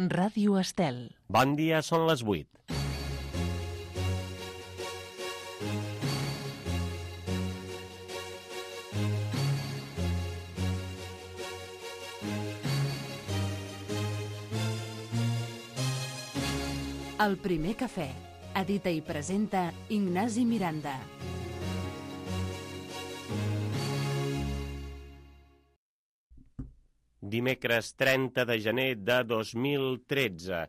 Ràdio Estel. Bon dia, són les 8. El primer cafè. Edita i presenta Ignasi Miranda. Dimecres 30 de gener de 2013.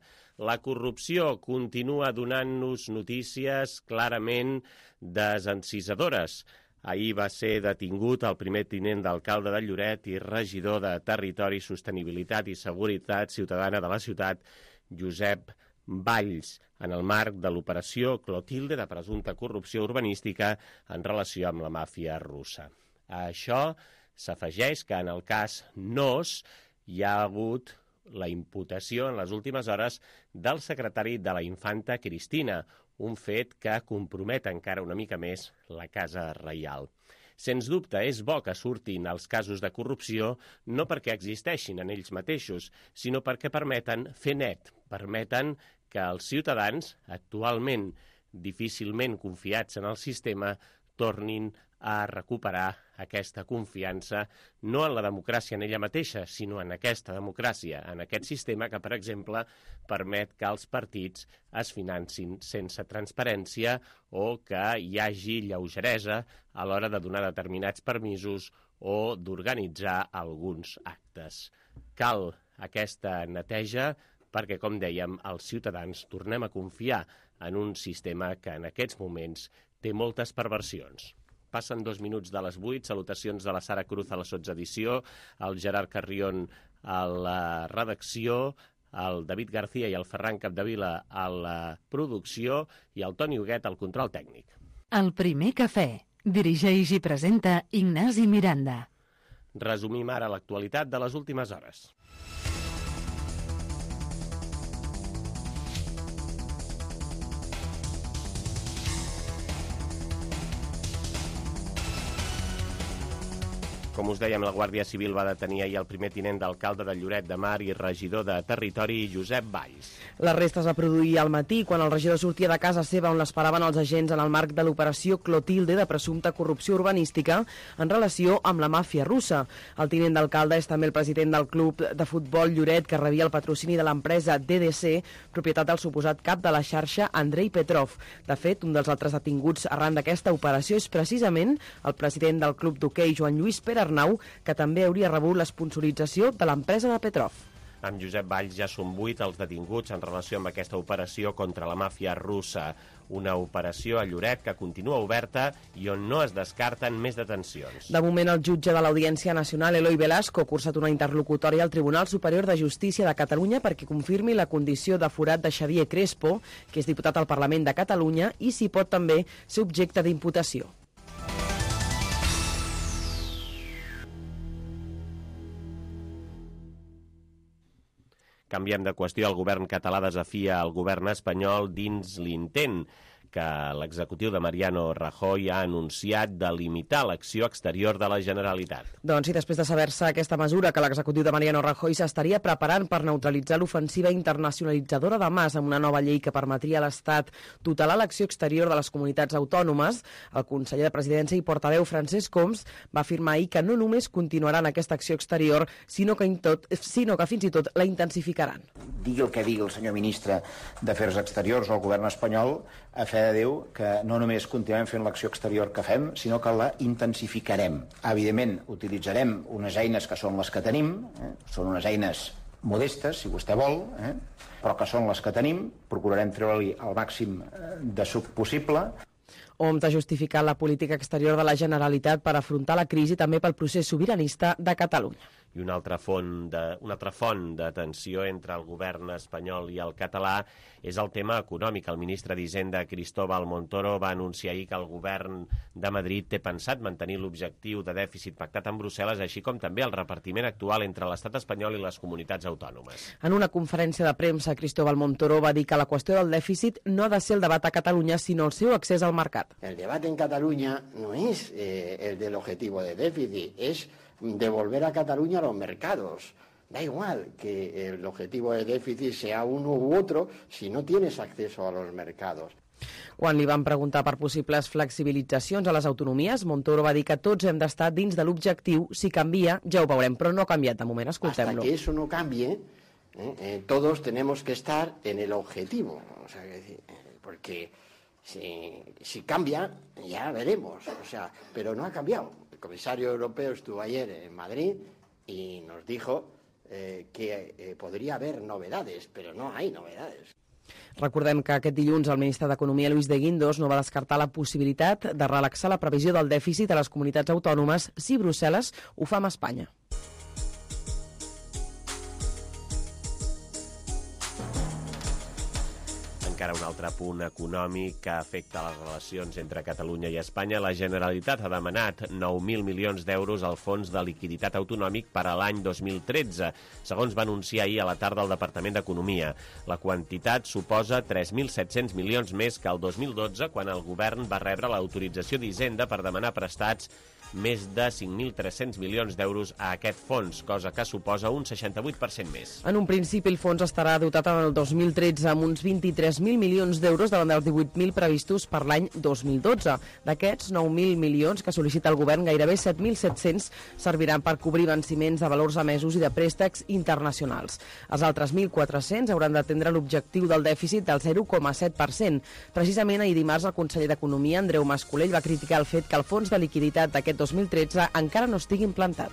La corrupció continua donant-nos notícies clarament desencisadores. Ahir va ser detingut el primer tinent d'alcalde de Lloret i regidor de Territori, Sostenibilitat i Seguretat Ciutadana de la ciutat, Josep Valls, en el marc de l'operació Clotilde de presumpta corrupció urbanística en relació amb la màfia russa. A això s'afegeix que en el cas Nos hi ha hagut la imputació en les últimes hores del secretari de la infanta Cristina, un fet que compromet encara una mica més la Casa Reial. Sens dubte, és bo que surtin els casos de corrupció no perquè existeixin en ells mateixos, sinó perquè permeten fer net, permeten que els ciutadans, actualment difícilment confiats en el sistema, tornin a recuperar aquesta confiança no en la democràcia en ella mateixa, sinó en aquesta democràcia, en aquest sistema que, per exemple, permet que els partits es financin sense transparència o que hi hagi lleugeresa a l'hora de donar determinats permisos o d'organitzar alguns actes. Cal aquesta neteja perquè, com dèiem, els ciutadans tornem a confiar en un sistema que en aquests moments té moltes perversions. Passen 2 minuts de les 8, salutacions de la Sara Cruz a la sotsedició, el Gerard Carrion a la redacció, el David García i el Ferran Capdevila a la producció i el Toni Huguet al control tècnic. El primer cafè. Dirigeix i presenta Ignasi Miranda. Resumim ara l'actualitat de les últimes hores. Com us dèiem, la Guàrdia Civil va detenir ahir el primer tinent d'alcalde de Lloret de Mar i regidor de Territori, Josep Valls. L'arrest es va produir al matí, quan el regidor sortia de casa seva on l'esperaven els agents en el marc de l'operació Clotilde de presumpta corrupció urbanística en relació amb la màfia russa. El tinent d'alcalde és també el president del club de futbol Lloret, que rebia el patrocini de l'empresa DDC, propietat del suposat cap de la xarxa Andrei Petrov. De fet, un dels altres detinguts arran d'aquesta operació és precisament el president del club d'hoquei, Joan Lluís Pere Arnau, que també hauria rebut l'esponsorització de l'empresa de Petrov. Amb Josep Valls ja són 8 els detinguts en relació amb aquesta operació contra la màfia russa. Una operació a Lloret que continua oberta i on no es descarten més detencions. De moment, el jutge de l'Audiència Nacional, Eloi Velasco, ha cursat una interlocutòria al Tribunal Superior de Justícia de Catalunya perquè confirmi la condició de forat de Xavier Crespo, que és diputat al Parlament de Catalunya, i si pot també ser objecte d'imputació. Canviem de qüestió. El govern català desafia el govern espanyol dins l'intent que l'executiu de Mariano Rajoy ha anunciat de limitar l'acció exterior de la Generalitat. Doncs sí, després de saber-se aquesta mesura que l'executiu de Mariano Rajoy s'estaria preparant per neutralitzar l'ofensiva internacionalitzadora de Mas amb una nova llei que permetria a l'Estat tutelar l'acció exterior de les comunitats autònomes, el conseller de Presidència i portaveu Francesc Homs va afirmar ahir que no només continuaran aquesta acció exterior, sinó que fins i tot la intensificaran. Digui el que digui el senyor ministre d'Afers Exteriors o el govern espanyol, a fe de Déu que no només continuem fent l'acció exterior que fem, sinó que la intensificarem. Evidentment, utilitzarem unes eines que són les que tenim, són unes eines modestes, si vostè vol, però que són les que tenim, procurarem treure-li el màxim de suc possible. Homs ha justificat la política exterior de la Generalitat per afrontar la crisi també pel procés sobiranista de Catalunya. I una altra font de tensió entre el govern espanyol i el català és el tema econòmic. El ministre d'Hisenda, Cristóbal Montoro, va anunciar ahir que el govern de Madrid té pensat mantenir l'objectiu de dèficit pactat amb Brussel·les, així com també el repartiment actual entre l'estat espanyol i les comunitats autònomes. En una conferència de premsa, Cristóbal Montoro va dir que la qüestió del dèficit no ha de ser el debat a Catalunya, sinó el seu accés al mercat. El debate en Cataluña no es el del objetivo de déficit, es devolver a Cataluña los mercados, Da igual que el objetivo de déficit sea uno u otro si no tienes acceso a los mercados. Quan li van preguntar per possibles flexibilitzacions a les autonomies, Montoro va dir que tots hem d'estar dins de l'objectiu. Si canvia, ja ho veurem, però no ha canviat de moment. Escoltem-lo. Hasta que eso no cambie, todos tenemos que estar en el objetivo. O sea, porque si cambia, ya veremos. O sea, pero no ha cambiado. El comisario europeo estuvo ayer en Madrid y nos dijo que podría haber novedades, pero no hay novedades. Recordem que aquest dilluns el ministre d'Economia, Luis de Guindos, no va descartar la possibilitat de relaxar la previsió del dèficit a les comunitats autònomes si Brussel·les ho fa amb Espanya. Encara un altre punt econòmic que afecta les relacions entre Catalunya i Espanya. La Generalitat ha demanat 9.000 milions d'euros al Fons de Liquiditat Autonòmic per a l'any 2013, segons va anunciar ahir a la tarda el Departament d'Economia. La quantitat suposa 3.700 milions més que el 2012, quan el govern va rebre l'autorització d'Hisenda per demanar prestats més de 5.300 milions d'euros a aquest fons, cosa que suposa un 68% més. En un principi, el fons estarà dotat en el 2013 amb uns 23.000 milions d'euros davant dels 18.000 previstos per l'any 2012. D'aquests 9.000 milions que sol·licita el govern, gairebé 7.700 serviran per cobrir venciments de valors emesos i de préstecs internacionals. Els altres 1.400 hauran d'atendre l'objectiu del dèficit del 0,7%. Precisament ahir dimarts el conseller d'Economia, Andreu Mas-Colell, va criticar el fet que el fons de liquiditat d'aquest 2013 encara no estigui implantat.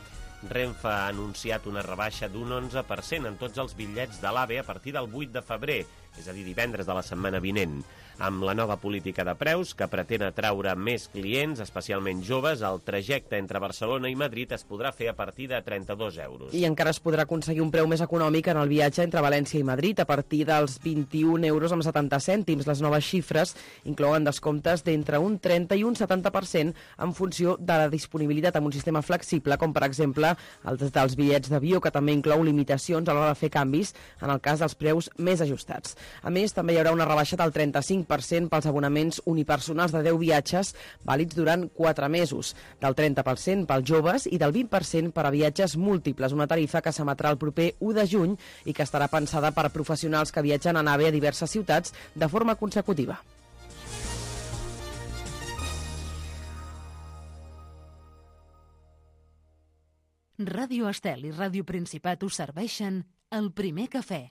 Renfe ha anunciat una rebaixa d'un 11% en tots els bitllets de l'AVE a partir del 8 de febrer, és a dir, divendres de la setmana vinent. Amb la nova política de preus, que pretén atraure més clients, especialment joves, el trajecte entre Barcelona i Madrid es podrà fer a partir de 32 euros. I encara es podrà aconseguir un preu més econòmic en el viatge entre València i Madrid, a partir dels 21 euros amb 70 cèntims. Les noves xifres inclouen descomptes d'entre un 30 i un 70% en funció de la disponibilitat amb un sistema flexible, com per exemple el dels bitllets d'avió, que també inclou limitacions a l'hora de fer canvis en el cas dels preus més ajustats. A més, també hi haurà una rebaixa del 35% pels abonaments unipersonals de 10 viatges vàlids durant 4 mesos, del 30% pels joves i del 20% per a viatges múltiples, una tarifa que s'emetrà el proper 1 de juny i que estarà pensada per a professionals que viatgen en AVE a diverses ciutats de forma consecutiva. Ràdio Estel i Ràdio Principat us serveixen el primer cafè.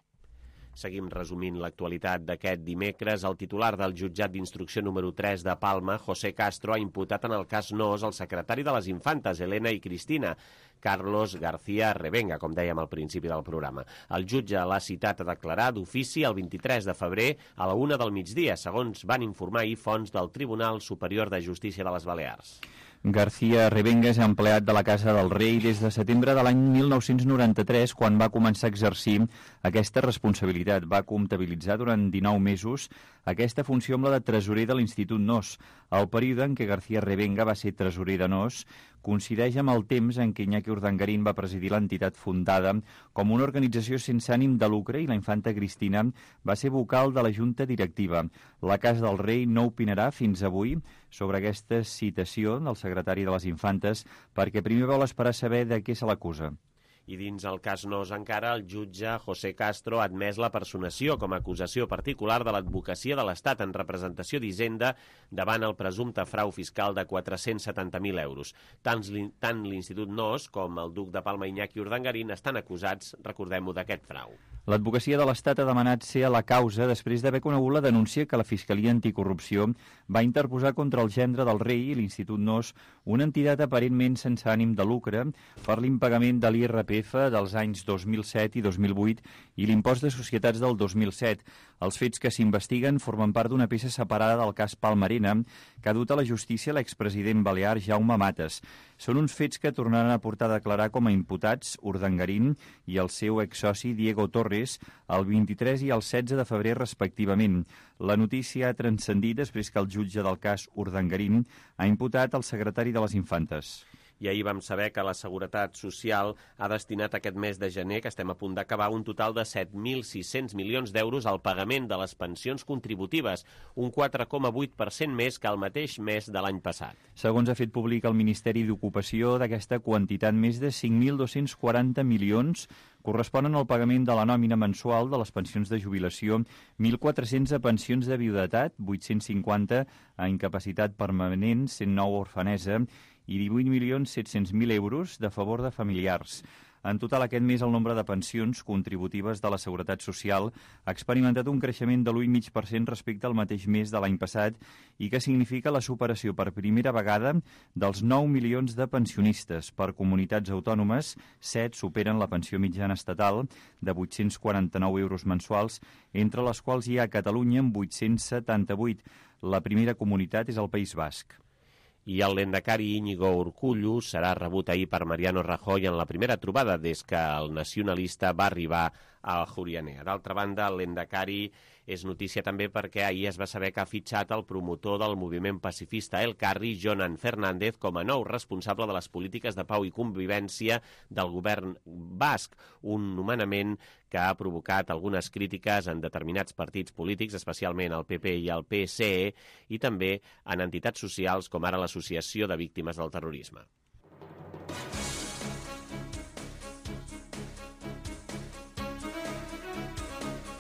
Seguim resumint l'actualitat d'aquest dimecres. El titular del jutjat d'instrucció número 3 de Palma, José Castro, ha imputat en el cas Nos el secretari de les Infantes, Elena i Cristina, Carlos García Revenga, com dèiem al principi del programa. El jutge l'ha citat a declarar d'ofici el 23 de febrer a la 1 del migdia, segons van informar ahir fonts del Tribunal Superior de Justícia de les Balears. García Revenga és empleat de la Casa del Rei des de setembre de l'any 1993, quan va començar a exercir aquesta responsabilitat. Va comptabilitzar durant 19 mesos aquesta funció amb la de tresorer de l'Institut Nos. El període en què García Revenga va ser tresorer de Nos coincideix amb el temps en què Iñaki Urdangarín va presidir l'entitat fundada com una organització sense ànim de lucre i la infanta Cristina va ser vocal de la junta directiva. La Casa del Rei no opinarà fins avui sobre aquesta citació del secretari de les Infantes perquè primer vol esperar a saber de què se l'acusa. I dins el cas Nos encara, el jutge José Castro ha admès la personació com a acusació particular de l'advocacia de l'Estat en representació d'Hisenda davant el presumpte frau fiscal de 470.000 euros. Tant l'Institut Nos com el duc de Palma Iñaki Urdangarín estan acusats, recordem-ho, d'aquest frau. L'advocacia de l'Estat ha demanat ser a la causa després d'haver conegut la denúncia que la Fiscalia Anticorrupció va interposar contra el gendre del rei i l'Institut Nos, una entitat aparentment sense ànim de lucre, per l'impagament de l'IRPF dels anys 2007 i 2008 i l'impost de societats del 2007. Els fets que s'investiguen formen part d'una peça separada del cas Palmarena que ha dut a la justícia l'expresident balear Jaume Matas. Són uns fets que tornaran a portar a declarar com a imputats Urdangarín i el seu exsoci Diego Torres el 23 i el 16 de febrer respectivament. La notícia ha transcendit després que el jutge del cas Urdangarín ha imputat el secretari de les Infantes. i ahir vam saber que la Seguretat Social ha destinat aquest mes de gener, que estem a punt d'acabar, un total de 7.600 milions d'euros al pagament de les pensions contributives, un 4,8% més que el mateix mes de l'any passat. Segons ha fet públic el Ministeri d'Ocupació, d'aquesta quantitat, més de 5.240 milions corresponen al pagament de la nòmina mensual de les pensions de jubilació, 1.400 a pensions de viudetat, 850 a incapacitat permanent, 109 a orfanesa i 18.700.000 euros de favor de familiars. En total, aquest mes, el nombre de pensions contributives de la Seguretat Social ha experimentat un creixement de l'1,5% respecte al mateix mes de l'any passat i que significa la superació per primera vegada dels 9 milions de pensionistes. Per comunitats autònomes, 7 superen la pensió mitjana estatal de 849 euros mensuals, entre les quals hi ha Catalunya amb 878. La primera comunitat és el País Basc. I el lendakari Íñigo Urkullu serà rebut ahir per Mariano Rajoy en la primera trobada des que el nacionalista va arribar a Ajuria Enea. D'altra banda, el lendakari és notícia també perquè ahir es va saber que ha fitxat el promotor del moviment pacifista El Carri, Jonan Fernández, com a nou responsable de les polítiques de pau i convivència del govern basc, un nomenament que ha provocat algunes crítiques en determinats partits polítics, especialment el PP i el PSE, i també en entitats socials com ara l'Associació de Víctimes del Terrorisme.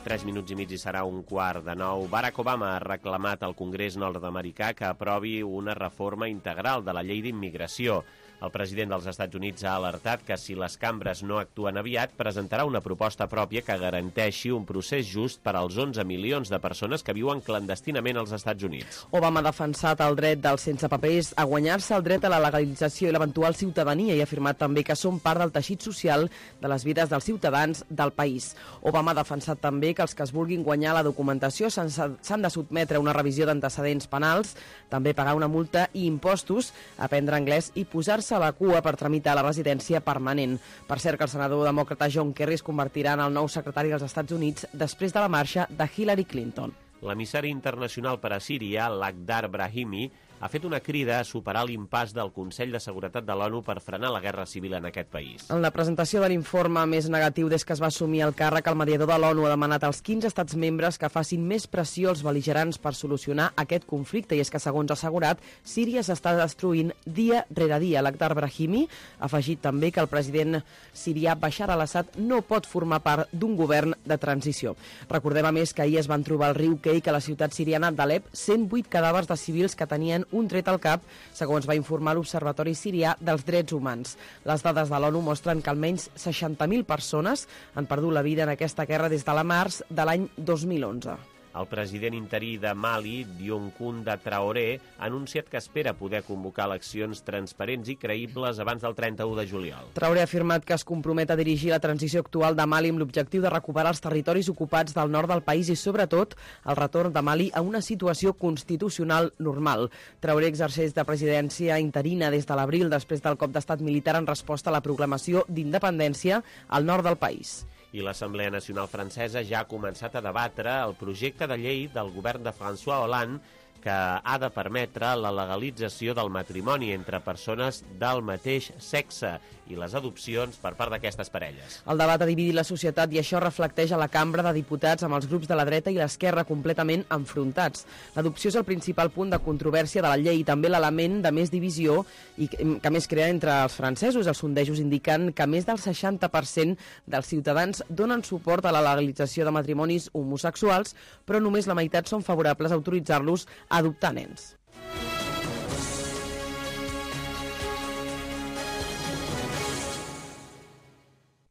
Tres minuts i mig i serà 8:45. Barack Obama ha reclamat al Congrés nord-americà que aprovi una reforma integral de la llei d'immigració. El president dels Estats Units ha alertat que si les cambres no actuen aviat, presentarà una proposta pròpia que garanteixi un procés just per als 11 milions de persones que viuen clandestinament als Estats Units. Obama ha defensat el dret dels sense papers a guanyar-se el dret a la legalització i l'eventual ciutadania i ha afirmat també que són part del teixit social de les vides dels ciutadans del país. Obama ha defensat també que els que es vulguin guanyar la documentació s'han de sotmetre a una revisió d'antecedents penals, també pagar una multa i impostos, aprendre anglès i posar-se a la cua per tramitar la residència permanent. Per cert, que el senador demòcrata John Kerry es convertirà en el nou secretari dels Estats Units després de la marxa de Hillary Clinton. L'emissari internacional per a Síria, Lakhdar Brahimi, ha fet una crida a superar l'impàs del Consell de Seguretat de l'ONU per frenar la guerra civil en aquest país. En la presentació de l'informe més negatiu des que es va assumir el càrrec, el mediador de l'ONU ha demanat als 15 estats membres que facin més pressió als bel·ligerants per solucionar aquest conflicte, i és que, segons ha assegurat, Síria s'està destruint dia rere dia. Lakhdar Brahimi ha afegit també que el president sirià Bashar al-Assad no pot formar part d'un govern de transició. Recordem, a més, que ahir es van trobar al riu Keik, a la ciutat siriana d'Alep, 108 cadàvers de civils que tenien un tret al cap, segons va informar l'Observatori Sirià dels Drets Humans. Les dades de l'ONU mostren que almenys 60.000 persones han perdut la vida en aquesta guerra des de la març de l'any 2011. El president interí de Mali, Dioncounda Traoré, ha anunciat que espera poder convocar eleccions transparents i creïbles abans del 31 de juliol. Traoré ha afirmat que es compromet a dirigir la transició actual de Mali amb l'objectiu de recuperar els territoris ocupats del nord del país i, sobretot, el retorn de Mali a una situació constitucional normal. Traoré exerceix de presidència interina des de l'abril, després del cop d'estat militar en resposta a la proclamació d'independència al nord del país. I l'Assemblea Nacional Francesa ja ha començat a debatre el projecte de llei del govern de François Hollande que ha de permetre la legalització del matrimoni entre persones del mateix sexe i les adopcions per part d'aquestes parelles. El debat ha dividit la societat i això reflecteix a la Cambra de Diputats amb els grups de la dreta i l'esquerra completament enfrontats. L'adopció és el principal punt de controvèrsia de la llei i també l'element de més divisió i que més crea entre els francesos. Els sondejos indiquen que més del 60% dels ciutadans donen suport a la legalització de matrimonis homosexuals, però només la meitat són favorables a autoritzar-los a adoptar nens.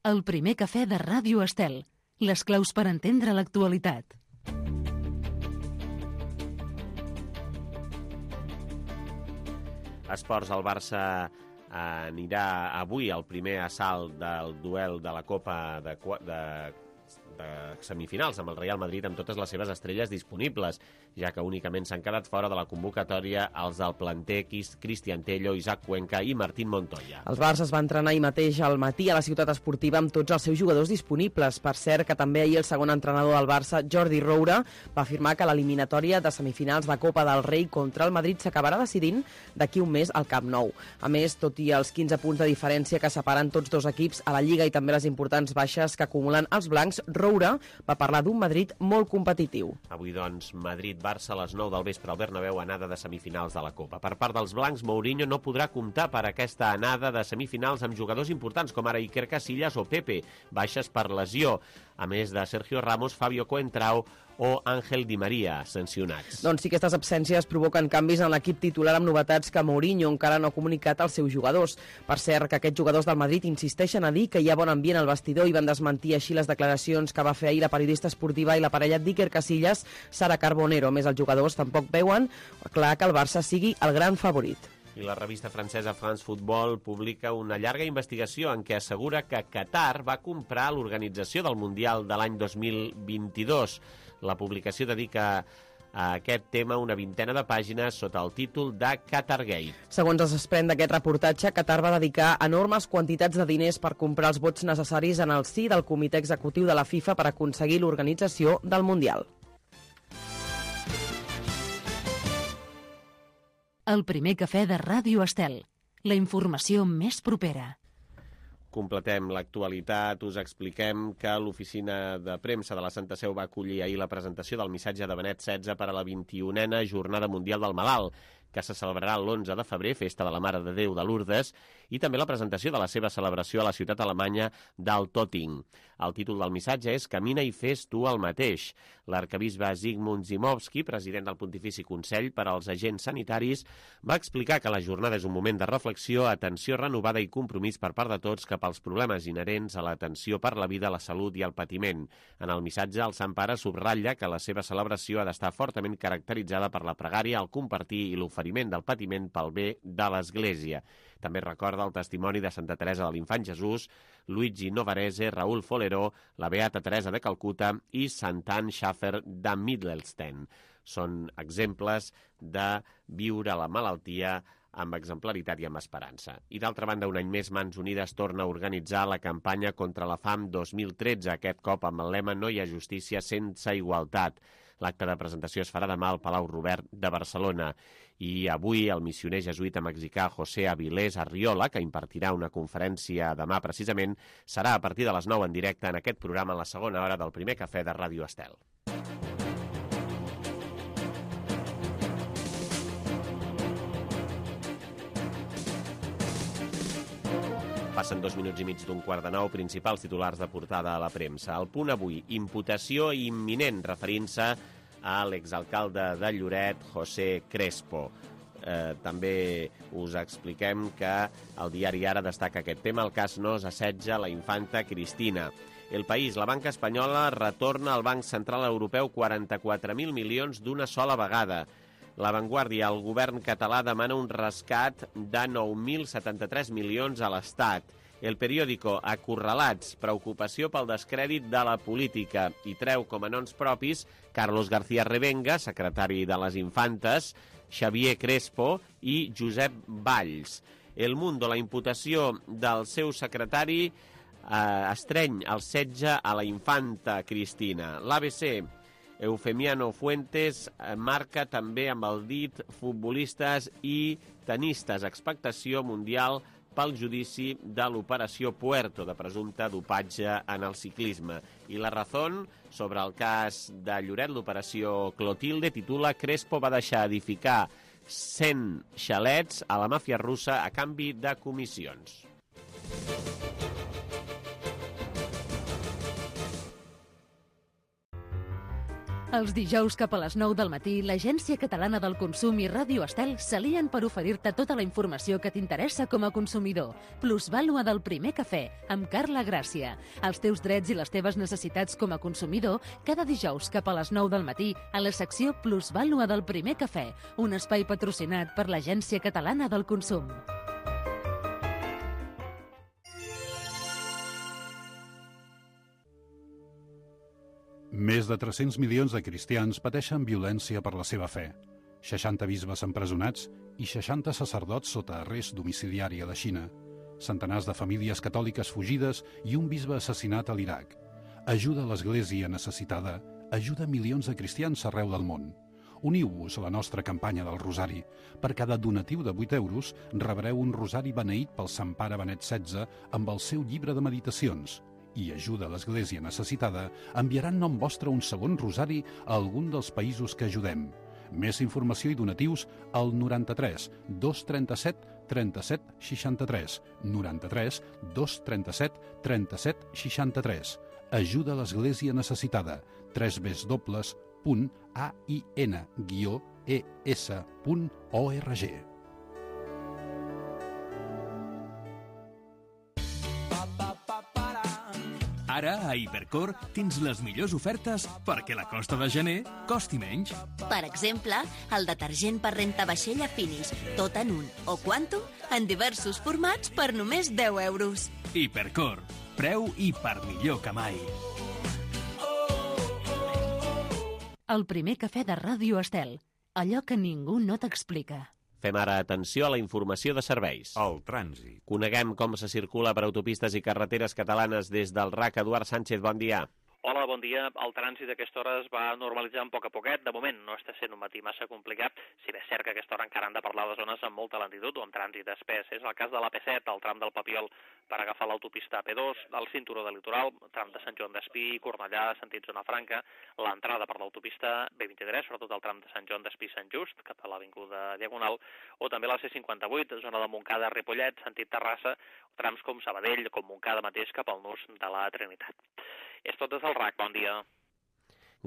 El primer cafè de Ràdio Estel. Les claus per entendre l'actualitat. Esports, el Barça anirà avui al primer assalt del duel de la Copa semifinals, amb el Real Madrid amb totes les seves estrelles disponibles, ja que únicament s'han quedat fora de la convocatòria els del planter Cristian Tello, Isaac Cuenca i Martín Montoya. El Barça es va entrenar ahir mateix al matí a la ciutat esportiva amb tots els seus jugadors disponibles. Per cert, que també ahir el segon entrenador del Barça, Jordi Roura, va afirmar que l'eliminatòria de semifinals de Copa del Rei contra el Madrid s'acabarà decidint d'aquí un mes al Camp Nou. A més, tot i els 15 punts de diferència que separen tots dos equips a la Lliga i també les importants baixes que acumulen els blancs, Roura va parlar d'un Madrid molt competitiu. Avui, doncs, Madrid-Barça a les 9 del vespre al Bernabéu, anada de semifinals de la Copa. Per part dels blancs, Mourinho no podrà comptar per aquesta anada de semifinals amb jugadors importants com ara Iker Casillas o Pepe, baixes per lesió, a més de Sergio Ramos, Fabio Coentrao o Ángel Di María, sancionats. Doncs sí que aquestes absències provoquen canvis en l'equip titular amb novetats que Mourinho encara no ha comunicat als seus jugadors. Per cert, que aquests jugadors del Madrid insisteixen a dir que hi ha bon ambient al vestidor i van desmentir així les declaracions que va fer ahir la periodista esportiva i la parella d'Iker Casillas, Sara Carbonero. A més, els jugadors tampoc veuen clar que el Barça sigui el gran favorit. I la revista francesa France Football publica una llarga investigació en què assegura que Qatar va comprar l'organització del Mundial de l'any 2022. La publicació dedica a aquest tema una vintena de pàgines sota el títol de Qatargate. Segons es desprèn d'aquest reportatge, Qatar va dedicar enormes quantitats de diners per comprar els vots necessaris en el si del comitè executiu de la FIFA per aconseguir l'organització del Mundial. El primer cafè de Ràdio Estel. La informació més propera. Completem l'actualitat, us expliquem que l'oficina de premsa de la Santa Seu va acollir ahir la presentació del missatge de Benet XVI per a la 21a Jornada Mundial del Malalt, que se celebrarà l'11 de febrer, festa de la Mare de Déu de Lourdes, i també la presentació de la seva celebració a la ciutat alemanya d'Altötting. El títol del missatge és Camina i fes tu el mateix. L'arquebisbe Zygmunt Zimowski, president del Pontifici Consell per als Agents Sanitaris, va explicar que la jornada és un moment de reflexió, atenció renovada i compromís per part de tots cap als problemes inherents a l'atenció per la vida, la salut i el patiment. En el missatge, el Sant Pare subratlla que la seva celebració ha d'estar fortament caracteritzada per la pregària, el compartir i l'oferiment del patiment pel bé de l'Església. També recorda el testimoni de Santa Teresa de l'Infant Jesús, Luigi Novarese, Raúl Foleró, la Beata Teresa de Calcuta i Sant Anne Schaffer de Middelsten. Són exemples de viure la malaltia amb exemplaritat i amb esperança. I d'altra banda, un any més, Mans Unides torna a organitzar la campanya contra la fam 2013, aquest cop amb el lema No hi ha justícia sense igualtat. L'acte de presentació es farà demà al Palau Robert de Barcelona. I avui el missioner jesuïta mexicà José Avilés Arriola, que impartirà una conferència demà precisament, serà a partir de les 9 en directe en aquest programa en la segona hora del primer cafè de Ràdio Estel. Passen 2 minuts i mig d'un quart de 9, principals titulars de portada a la premsa. El Punt avui, imputació imminent, referint-se a l'exalcalde de Lloret, José Crespo. També us expliquem que el diari Ara destaca aquest tema. El cas Nos assetja la infanta Cristina. El País, la banca espanyola retorna al Banc Central Europeu 44.000 milions d'una sola vegada. La Vanguardia, el govern català demana un rescat de 9.073 milions a l'Estat. El Periódico, acorralats, preocupació pel descrèdit de la política, i treu com a noms propis Carlos García Revenga, secretari de les Infantes, Xavier Crespo i Josep Valls. El Mundo, la imputació del seu secretari estreny el setge a la infanta Cristina. L'ABC, Eufemiano Fuentes marca també amb el dit futbolistes i tenistes. Expectació mundial pel judici de l'operació Puerto, de presumpte dopatge en el ciclisme. I La Razón, sobre el cas de Lloret, l'operació Clotilde, titula Crespo va deixar edificar 100 xalets a la màfia russa a canvi de comissions. Els dijous cap a les 9 del matí, l'Agència Catalana del Consum i Ràdio Estel s'alien per oferir-te tota la informació que t'interessa com a consumidor. Plusvàlua del primer cafè, amb Carla Gràcia. Els teus drets i les teves necessitats com a consumidor, cada dijous cap a les 9 del matí, a la secció Plusvàlua del primer cafè, un espai patrocinat per l'Agència Catalana del Consum. Més de 300 milions de cristians pateixen violència per la seva fe. 60 bisbes empresonats i 60 sacerdots sota arrest domiciliari a la Xina. Centenars de famílies catòliques fugides i un bisbe assassinat a l'Iraq. Ajuda a l'Església necessitada, ajuda milions de cristians arreu del món. Uniu-vos a la nostra campanya del Rosari. Per cada donatiu de 8 euros rebreu un rosari beneït pel Sant Pare Benet XVI amb el seu llibre de meditacions. I ajuda a l'Església necessitada enviarà en nom vostre un segon rosari a algun dels països que ajudem. Més informació i donatius al 93 237 37 63. 93 237 37 63. Ajuda a l'Església necessitada. www.ain-es.org. Ara, a Hipercor, tens les millors ofertes perquè la costa de gener costi menys. Per exemple, el detergent per rentavaixella Finis, tot en un, o Quantum, en diversos formats per només 10 euros. Hipercor, preu i per millor que mai. El primer cafè de Ràdio Estel, allò que ningú no t'explica. Fem ara atenció a la informació de serveis. El trànsit. Coneguem com se circula per autopistes i carreteres catalanes des del RAC. Eduard Sánchez, bon dia. Hola, bon dia. El trànsit a aquesta hora es va normalitzant a poc a poquet. De moment no està sent un matí massa complicat, si bé és cert que a aquesta hora encara han de parlar de zones amb molta lentitud o amb trànsit espès. És el cas de l'AP7, el tram del Papiol per agafar l'autopista AP2, el cinturó de litoral, tram de Sant Joan d'Espí, Cornellà, sentit Zona Franca, l'entrada per l'autopista B23, sobretot el tram de Sant Joan d'Espí Sant Just, cap a l'avinguda Diagonal, o també la C58, zona de Montcada, Ripollet, sentit Terrassa, trams com Sabadell, com Montcada mateix, cap al nus de la Trinitat. És tot des del RAC, bon dia.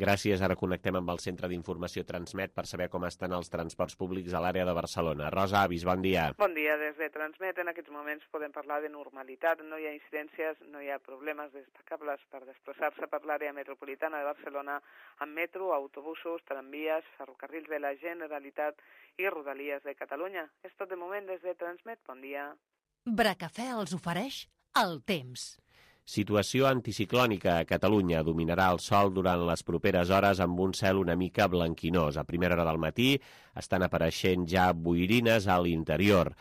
Gràcies. Ara connectem amb el Centre d'Informació Transmet per saber com estan els transports públics a l'àrea de Barcelona. Rosa Avis, bon dia. Bon dia. Des de Transmet en aquests moments podem parlar de normalitat. No hi ha incidències, no hi ha problemes destacables per desplaçar-se per l'àrea metropolitana de Barcelona amb metro, autobusos, tramvies, ferrocarrils de la Generalitat i Rodalies de Catalunya. És tot de moment des de Transmet. Bon dia. Bracafè els ofereix el temps. Situació anticiclònica a Catalunya. Dominarà el sol durant les properes hores amb un cel una mica blanquinós. A primera hora del matí estan apareixent ja boirines a l'interior.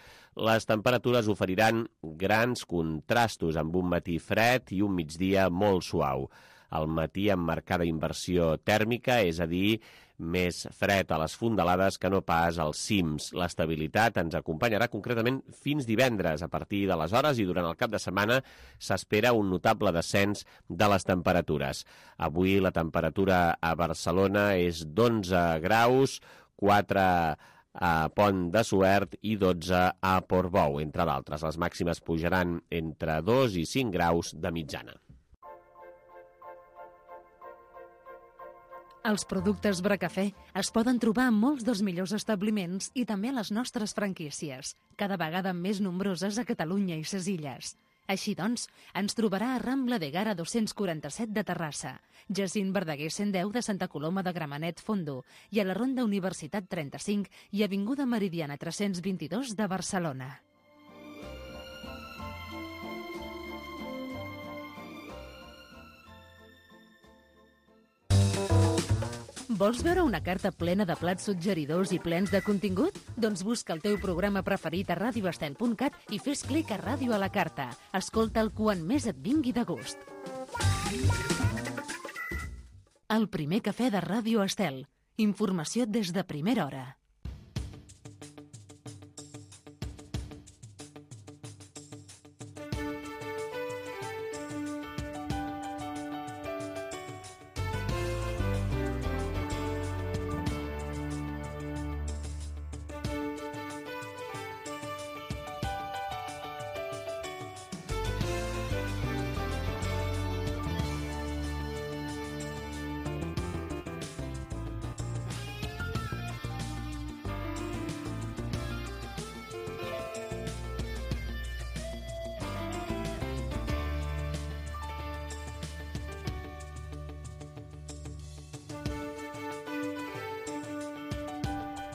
Les temperatures oferiran grans contrastos amb un matí fred i un migdia molt suau. Al matí amb marcada inversió tèrmica, és a dir, més fred a les fondalades que no pas als cims. L'estabilitat ens acompanyarà concretament fins divendres. A partir d'aleshores i durant el cap de setmana s'espera un notable descens de les temperatures. Avui la temperatura a Barcelona és d'11 graus, 4 a Pont de Suert i 12 a Portbou, entre d'altres. Les màximes pujaran entre 2 i 5 graus de mitjana. Els productes Bracafè es poden trobar en molts dels millors establiments i també a les nostres franquícies, cada vegada més nombroses a Catalunya i ses illes. Així doncs, ens trobarà a Rambla de Gara 247 de Terrassa, Jacint Verdaguer 110 de Santa Coloma de Gramenet Fondo i a la Ronda Universitat 35 i Avinguda Meridiana 322 de Barcelona. Vols veure una carta plena de plats suggeridors i plens de contingut? Doncs busca el teu programa preferit a radioestel.cat i fes clic a Ràdio a la carta. Escolta'l quan més et vingui de gust. El primer cafè de Ràdio Estel. Informació des de primera hora.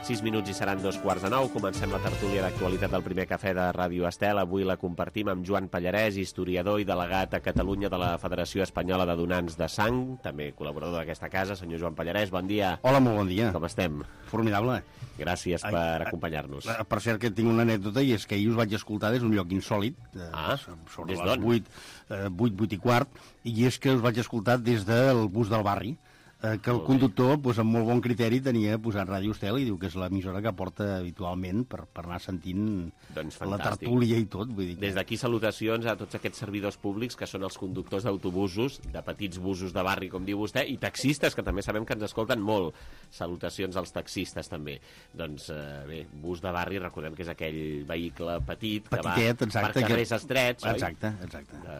6 minuts i seran 2:15. Comencem la tertúlia d'actualitat del primer cafè de Ràdio Estel. Avui la compartim amb Joan Pallarès, historiador i delegat a Catalunya de la Federació Espanyola de Donants de Sang, també col·laborador d'aquesta casa. Senyor Joan Pallarès, bon dia. Hola, molt bon dia. Com estem? Formidable. Gràcies per acompanyar-nos. Per cert, que tinc una anècdota, i és que ahir us vaig escoltar des d'un lloc insòlit, sobre les 8:15, i és que us vaig escoltar des del bus del barri, que el conductor, amb molt bon criteri, tenia posat Ràdio Estel i diu que és l'emissora que porta habitualment per anar sentint la tertúlia i tot. Vull dir que... Des d'aquí salutacions a tots aquests servidors públics que són els conductors d'autobusos, de petits busos de barri, com diu vostè, i taxistes, que també sabem que ens escolten molt. Salutacions als taxistes, també. Doncs bé, bus de barri, recordem que és aquell vehicle petit que va per carrers estrets, oi? Exacte.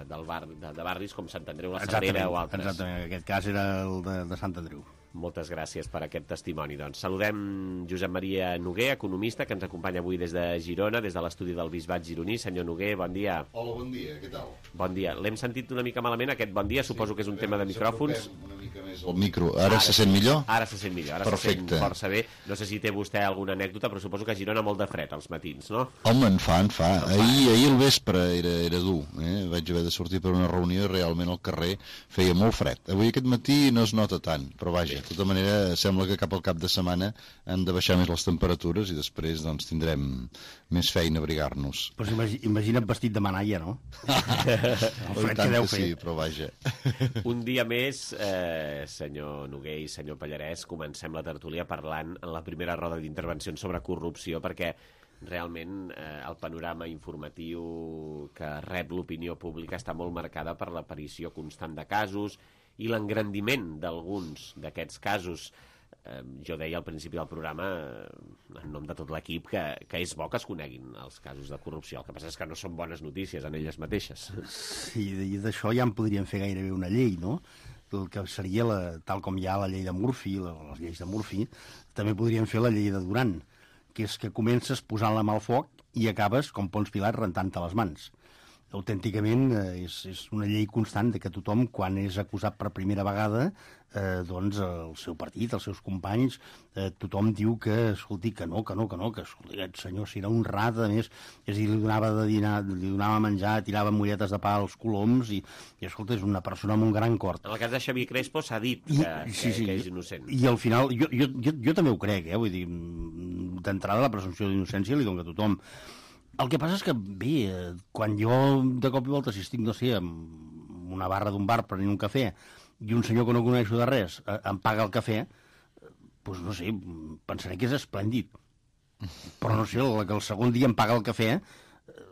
De barris com Sant Andreu, la Sagrera o altres. Exactament, en aquest cas era el de Sant Andreu. Moltes gràcies per aquest testimoni. Doncs saludem Josep Maria Noguer, economista, que ens acompanya avui des de Girona, des de l'estudi del Bisbat gironí. Senyor Noguer, bon dia. Hola, bon dia, què tal? Bon dia. L'hem sentit una mica malament, aquest bon dia. Suposo que és un tema de micròfons. Una mica més el micro. Ara se sent millor? Ara se sent millor. Ara perfecte. Se sent força bé. No sé si té vostè alguna anècdota, però suposo que a Girona molt de fred als matins, no? Home, en fa. Ahir al vespre era dur. Vaig haver de sortir per una reunió i realment al carrer feia molt fred. Avui aquest matí no es nota tant, però vaja, de tota manera sembla que cap al cap de setmana han de baixar més les temperatures i després doncs tindrem més feina a abrigar-nos. Pues imagina't vestit de manalla, no? El fred que deu fer. Sí, però vaja. Un dia més, senyor Noguer i senyor Pallarès, comencem la tertúlia parlant en la primera roda d'intervencions sobre corrupció, perquè realment el panorama informatiu que rep l'opinió pública està molt marcada per l'aparició constant de casos i l'engrandiment d'alguns d'aquests casos. Jo deia al principi del programa, en nom de tot l'equip, que és bo que es coneguin els casos de corrupció. El que passa és que no són bones notícies en elles mateixes. Sí, i d'això ja en podríem fer gairebé una llei, no? El que seria, tal com hi ha la llei de Murphy, les lleis de Murphy, també podríem fer la llei de Duran, que és que comences posant la mà al foc i acabes, com Pons Pilat, rentant-te les mans. Autènticament és una llei constant de que tothom, quan és acusat per primera vegada, doncs el seu partit, els seus companys, tothom diu que, escolti, que no, que escolti, aquest senyor si era honrat, a més, és a dir, li donava de dinar, li donava menjar, tirava molletes de pa als coloms, i escolta, és una persona amb un gran cor. En el cas de Xavier Crespo s'ha dit que és innocent. I al final, jo també ho crec, vull dir, d'entrada la presumpció d'innocència li dona a tothom. El que passa és que, bé, quan jo de cop i volta, si estic, no sé, en una barra d'un bar prenent un cafè i un senyor que no coneixo de res em paga el cafè, doncs no sé, pensaré que és esplèndid. Però no sé, que el segon dia em paga el cafè,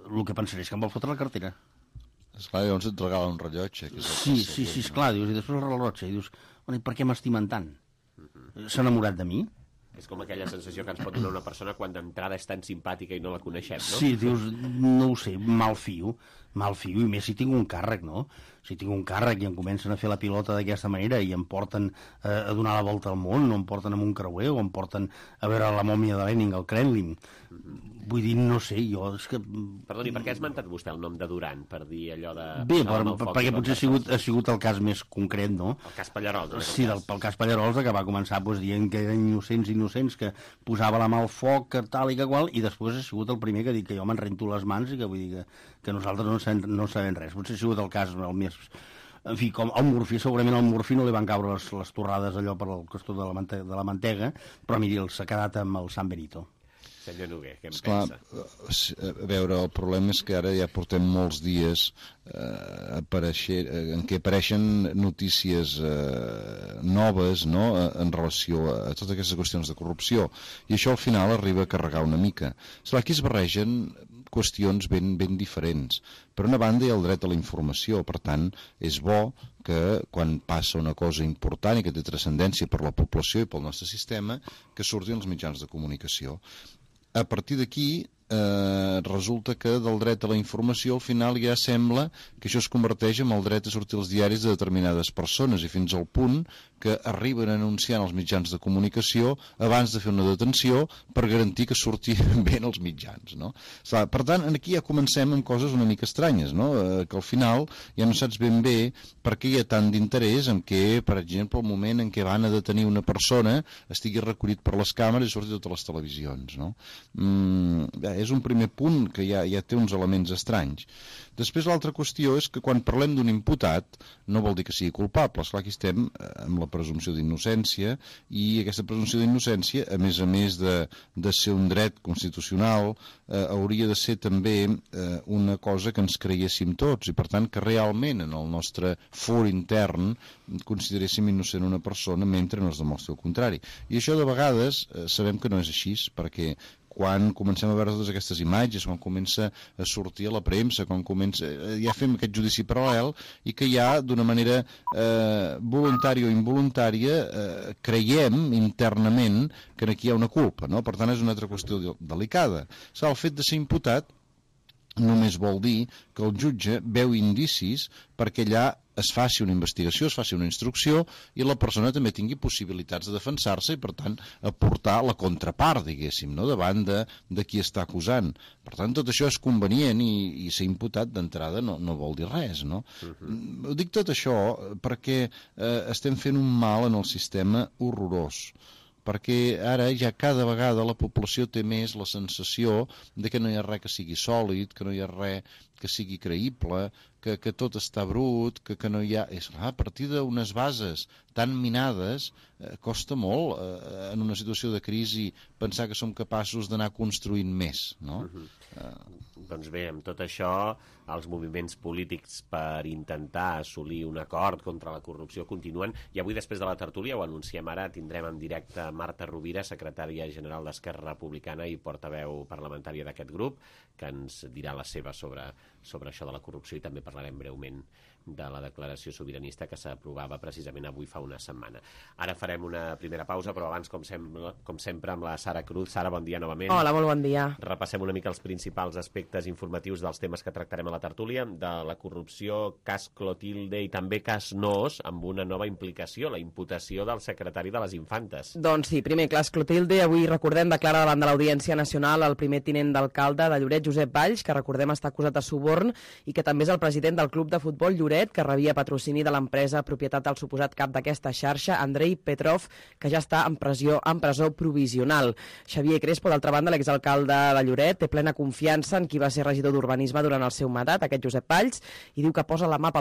el que pensaré és que em vol fotre la cartera. Esclar, llavors et regala un rellotge. Sí, esclar, dius, i després el rellotge, i dius, per què m'estimen tant? S'ha enamorat de mi? És com aquella sensació que ens pot donar una persona quan d'entrada és tan simpàtica i no la coneixem, no? Sí, dius, no ho sé, malfio, i més si tinc un càrrec, no? Si tinc un càrrec i em comencen a fer la pilota d'aquesta manera i em porten a donar la volta al món, o em porten amb un creuer, o em porten a veure la mòmia de Lenin, el Kremlin. Vull dir, no sé, jo és que... Perdoni, per què ha esmentat vostè el nom de Duran? Per dir allò de... Bé, perquè potser ha sigut el cas més concret, no? El cas Pallarols. Sí, pel cas Pallarols, que va començar dient que eren innocents, que posava la mà al foc, que tal i que qual, i després ha sigut el primer que ha dit que jo me'n rento les mans i que vull dir que nosaltres no sabem res. Potser ha sigut el cas el més... En fi, com el Murphy, segurament al Murphy no li van caure les torrades allò per el costat de la mantega, però miri, s'ha quedat amb el San Benito. Senyor Noguer, què en pensa? A veure, el problema és que ara ja portem molts dies en què apareixen notícies noves, no?, en relació a totes aquestes qüestions de corrupció, i això al final arriba a carregar una mica. Esclar, aquí es barregen qüestions ben diferents. Per una banda hi ha el dret a la informació, per tant, és bo que quan passa una cosa important i que té transcendència per la població i pel nostre sistema, que surtin els mitjans de comunicació. A partir d'aquí resulta que del dret a la informació al final ja sembla que això es converteix en el dret a sortir als diaris de determinades persones, i fins al punt que arriben a anunciar als mitjans de comunicació abans de fer una detenció per garantir que surti bé en els mitjans, no? Per tant, aquí ja comencem amb coses una mica estranyes, no? Que al final ja no saps ben bé per què hi ha tant d'interès en què, per exemple, el moment en què van a detenir una persona estigui recollit per les càmeres i surti a totes les televisions, no? És un primer punt que ja té uns elements estranys. Després l'altra qüestió és que quan parlem d'un imputat no vol dir que sigui culpable. Esclar, aquí estem amb la presumpció d'innocència, i aquesta presumpció d'innocència, a més de ser un dret constitucional, hauria de ser també una cosa que ens creiéssim tots, i per tant que realment en el nostre for intern consideréssim innocent una persona mentre no es demostri el contrari. I això de vegades sabem que no és així, perquè quan comencem a veure totes aquestes imatges, quan comença a sortir a la premsa, quan comença, ja fem aquest judici paral·lel, i que ja d'una manera voluntària o involuntària creiem internament que aquí hi ha una culpa, no? Per tant és una altra qüestió delicada. El fet de ser imputat només vol dir que el jutge veu indicis perquè allà es faci una investigació, es faci una instrucció, i la persona també tingui possibilitats de defensar-se i, per tant, aportar la contrapart, diguéssim, no? Davant de qui està acusant. Per tant, tot això és convenient, i ser imputat d'entrada no vol dir res, no? Ho dic tot això perquè estem fent un mal en el sistema horrorós, perquè ara ja cada vegada la població té més la sensació de que no hi ha res que sigui sòlid, que no hi ha res que sigui creïble, que tot està brut, que no hi ha... A partir d'unes bases tan minades costa molt en una situació de crisi pensar que som capaços d'anar construint més, no? Doncs bé, amb tot això, els moviments polítics per intentar assolir un acord contra la corrupció continuen, i avui, després de la tertúlia, ho anunciem ara, tindrem en directe Marta Rovira, secretària general d'Esquerra Republicana i portaveu parlamentària d'aquest grup, que ens dirà la seva sobre això de la corrupció, i també parlarem breument de la declaració sobiranista que s'aprovava precisament avui fa una setmana. Ara farem una primera pausa, però abans, com sempre, amb la Sara Cruz. Sara, bon dia novament. Hola, molt bon dia. Repassem una mica els principals aspectes informatius dels temes que tractarem a la tertúlia, de la corrupció, cas Clotilde i també cas Noos, amb una nova implicació, la imputació del secretari de les Infantes. Doncs sí, primer cas Clotilde, avui recordem declara davant de l'Audiència Nacional el primer tinent d'alcalde de Lloret, Josep Valls, que recordem està acusat de suborn i que també és el president del club de futbol Lloret, que rebia patrocini de l'empresa propietat del suposat cap d'aquesta xarxa, Andrei Petrov, que ja està en presó provisional. Xavier Crespo, d'altra banda, l'exalcalde de Lloret, té plena confiança en qui va ser regidor d'Urbanisme durant el seu mandat, aquest Josep Valls, i diu que posa la mà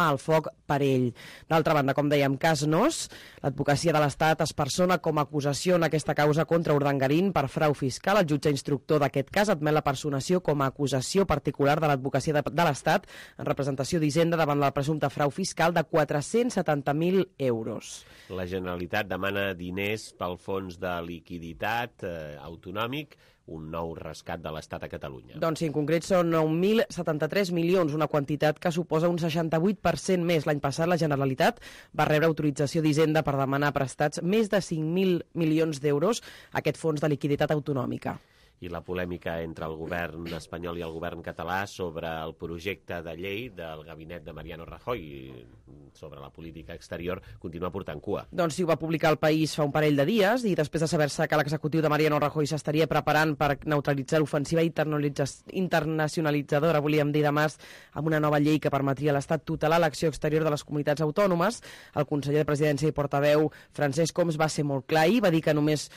al foc per ell. D'altra banda, com dèiem, cas Noos, l'advocacia de l'Estat es persona com a acusació en aquesta causa contra Urdangarín per frau fiscal. El jutge instructor d'aquest cas admet la personació com a acusació particular de l'advocacia de l'Estat en representació d'Hisenda davant la presumpte frau fiscal de 470.000 euros. La Generalitat demana diners pel fons de liquiditat autonòmic, un nou rescat de l'Estat a Catalunya. Doncs sí, en concret són 9.073 milions, una quantitat que suposa un 68% més. L'any passat la Generalitat va rebre autorització d'Hisenda per demanar prestats més de 5.000 milions d'euros a aquest fons de liquiditat autonòmica. I la polèmica entre el govern espanyol i el govern català sobre el projecte de llei del gabinet de Mariano Rajoy sobre la política exterior continua portant cua. Doncs sí, ho va publicar El País fa un parell de dies, i després de saber-se que l'executiu de Mariano Rajoy s'estaria preparant per neutralitzar l'ofensiva internacionalitzadora, volíem dir, de Mas, amb una nova llei que permetria a l'Estat tutelar l'acció exterior de les comunitats autònomes, el conseller de Presidència i portaveu Francesc Homs va ser molt clar i va dir que no només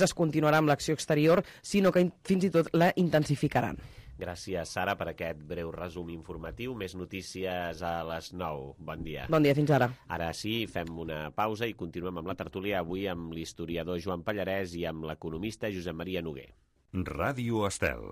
es continuarà amb l'acció exterior, sinó que fins i tot la intensificaran. Gràcies, Sara, per aquest breu resum informatiu. Més notícies a les 9. Bon dia. Bon dia, fins ara. Ara sí, fem una pausa i continuem amb la tertúlia, avui amb l'historiador Joan Pallarès i amb l'economista Josep Maria Noguer. Ràdio Estel.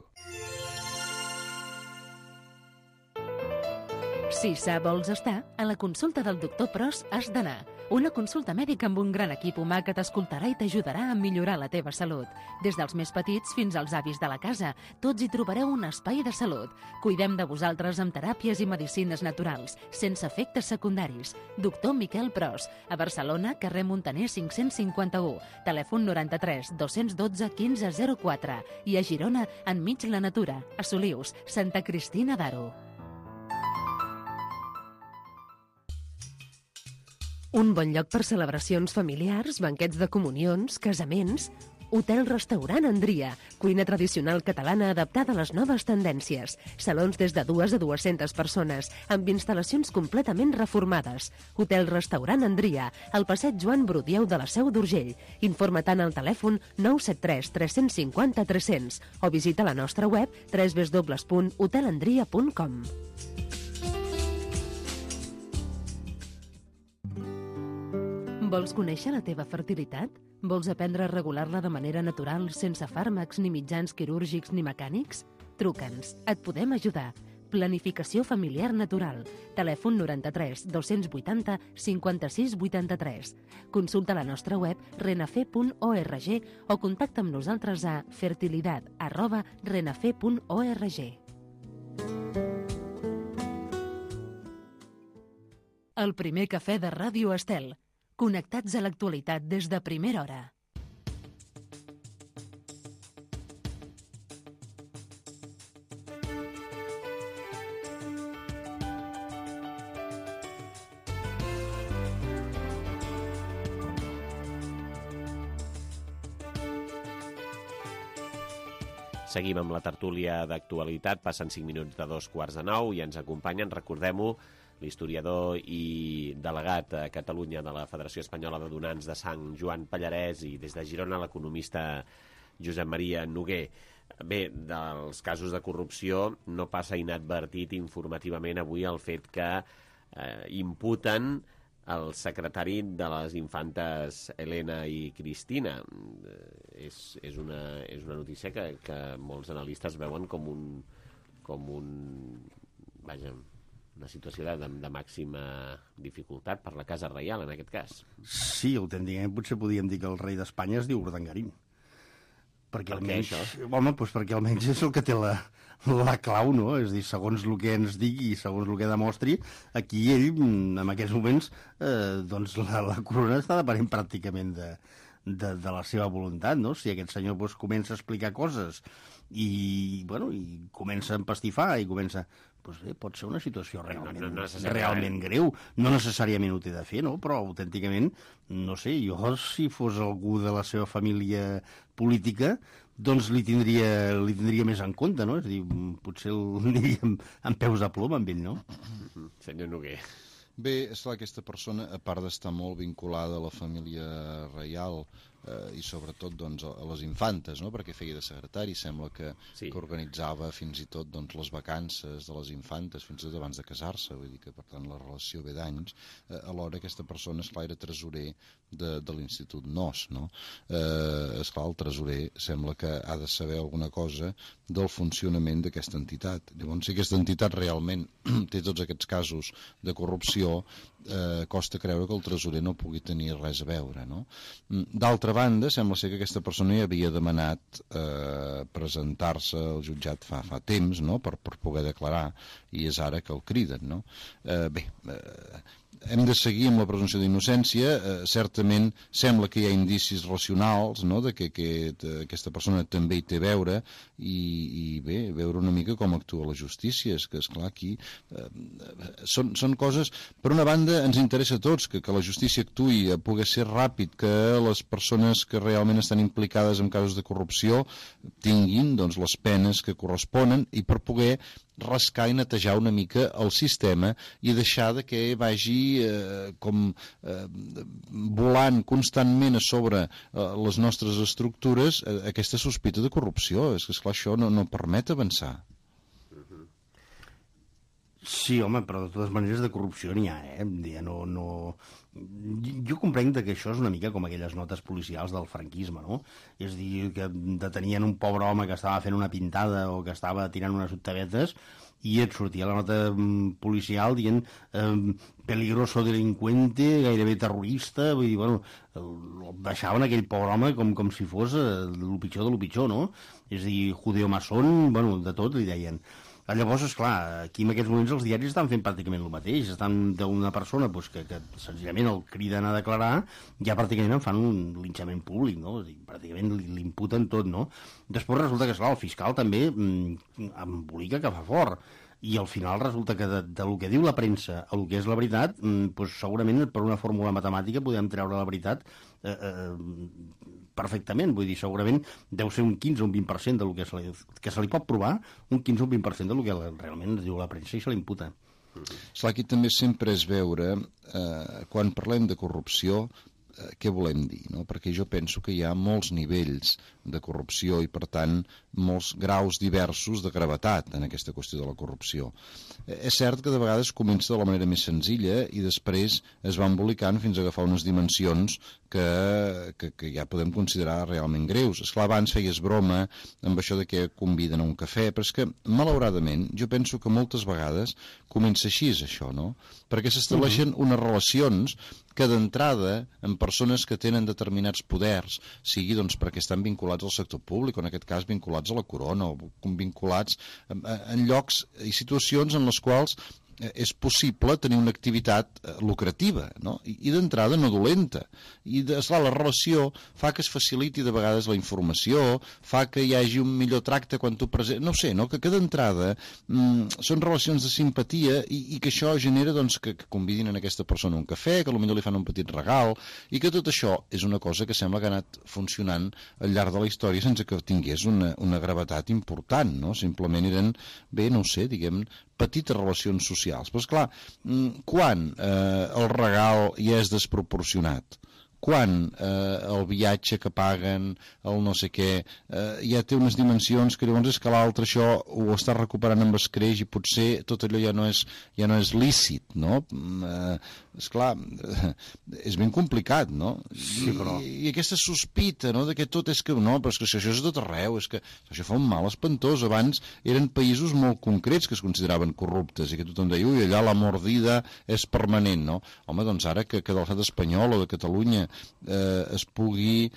Si sa vols estar, a la consulta del doctor Pros has d'anar. Una consulta mèdica amb un gran equip humà que t'escoltarà i t'ajudarà a millorar la teva salut. Des dels més petits fins als avis de la casa, tots hi trobareu un espai de salut. Cuidem de vosaltres amb teràpies i medicines naturals, sense efectes secundaris. Doctor Miquel Pros, a Barcelona, carrer Montaner 551, telèfon 93 212 1504 i a Girona, enmig la natura, a Solius, Santa Cristina d'Aro. Un bon lloc per celebracions familiars, banquets de comunions, casaments... Hotel-restaurant Andria, cuina tradicional catalana adaptada a les noves tendències. Salons des de 2 a 200 persones, amb instal·lacions completament reformades. Hotel-restaurant Andria, al passeig Joan Brudieu de la Seu d'Urgell. Informa-te'n al telèfon 973 350 300 o visita la nostra web www.hotelandria.com. Vols conèixer la teva fertilitat? Vols aprendre a regular-la de manera natural, sense fàrmacs, ni mitjans quirúrgics ni mecànics? Truca'ns, et podem ajudar. Planificació familiar natural. Telèfon 93 280 56 83. Consulta la nostra web renafe.org o contacta amb nosaltres a fertilidad@renafe.org. El primer cafè de Ràdio Estel. Connectats a l'actualitat des de primera hora. Seguim amb la tertúlia d'actualitat. Passen 5 minuts de 2:45 i ens acompanyen, recordem-ho, l'historiador i delegat a Catalunya de la Federació Espanyola de Donants de Sang, Joan Pallarès, i des de Girona l'economista Josep Maria Noguer. Bé, dels casos de corrupció no passa inadvertit informativament avui el fet que imputen el secretari de les infantes Helena i Cristina. És una notícia que molts analistes veuen com un una situació de màxima dificultat per la Casa Reial, en aquest cas. Sí, autènticament potser podíem dir que el rei d'Espanya es diu Urdangarín. Perquè almenys, home, doncs perquè almenys és el que té la clau, no? És a dir, segons el que ens digui i segons el que demostri, aquí ell, en aquests moments, doncs la corona està depenent pràcticament de la seva voluntat, no? Si aquest senyor doncs, comença a explicar coses i comença a empastifar i comença... Doncs bé, pot ser una situació realment greu. No necessàriament ho té de fer, no? Però autènticament, no sé, jo si fos algú de la seva família política, doncs li tindria més en compte, no? És a dir, potser el aniria amb peus de plom amb ell, no? Senyor Noguer. Bé, esclar, aquesta persona, a part d'estar molt vinculada a la família reial i sobretot doncs, a les infantes, no? Perquè feia de secretari, sembla que organitzava fins i tot doncs, les vacances de les infantes, fins i tot abans de casar-se, vull dir que per tant la relació ve d'anys. Alhora aquesta persona, esclar, era tresorer de l'Institut NOS, no? Esclar, el tresorer sembla que ha de saber alguna cosa del funcionament d'aquesta entitat. Llavors, si aquesta entitat realment té tots aquests casos de corrupció, costa creure que el tresorer no pugui tenir res a veure, no? D'altra banda, sembla ser que aquesta persona ja havia demanat presentar-se al jutjat fa temps, no?, per poder declarar, i és ara que el criden, no? Bé, hem de seguir amb la presumpció d'innocència. Certament sembla que hi ha indicis racionals, no?, de que aquesta persona també hi té a veure, i bé, veure una mica com actua la justícia. És que, esclar, aquí són coses... Per una banda, ens interessa a tots que la justícia actuï, pugui ser ràpid, que les persones que realment estan implicades en casos de corrupció tinguin doncs, les penes que corresponen, i per poder rascar i netejar una mica el sistema i deixar de que vagi volant constantment a sobre les nostres estructures aquesta sospita de corrupció. És que, esclar, això no permet avançar. Sí, home, però de totes maneres de corrupció n'hi ha, Jo comprenc que això és una mica com aquelles notes policials del franquisme, no? És a dir, que detenien un pobre home que estava fent una pintada o que estava tirant unes octavetes i et sortia la nota policial dient peligroso delincuente, gairebé terrorista, vull dir, bueno, baixaven aquell pobre home com si fos el pitjor de lo pitjor, no? És a dir, judeo-maçon, bueno, de tot li deien. Llavors, esclar, aquí en aquests moments els diaris estan fent pràcticament el mateix. Estan d'una persona que senzillament el criden a declarar, ja pràcticament en fan un linxament públic, no? Pràcticament li imputen tot, no? Després resulta que, esclar, el fiscal també embolica que fa fort. I al final resulta que del que diu la premsa a el que és la veritat, doncs segurament per una fórmula matemàtica podem treure la veritat perfectament, vull dir, segurament deu ser un 15 o un 20% del que se li pot provar, un 15 o un 20% del que realment diu la premsa i se li imputa. Esclar, aquí també sempre és veure, quan parlem de corrupció, què volem dir, no? Perquè jo penso que hi ha molts nivells de corrupció i, per tant, molts graus diversos de gravetat en aquesta qüestió de la corrupció. És cert que de vegades comença de la manera més senzilla i després es va embolicant fins a agafar unes dimensions que ja podem considerar realment greus. Esclar, abans feies broma amb això de que conviden a un cafè, però és que, malauradament, jo penso que moltes vegades comença així, això, no? Perquè s'estableixen unes relacions que d'entrada, en persones que tenen determinats poders, sigui doncs perquè estan vinculats al sector públic, o en aquest cas vinculats a la corona, o vinculats en llocs i situacions en les quals és possible tenir una activitat lucrativa, no? I d'entrada no dolenta. I, esclar, la relació fa que es faciliti de vegades la informació, fa que hi hagi un millor tracte quan tu presentes... No ho sé, no? Que d'entrada són relacions de simpatia i que això genera doncs, que convidin a aquesta persona un cafè, que potser li fan un petit regal, i que tot això és una cosa que sembla que ha anat funcionant al llarg de la història sense que tingués una gravetat important, no? Simplement eren, bé, no ho sé, diguem, petites relacions socials. Però, esclar, quan el regal ja és desproporcionat? Quan el viatge que paguen, el no sé què, ja té unes dimensions que llavors és que l'altre això ho està recuperant amb escreix i potser tot allò ja no és lícit, no? Esclar, és ben complicat, no? Sí, però... I aquesta sospita, no?, de que tot és que... No, però és que això és tot arreu, és que això fa un mal espantós. Abans eren països molt concrets que es consideraven corruptes i que tothom deia, ui, allà la mordida és permanent, no? Home, doncs ara que de l'estat espanyol o de Catalunya es pugui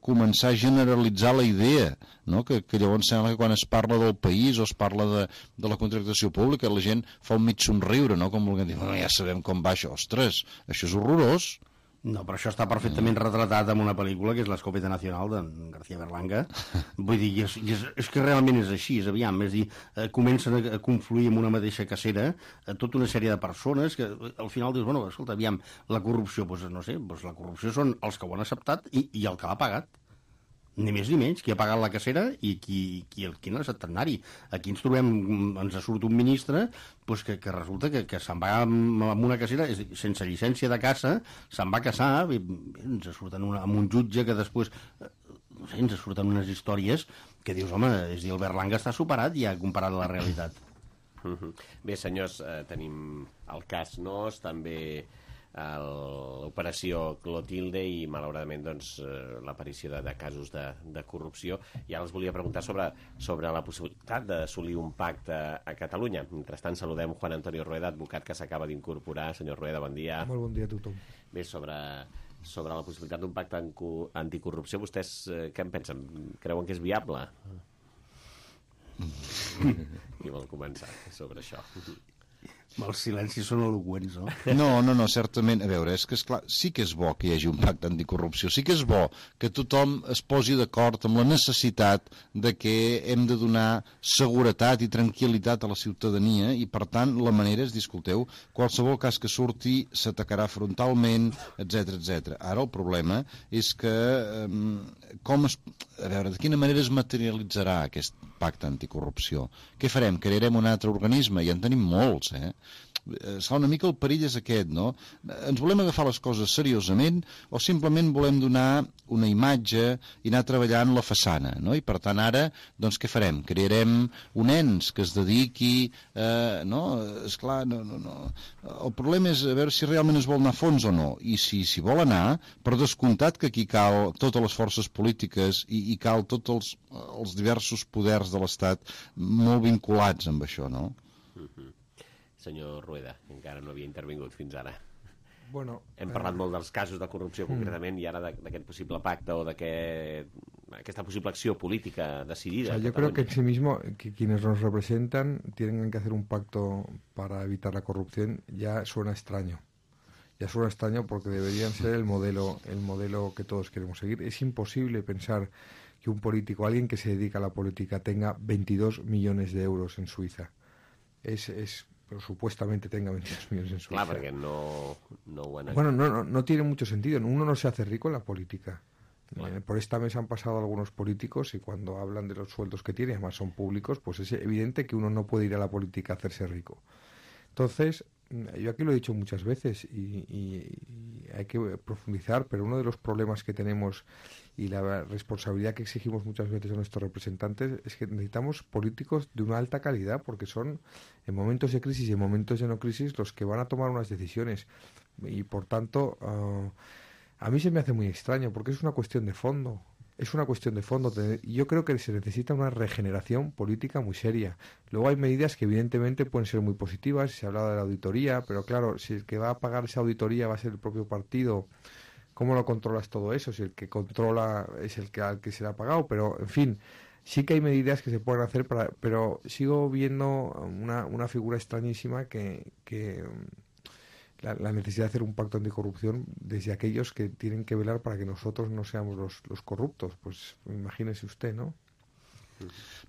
començar a generalitzar la idea, no? Que llavors sembla que quan es parla del país o es parla de la contractació pública la gent fa un mig somriure, no? Com volguem dir, bueno, ja sabem com va això, ostres, això és horrorós. No, però això està perfectament retratat en una pel·lícula que és l'Escopeta Nacional de García Berlanga. Vull dir, és que realment és així, és aviam, és dir, comencen a confluir en una mateixa cacera tota una sèrie de persones que al final dius, bueno, escolta, aviam, la corrupció, doncs no sé, doncs la corrupció són els que ho han acceptat i el que l'ha pagat. Ni més ni menys, qui ha pagat la cacera i qui no ha acceptat anar-hi. Aquí ens trobem, ens surt un ministre doncs que resulta que se'n va amb una cacera sense llicència de caça, se'n va casar, ens surten amb un jutge que després, no sé, ens surten unes històries que dius, home, és dir, el Berlanga està superat ja comparat a la realitat. Bé, senyors, tenim el cas Nos, també l'operació Clotilde i malauradament doncs, l'aparició de casos de corrupció. I ara els volia preguntar sobre la possibilitat d'assolir un pacte a Catalunya. Mentrestant saludem Juan Antonio Rueda, advocat que s'acaba d'incorporar. Senyor Rueda, bon dia. Molt bon dia a tothom. Bé, sobre la possibilitat d'un pacte anticorrupció, vostès què en pensen? Creuen que és viable? Qui vol començar sobre això? Els silencis són eloqüents, no? No, certament. A veure, és que, esclar, sí que és bo que hi hagi un pacte anticorrupció, sí que és bo que tothom es posi d'acord amb la necessitat de que hem de donar seguretat i tranquil·litat a la ciutadania i, per tant, la manera és dir, escolteu, qualsevol cas que surti s'atacarà frontalment, etc. Ara el problema és que a veure, de quina manera es materialitzarà aquest pacte anticorrupció? Què farem? Crearem un altre organisme? Ja en tenim molts, una mica el perill és aquest, no? Ens volem agafar les coses seriosament o simplement volem donar una imatge i anar treballant la façana, no? I per tant ara, doncs què farem? Crearem un ens que es dediqui, no? Esclar, no. El problema és a veure si realment es vol anar a fons o no, i si vol anar, per descomptat que aquí cal totes les forces polítiques i cal tots els diversos poders de l'Estat molt vinculats amb això, no? Senyor Rueda, encara no havia intervingut fins ara. Bueno, hem parlat molt dels casos de corrupció concretament i ara d'aquest possible pacte o d'aquesta possible acció política decidida. Yo creo que en sí mismo que quienes nos representan tienen que hacer un pacto para evitar la corrupción ya suena extraño. Ya suena extraño porque deberían ser el modelo que todos queremos seguir. Es imposible pensar que un político, alguien que se dedica a la política, tenga 22 millones de euros en Suiza. Pero supuestamente tenga 22 millones en Suiza. Claro, porque no Bueno, no tiene mucho sentido. Uno no se hace rico en la política. Bueno. Por esta mesa han pasado algunos políticos y cuando hablan de los sueldos que tienen, además son públicos, pues es evidente que uno no puede ir a la política a hacerse rico. Entonces, yo aquí lo he dicho muchas veces y hay que profundizar, pero uno de los problemas que tenemos y la responsabilidad que exigimos muchas veces a nuestros representantes es que necesitamos políticos de una alta calidad, porque son en momentos de crisis y en momentos de no crisis los que van a tomar unas decisiones. Y por tanto, a mí se me hace muy extraño, porque es una cuestión de fondo. Es una cuestión de fondo. Yo creo que se necesita una regeneración política muy seria. Luego hay medidas que evidentemente pueden ser muy positivas. Se ha hablado de la auditoría, pero claro, si el que va a pagar esa auditoría va a ser el propio partido, ¿cómo lo controlas todo eso? Si el que controla es el que al que se le ha pagado. Pero, en fin, sí que hay medidas que se pueden hacer, pero sigo viendo una figura extrañísima que la necesidad de hacer un pacto anticorrupción desde aquellos que tienen que velar para que nosotros no seamos los corruptos. Pues imagínese usted, ¿no?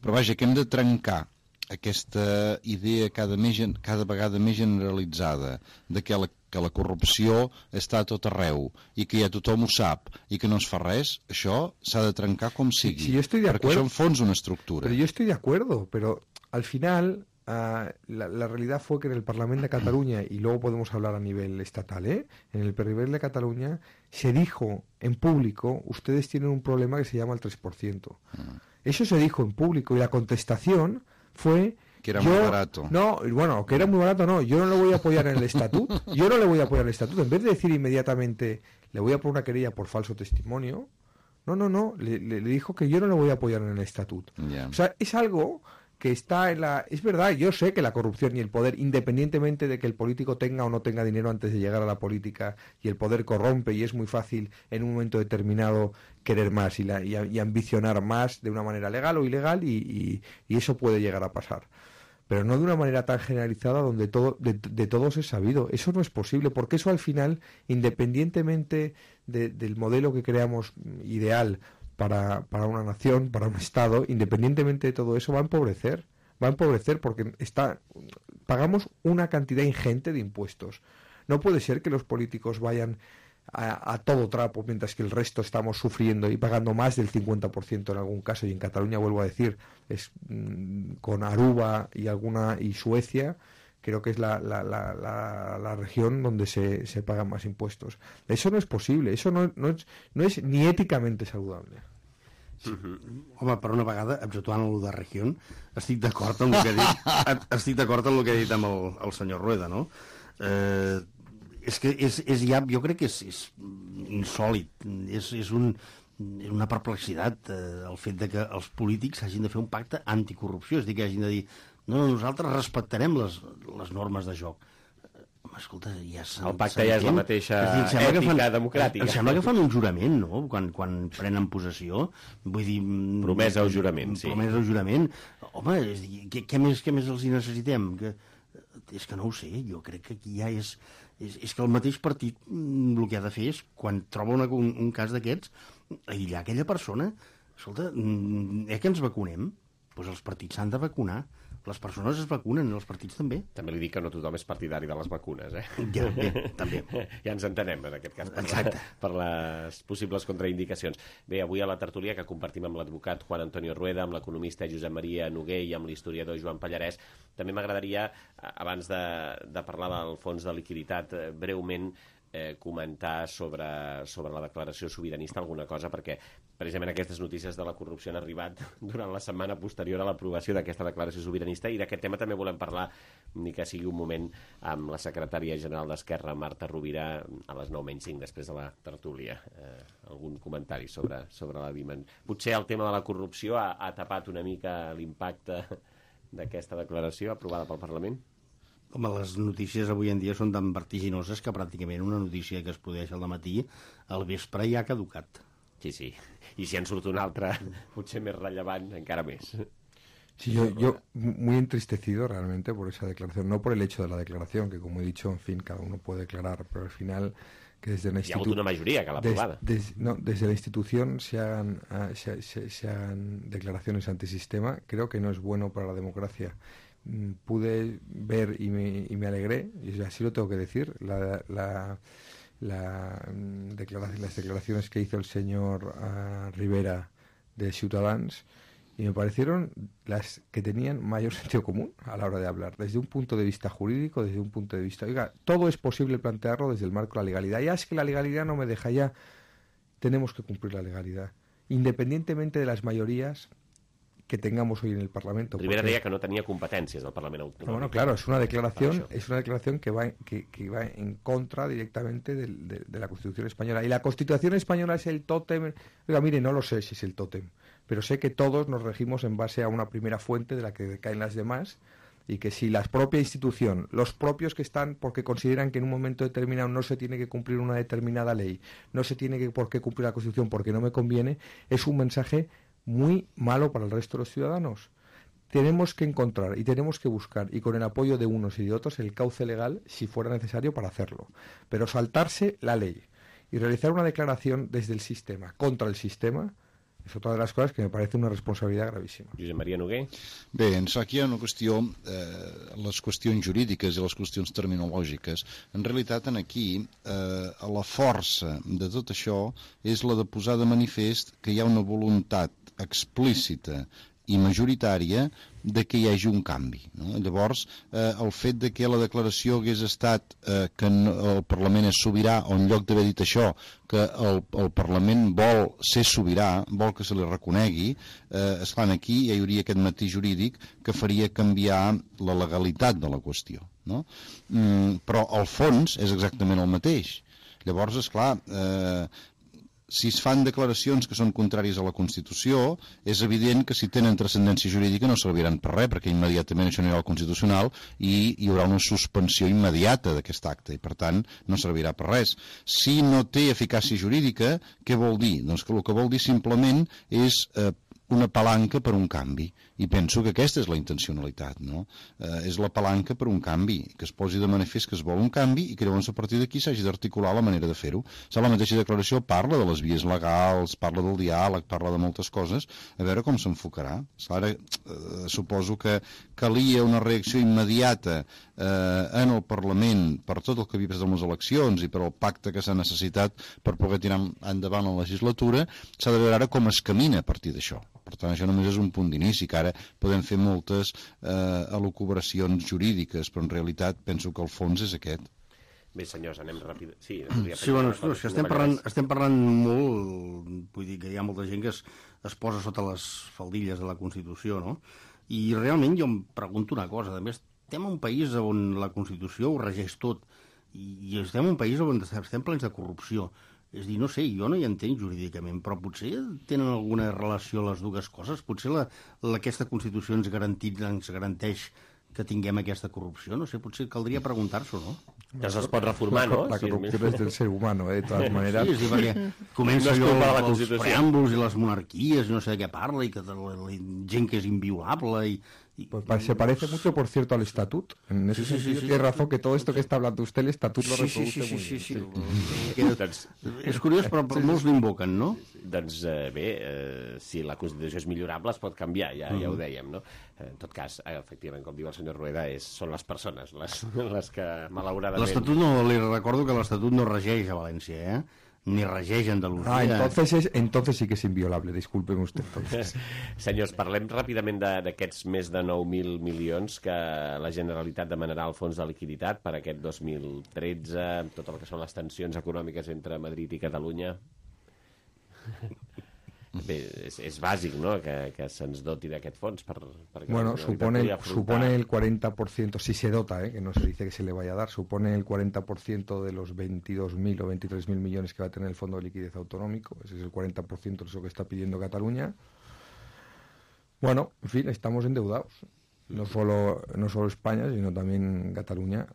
Però vaja, que hem de trencar aquesta idea cada vegada més generalitzada de que la corrupció està a tot arreu i que ja tothom ho sap i que no es fa res, això s'ha de trencar com sigui. Sí, yo estoy de perquè acuerdo, això en fons una estructura. Pero yo estoy de acuerdo, pero al final la realidad fue que en el Parlamento de Cataluña, y luego podemos hablar a nivel estatal, en el nivel de Cataluña se dijo en público, ustedes tienen un problema que se llama el 3%. Eso se dijo en público y la contestación fue que era muy barato. No, bueno, que era muy barato no, yo no le voy a apoyar en el estatuto, en vez de decir inmediatamente le voy a poner una querella por falso testimonio, no, le dijo que yo no le voy a apoyar en el estatuto. Yeah. O sea, es algo que está en la... Es verdad, yo sé que la corrupción y el poder, independientemente de que el político tenga o no tenga dinero antes de llegar a la política, y el poder corrompe y es muy fácil en un momento determinado querer más y ambicionar más de una manera legal o ilegal y eso puede llegar a pasar. Pero no de una manera tan generalizada donde de todos es sabido. Eso no es posible, porque eso al final, independientemente del modelo que creamos ideal para una nación, para un Estado, independientemente de todo eso, va a empobrecer porque pagamos una cantidad ingente de impuestos. No puede ser que los políticos vayan a todo trapo, mientras que el resto estamos sufriendo y pagando más del 50% en algún caso, y en Cataluña, vuelvo a decir, es con Aruba y Suecia, creo que es la región donde se pagan más impuestos. Eso no es posible, eso no es ni éticamente saludable. Sí. Home, per una vegada, exceptuant el de regió, estic d'acord amb el que ha dit amb el senyor Rueda, no? És que jo crec que és insòlid, és una perplexitat el fet de que els polítics hagin de fer un pacte anticorrupció, és a dir, que hagin de dir no, nosaltres respectarem les normes de joc. Escolta, el pacte ja és la mateixa ètica democràtica. Em sembla que fan un jurament, no?, quan prenen possessió. Vull dir... Promesa o jurament, sí. Promesa o jurament. Home, és dir, què més els hi necessitem? És que no ho sé, jo crec que aquí ja és que el mateix partit el que ha de fer és, quan troba un cas d'aquests, aïllar aquella persona. Escolta, que ens vacunem? Doncs els partits s'han de vacunar. Les persones es vacunen, els partits també. També li dic que no tothom és partidari de les vacunes, Ja, bé, també. Ja ens entenem, en aquest cas, per les possibles contraindicacions. Bé, avui a la tertúlia que compartim amb l'advocat Juan Antonio Rueda, amb l'economista Josep Maria Noguer i amb l'historiador Joan Pallarès, també m'agradaria, abans de parlar del fons de liquiditat, breument comentar sobre la declaració sobiranista alguna cosa, perquè precisament aquestes notícies de la corrupció han arribat durant la setmana posterior a l'aprovació d'aquesta declaració sobiranista, i d'aquest tema també volem parlar, ni que sigui un moment, amb la secretària general d'Esquerra, Marta Rovira, a les 9:05, després de la tertúlia. Algun comentari sobre la dimensió? Potser el tema de la corrupció ha tapat una mica l'impacte d'aquesta declaració aprovada pel Parlament? Home, les notícies avui en dia són tan vertiginoses que pràcticament una notícia que es produeix al matí, al vespre ja ha caducat. Sí. I si en surt una altra, potser més rellevant, encara més. Sí, yo muy entristecido realmente por esa declaración, no por el hecho de la declaración, que como he dicho, en fin, cada uno puede declarar, pero al final que desde una institución... una mayoría que la aprobada. Desde la institución se hagan declaraciones antisistema, creo que no es bueno para la democracia. Pude ver y me alegré, y así lo tengo que decir, las declaraciones que hizo el señor Rivera de Ciutadans, y me parecieron las que tenían mayor sentido común a la hora de hablar, desde un punto de vista jurídico, desde un punto de vista... Oiga, todo es posible plantearlo desde el marco de la legalidad. Ya es que la legalidad no me deja, ya tenemos que cumplir la legalidad, independientemente de las mayorías que tengamos hoy en el Parlamento. Rivera deia que no tenía competencias del Parlamento Autonómico. Bueno, claro, es una declaración que va en contra directamente de la Constitución española. Y la Constitución española es el tótem. Oiga, mire, no lo sé si es el tótem, pero sé que todos nos regimos en base a una primera fuente de la que decaen las demás, y que si la propia institución, los propios que están porque consideran que en un momento determinado no se tiene que cumplir una determinada ley, no se tiene por qué cumplir la Constitución porque no me conviene, es un mensaje muy malo para el resto de los ciudadanos. Tenemos que encontrar y tenemos que buscar, y con el apoyo de unos y de otros, el cauce legal si fuera necesario para hacerlo. Pero saltarse la ley y realizar una declaración desde el sistema, contra el sistema, és otra de les coses que me parece una responsabilitat gravíssima. Josep Maria Noguer? Bé, aquí hi ha una qüestió, les qüestions jurídiques i les qüestions terminològiques. En realitat, aquí, la força de tot això és la de posar de manifest que hi ha una voluntat explícita i majoritària de que hi hagi un canvi, no? Llavors, el fet de que la declaració hagués estat que el Parlament és sobirà, o en lloc d'haver dit això, que el Parlament vol ser sobirà, vol que se li reconegui, esclar, aquí hi hauria aquest matís jurídic que faria canviar la legalitat de la qüestió, no? Però el fons és exactament el mateix. Llavors, esclar, si es fan declaracions que són contràries a la Constitució, és evident que si tenen transcendència jurídica no serviran per res, perquè immediatament això anirà al Constitucional i hi haurà una suspensió immediata d'aquest acte, i per tant no servirà per res. Si no té eficàcia jurídica, què vol dir? Doncs que el que vol dir simplement és una palanca per un canvi, i penso que aquesta és la intencionalitat, no? És la palanca per un canvi, que es posi de manifest que es vol un canvi i que llavors a partir d'aquí s'hagi d'articular la manera de fer-ho. La mateixa declaració parla de les vies legals, parla del diàleg, parla de moltes coses, a veure com s'enfocarà. Ara suposo que calia una reacció immediata en el Parlament per tot el que havia passat amb les eleccions i per el pacte que s'ha necessitat per poder tirar endavant la legislatura. S'ha de veure ara com es camina a partir d'això. Per tant, això només és un punt d'inici, que ara podem fer moltes elucubracions jurídiques, però en realitat penso que el fons és aquest. Bé, senyors, anem ràpid. Sí, bueno, estem parlant molt, vull dir que hi ha molta gent que es posa sota les faldilles de la Constitució, no? I realment jo em pregunto una cosa, també estem en un país on la Constitució ho regeix tot, i estem en un país on estem plens de corrupció. És dir, no sé, jo no hi entenc jurídicament, però potser tenen alguna relació les dues coses? Potser aquesta Constitució ens garanteix que tinguem aquesta corrupció? No sé, potser caldria preguntar-s'ho, no? Que es pot reformar, no? La corrupció és del ser humano, de totes maneres. Sí, és dir, perquè comença allò els preàmbuls i les monarquies i no sé de què parla, i que la gent que és inviolable, i Pues se parece mucho, por cierto, al estatut. En ese sentido, tiene razón que todo esto que está hablando usted, el estatut lo reproduce muy bien. Sí. És curiós, però molts l'invoquen, no? Doncs bé, si la Constitució és millorable es pot canviar, ja ho dèiem, no? En tot cas, efectivament, com diu el senyor Rueda, són les persones les que, malauradament... L'Estatut no, li recordo que l'Estatut no regeix a València, ni regeix a Andalusia. Entonces sí que es inviolable, discúlpeme usted. Senyors, parlem ràpidament d'aquests més de 9.000 milions que la Generalitat demanarà al Fons de Liquiditat per aquest 2013, amb tot el que són les tensions econòmiques entre Madrid i Catalunya. Bé, és bàsic, no?, que se'ns doti d'aquest fons. Bueno, supone el 40%, si se dota, que no se dice que se le vaya a dar, supone el 40% de los 22.000 o 23.000 millones que va a tener el Fondo de Liquidez Autonómico. Ese es el 40% de eso que está pidiendo Cataluña. Bueno, en fin, estamos endeudados. No solo España, sino también Cataluña.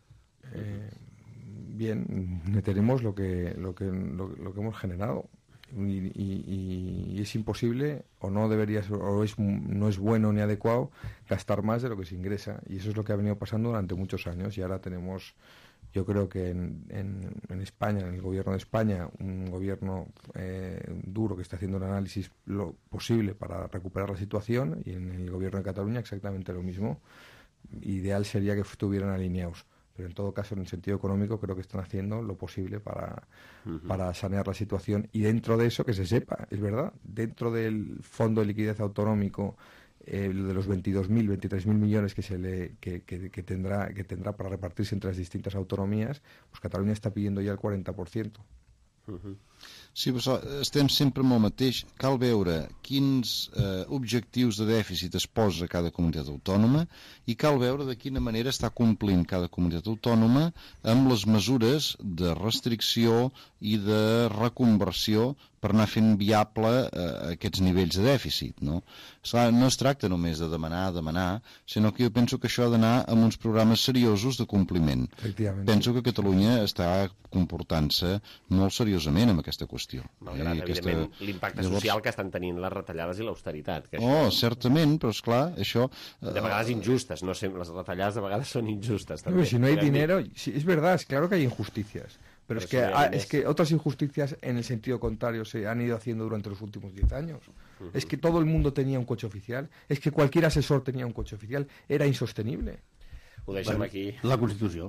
Bien, tenemos lo que hemos generado. Y es imposible, o no debería ser, no es bueno ni adecuado gastar más de lo que se ingresa, y eso es lo que ha venido pasando durante muchos años. Y ahora tenemos, yo creo que en España, en el gobierno de España, un gobierno duro que está haciendo un análisis lo posible para recuperar la situación, y en el gobierno de Cataluña exactamente lo mismo. Ideal sería que estuvieran alineados, pero en todo caso, en el sentido económico, creo que están haciendo lo posible para sanear la situación. Y dentro de eso, que se sepa, es verdad, dentro del Fondo de Liquidez Autonómico, de los 22.000, 23.000 millones que tendrá para repartirse entre las distintas autonomías, pues Cataluña está pidiendo ya el 40%. Sí, però estem sempre amb el mateix. Cal veure quins objectius de dèficit es posa cada comunitat autònoma i cal veure de quina manera està complint cada comunitat autònoma amb les mesures de restricció i de reconversió per anar fent viable aquests nivells de dèficit, no? No es tracta només de demanar, sinó que jo penso que això ha d'anar amb uns programes seriosos de compliment. Penso que Catalunya està comportant-se molt seriosament amb aquesta qüestió. Malgrat, evidentment, l'impacte social que estan tenint les retallades i l'austeritat. Certament, però esclar, això... De vegades injustes, no sempre, les retallades de vegades són injustes. També. Si no hay dinero, sí, es verdad, es claro que hay injusticias. Pero es que otras injusticias en el sentido contrario se han ido haciendo durante los últimos 10 años. Es que todo el mundo tenía un coche oficial, es que cualquier asesor tenía un coche oficial, era insostenible. Ho deixem aquí. La Constitució.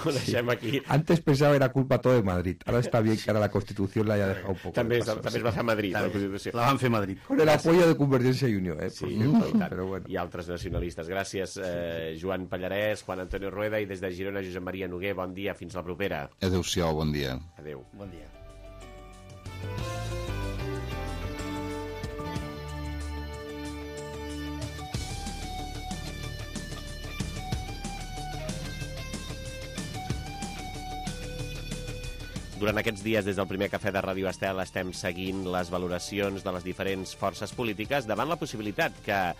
Ho deixem aquí. Antes pensaba era culpa todo de Madrid. Ahora está bien que ahora la Constitución la haya dejado un poco. També es va fer a Madrid, la Constitució. La van fer a Madrid. Con el apoyo de Convergencia y Unió, Sí, però bueno. I altres nacionalistes. Gràcies, Joan Pallarès, Juan Antonio Rueda, i des de Girona, Josep Maria Noguer. Bon dia, fins la propera. Adéu-siau, bon dia. Adéu. Bon dia. Durant aquests dies, des del primer cafè de Ràdio Estel, estem seguint les valoracions de les diferents forces polítiques davant la possibilitat que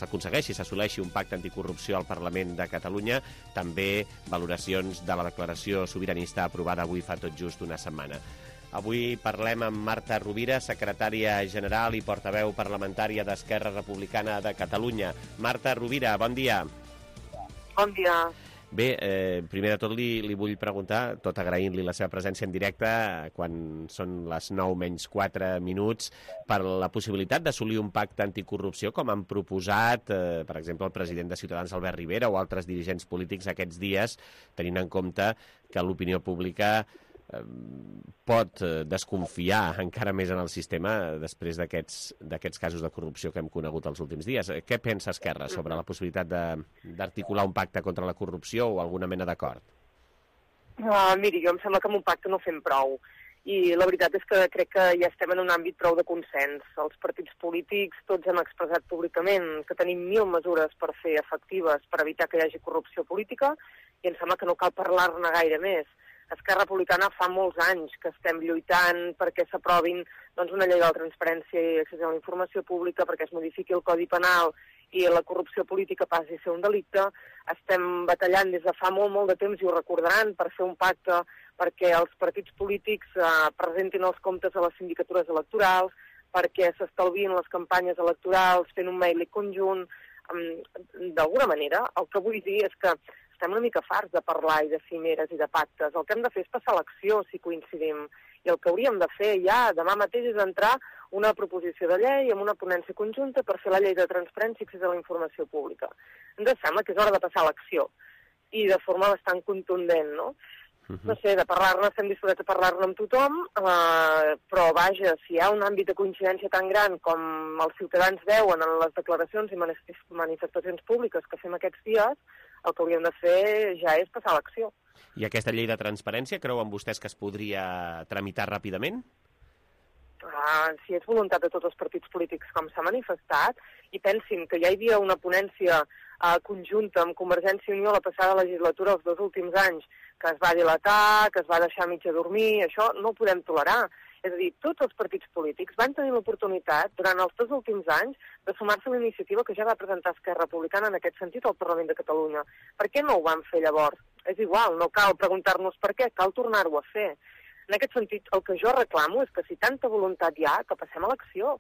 s'assoleixi un pacte anticorrupció al Parlament de Catalunya, també valoracions de la declaració sobiranista aprovada avui fa tot just una setmana. Avui parlem amb Marta Rovira, secretària general i portaveu parlamentària d'Esquerra Republicana de Catalunya. Marta Rovira, bon dia. Bon dia. Bé, primer de tot li vull preguntar, tot agraint-li la seva presència en directe, quan són les 9:04, per la possibilitat d'assolir un pacte anticorrupció, com han proposat, per exemple, el president de Ciutadans, Albert Rivera, o altres dirigents polítics aquests dies, tenint en compte que l'opinió pública pot desconfiar encara més en el sistema després d'aquests casos de corrupció que hem conegut els últims dies. Què pensa Esquerra sobre la possibilitat d'articular un pacte contra la corrupció o alguna mena d'acord? Miri, jo em sembla que amb un pacte no fem prou. I la veritat és que crec que ja estem en un àmbit prou de consens. Els partits polítics tots hem expressat públicament que tenim 1.000 mesures per fer efectives per evitar que hi hagi corrupció política i em sembla que no cal parlar-ne gaire més. Esquerra Republicana fa molts anys que estem lluitant perquè s'aprovin una llei de la transparència i accés a la informació pública, perquè es modifiqui el Codi Penal i la corrupció política passi a ser un delicte. Estem batallant des de fa molt de temps, i ho recordaran, per fer un pacte perquè els partits polítics presentin els comptes a les sindicatures electorals, perquè s'estalvien les campanyes electorals, fent un mail conjunt. D'alguna manera, el que vull dir és que estem una mica farts de parlar i de cimeres i de pactes. El que hem de fer és passar l'acció, si coincidim. I el que hauríem de fer ja demà mateix és entrar una proposició de llei amb una ponència conjunta per fer la llei de transparència i accés a la informació pública. Ens sembla que és hora de passar l'acció i de forma bastant contundent, no? No sé, de parlar-ne, estem disposats a parlar-ne amb tothom, però vaja, si hi ha un àmbit de coincidència tan gran com els ciutadans veuen en les declaracions i manifestacions públiques que fem aquests dies, el que hauríem de fer ja és passar l'acció. I aquesta llei de transparència, creuen vostès que es podria tramitar ràpidament? Si és voluntat de tots els partits polítics com s'ha manifestat, i pensin que ja hi havia una ponència conjunta amb Convergència i Unió la passada legislatura els 2 últims anys, que es va dilatar, que es va deixar mitja dormir, això no ho podem tolerar. És a dir, tots els partits polítics van tenir l'oportunitat, durant els 2 últims anys, de sumar-se a la iniciativa que ja va presentar Esquerra Republicana en aquest sentit al Parlament de Catalunya. Per què no ho van fer llavors? És igual, no cal preguntar-nos per què, cal tornar-ho a fer. En aquest sentit, el que jo reclamo és que si tanta voluntat hi ha, que passem a l'acció,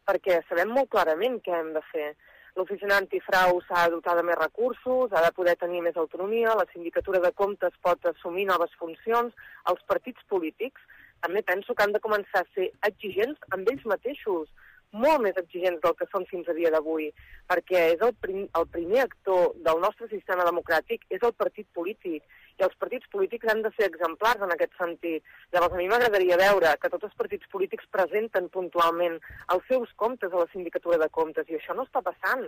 perquè sabem molt clarament què hem de fer. L'oficina antifrau s'ha de dotar de més recursos, ha de poder tenir més autonomia, la sindicatura de comptes pot assumir noves funcions, els partits polítics també penso que han de començar a ser exigents amb ells mateixos, molt més exigents del que són fins a dia d'avui, perquè és el primer actor del nostre sistema democràtic, és el partit polític, i els partits polítics han de ser exemplars en aquest sentit. Llavors, a mi m'agradaria veure que tots els partits polítics presenten puntualment els seus comptes a la sindicatura de comptes, i això no està passant.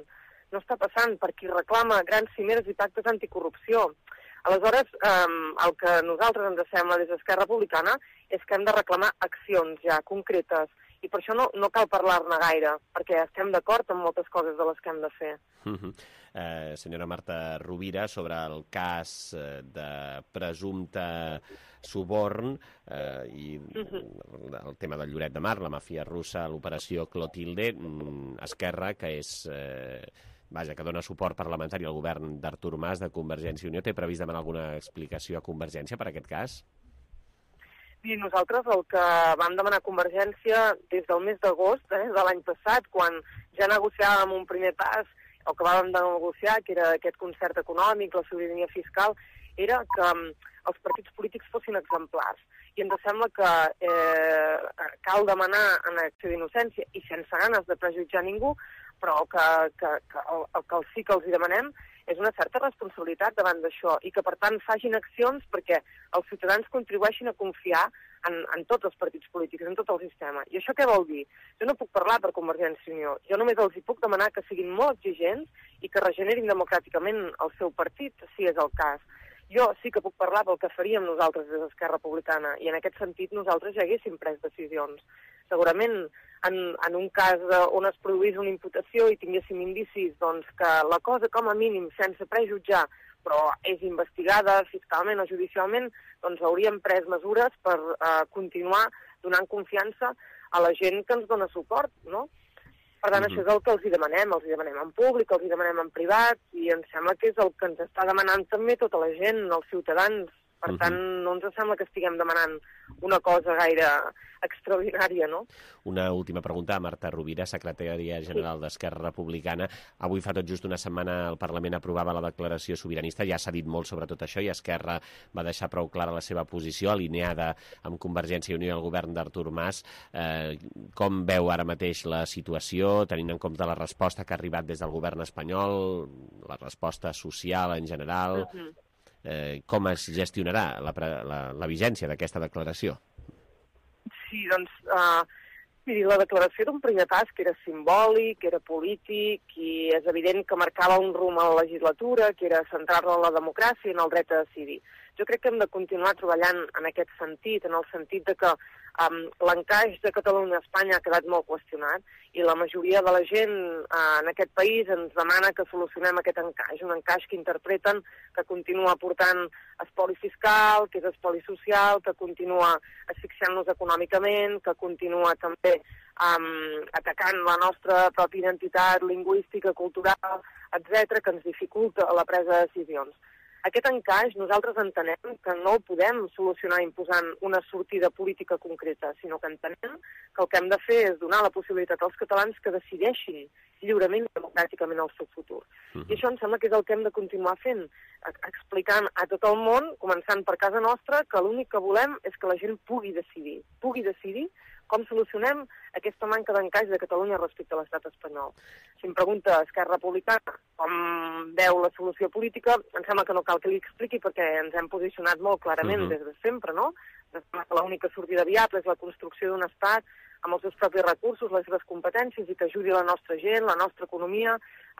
No està passant per qui reclama grans cimeres i pactes anticorrupció. Aleshores, el que a nosaltres ens sembla des d'Esquerra Republicana és que hem de reclamar accions ja concretes, i per això no cal parlar-ne gaire, perquè estem d'acord amb moltes coses de les que hem de fer. Senyora Marta Rovira, sobre el cas de presumpte suborn i el tema del Lloret de Mar, la màfia russa, l'operació Clotilde, Esquerra, que és... que dona suport parlamentari al govern d'Artur Mas de Convergència i Unió, té previst demanar alguna explicació a Convergència per aquest cas? I nosaltres el que vam demanar a Convergència des del mes d'agost de l'any passat, quan ja negociàvem un primer pas, el que vam negociar, que era aquest concert econòmic, la sobirania fiscal, era que els partits polítics fossin exemplars. I ens sembla que cal demanar en acció d'innocència i sense ganes de prejutjar ningú, però que sí que els hi demanem és una certa responsabilitat davant d'això i que, per tant, facin accions perquè els ciutadans contribueixin a confiar en tots els partits polítics, en tot el sistema. I això què vol dir? Jo no puc parlar per Convergència i Unió. Jo només els hi puc demanar que siguin molt exigents i que regenerin democràticament el seu partit, si és el cas. Jo sí que puc parlar pel que faríem nosaltres des d'Esquerra Republicana i en aquest sentit nosaltres ja haguéssim pres decisions. Segurament en un cas on es produís una imputació i tinguéssim indicis doncs, que la cosa com a mínim sense prejutjar però és investigada fiscalment o judicialment, doncs hauríem pres mesures per continuar donant confiança a la gent que ens dona suport, no? Per tant, això és el que els hi demanem en públic, els hi demanem en privat, i em sembla que és el que ens està demanant també tota la gent, els ciutadans. Per tant, no ens sembla que estiguem demanant una cosa gaire extraordinària, no? Una última pregunta a Marta Rovira, secretària general d'Esquerra Republicana. Avui fa tot just una setmana el Parlament aprovava la declaració sobiranista, ja s'ha dit molt sobre tot això i Esquerra va deixar prou clara la seva posició, alineada amb Convergència i Unió i el govern d'Artur Mas. Com veu ara mateix la situació, tenint en compte la resposta que ha arribat des del govern espanyol, la resposta social en general? Com es gestionarà la vigència d'aquesta declaració? Sí, doncs, miri, la declaració era un primer pas que era simbòlic, era polític i és evident que marcava un rumb a la legislatura, que era centrar-la en la democràcia i en el dret a decidir. Jo crec que hem de continuar treballant en aquest sentit, en el sentit de que l'encaix de Catalunya a Espanya ha quedat molt qüestionat i la majoria de la gent en aquest país ens demana que solucionem aquest encaix, un encaix que interpreten que continua aportant espoli fiscal, que és espoli social, que continua asfixiant-nos econòmicament, que continua també atacant la nostra pròpia identitat lingüística, cultural, etc., que ens dificulta la presa de decisions. Aquest encaix nosaltres entenem que no el podem solucionar imposant una sortida política concreta, sinó que entenem que el que hem de fer és donar la possibilitat als catalans que decideixin lliurement i democràticament el seu futur. I això em sembla que és el que hem de continuar fent, explicant a tot el món, començant per casa nostra, que l'únic que volem és que la gent pugui decidir com solucionem aquesta manca d'encaix de Catalunya respecte a l'estat espanyol. Si em pregunta Esquerra Republicana com veu la solució política, em sembla que no cal que li expliqui perquè ens hem posicionat molt clarament des de sempre, no? L'única sortida viable és la construcció d'un estat amb els seus propis recursos, les seves competències i que ajudi la nostra gent, la nostra economia,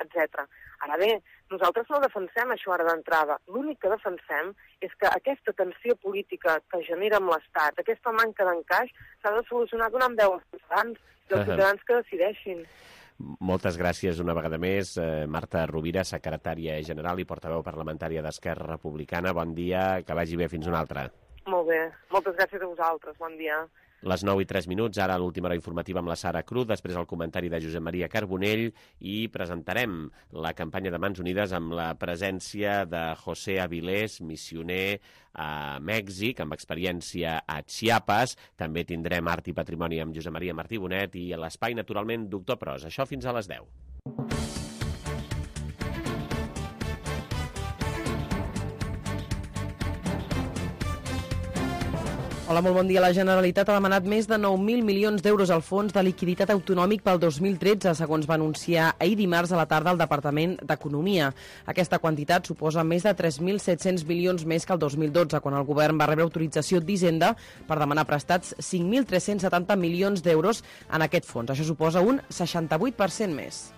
etc. Ara bé, nosaltres no defensem això ara d'entrada. L'únic que defensem és que aquesta tensió política que genera amb l'Estat, aquesta manca d'encaix, s'ha de solucionar donant veu als ciutadans i als ciutadans que decideixin. Moltes gràcies una vegada més. Marta Rovira, secretària general i portaveu parlamentària d'Esquerra Republicana. Bon dia, que vagi bé, fins una altra. Molt bé, moltes gràcies a vosaltres, bon dia. Les 9:03, ara l'última hora informativa amb la Sara Cruz, després el comentari de Josep Maria Carbonell i presentarem la campanya de Mans Unides amb la presència de José Avilés, missioner a Mèxic, amb experiència a Chiapas. També tindrem Art i Patrimoni amb Josep Maria Martí Bonet i a l'Espai, naturalment, Doctor Pros. Això fins a les 10. Hola, molt bon dia. La Generalitat ha demanat més de 9.000 milions d'euros al Fons de Liquiditat Autonòmic pel 2013, segons va anunciar ahir dimarts a la tarda el Departament d'Economia. Aquesta quantitat suposa més de 3.700 milions més que el 2012, quan el govern va rebre autorització d'Hisenda per demanar prestats 5.370 milions d'euros en aquest fons. Això suposa un 68% més.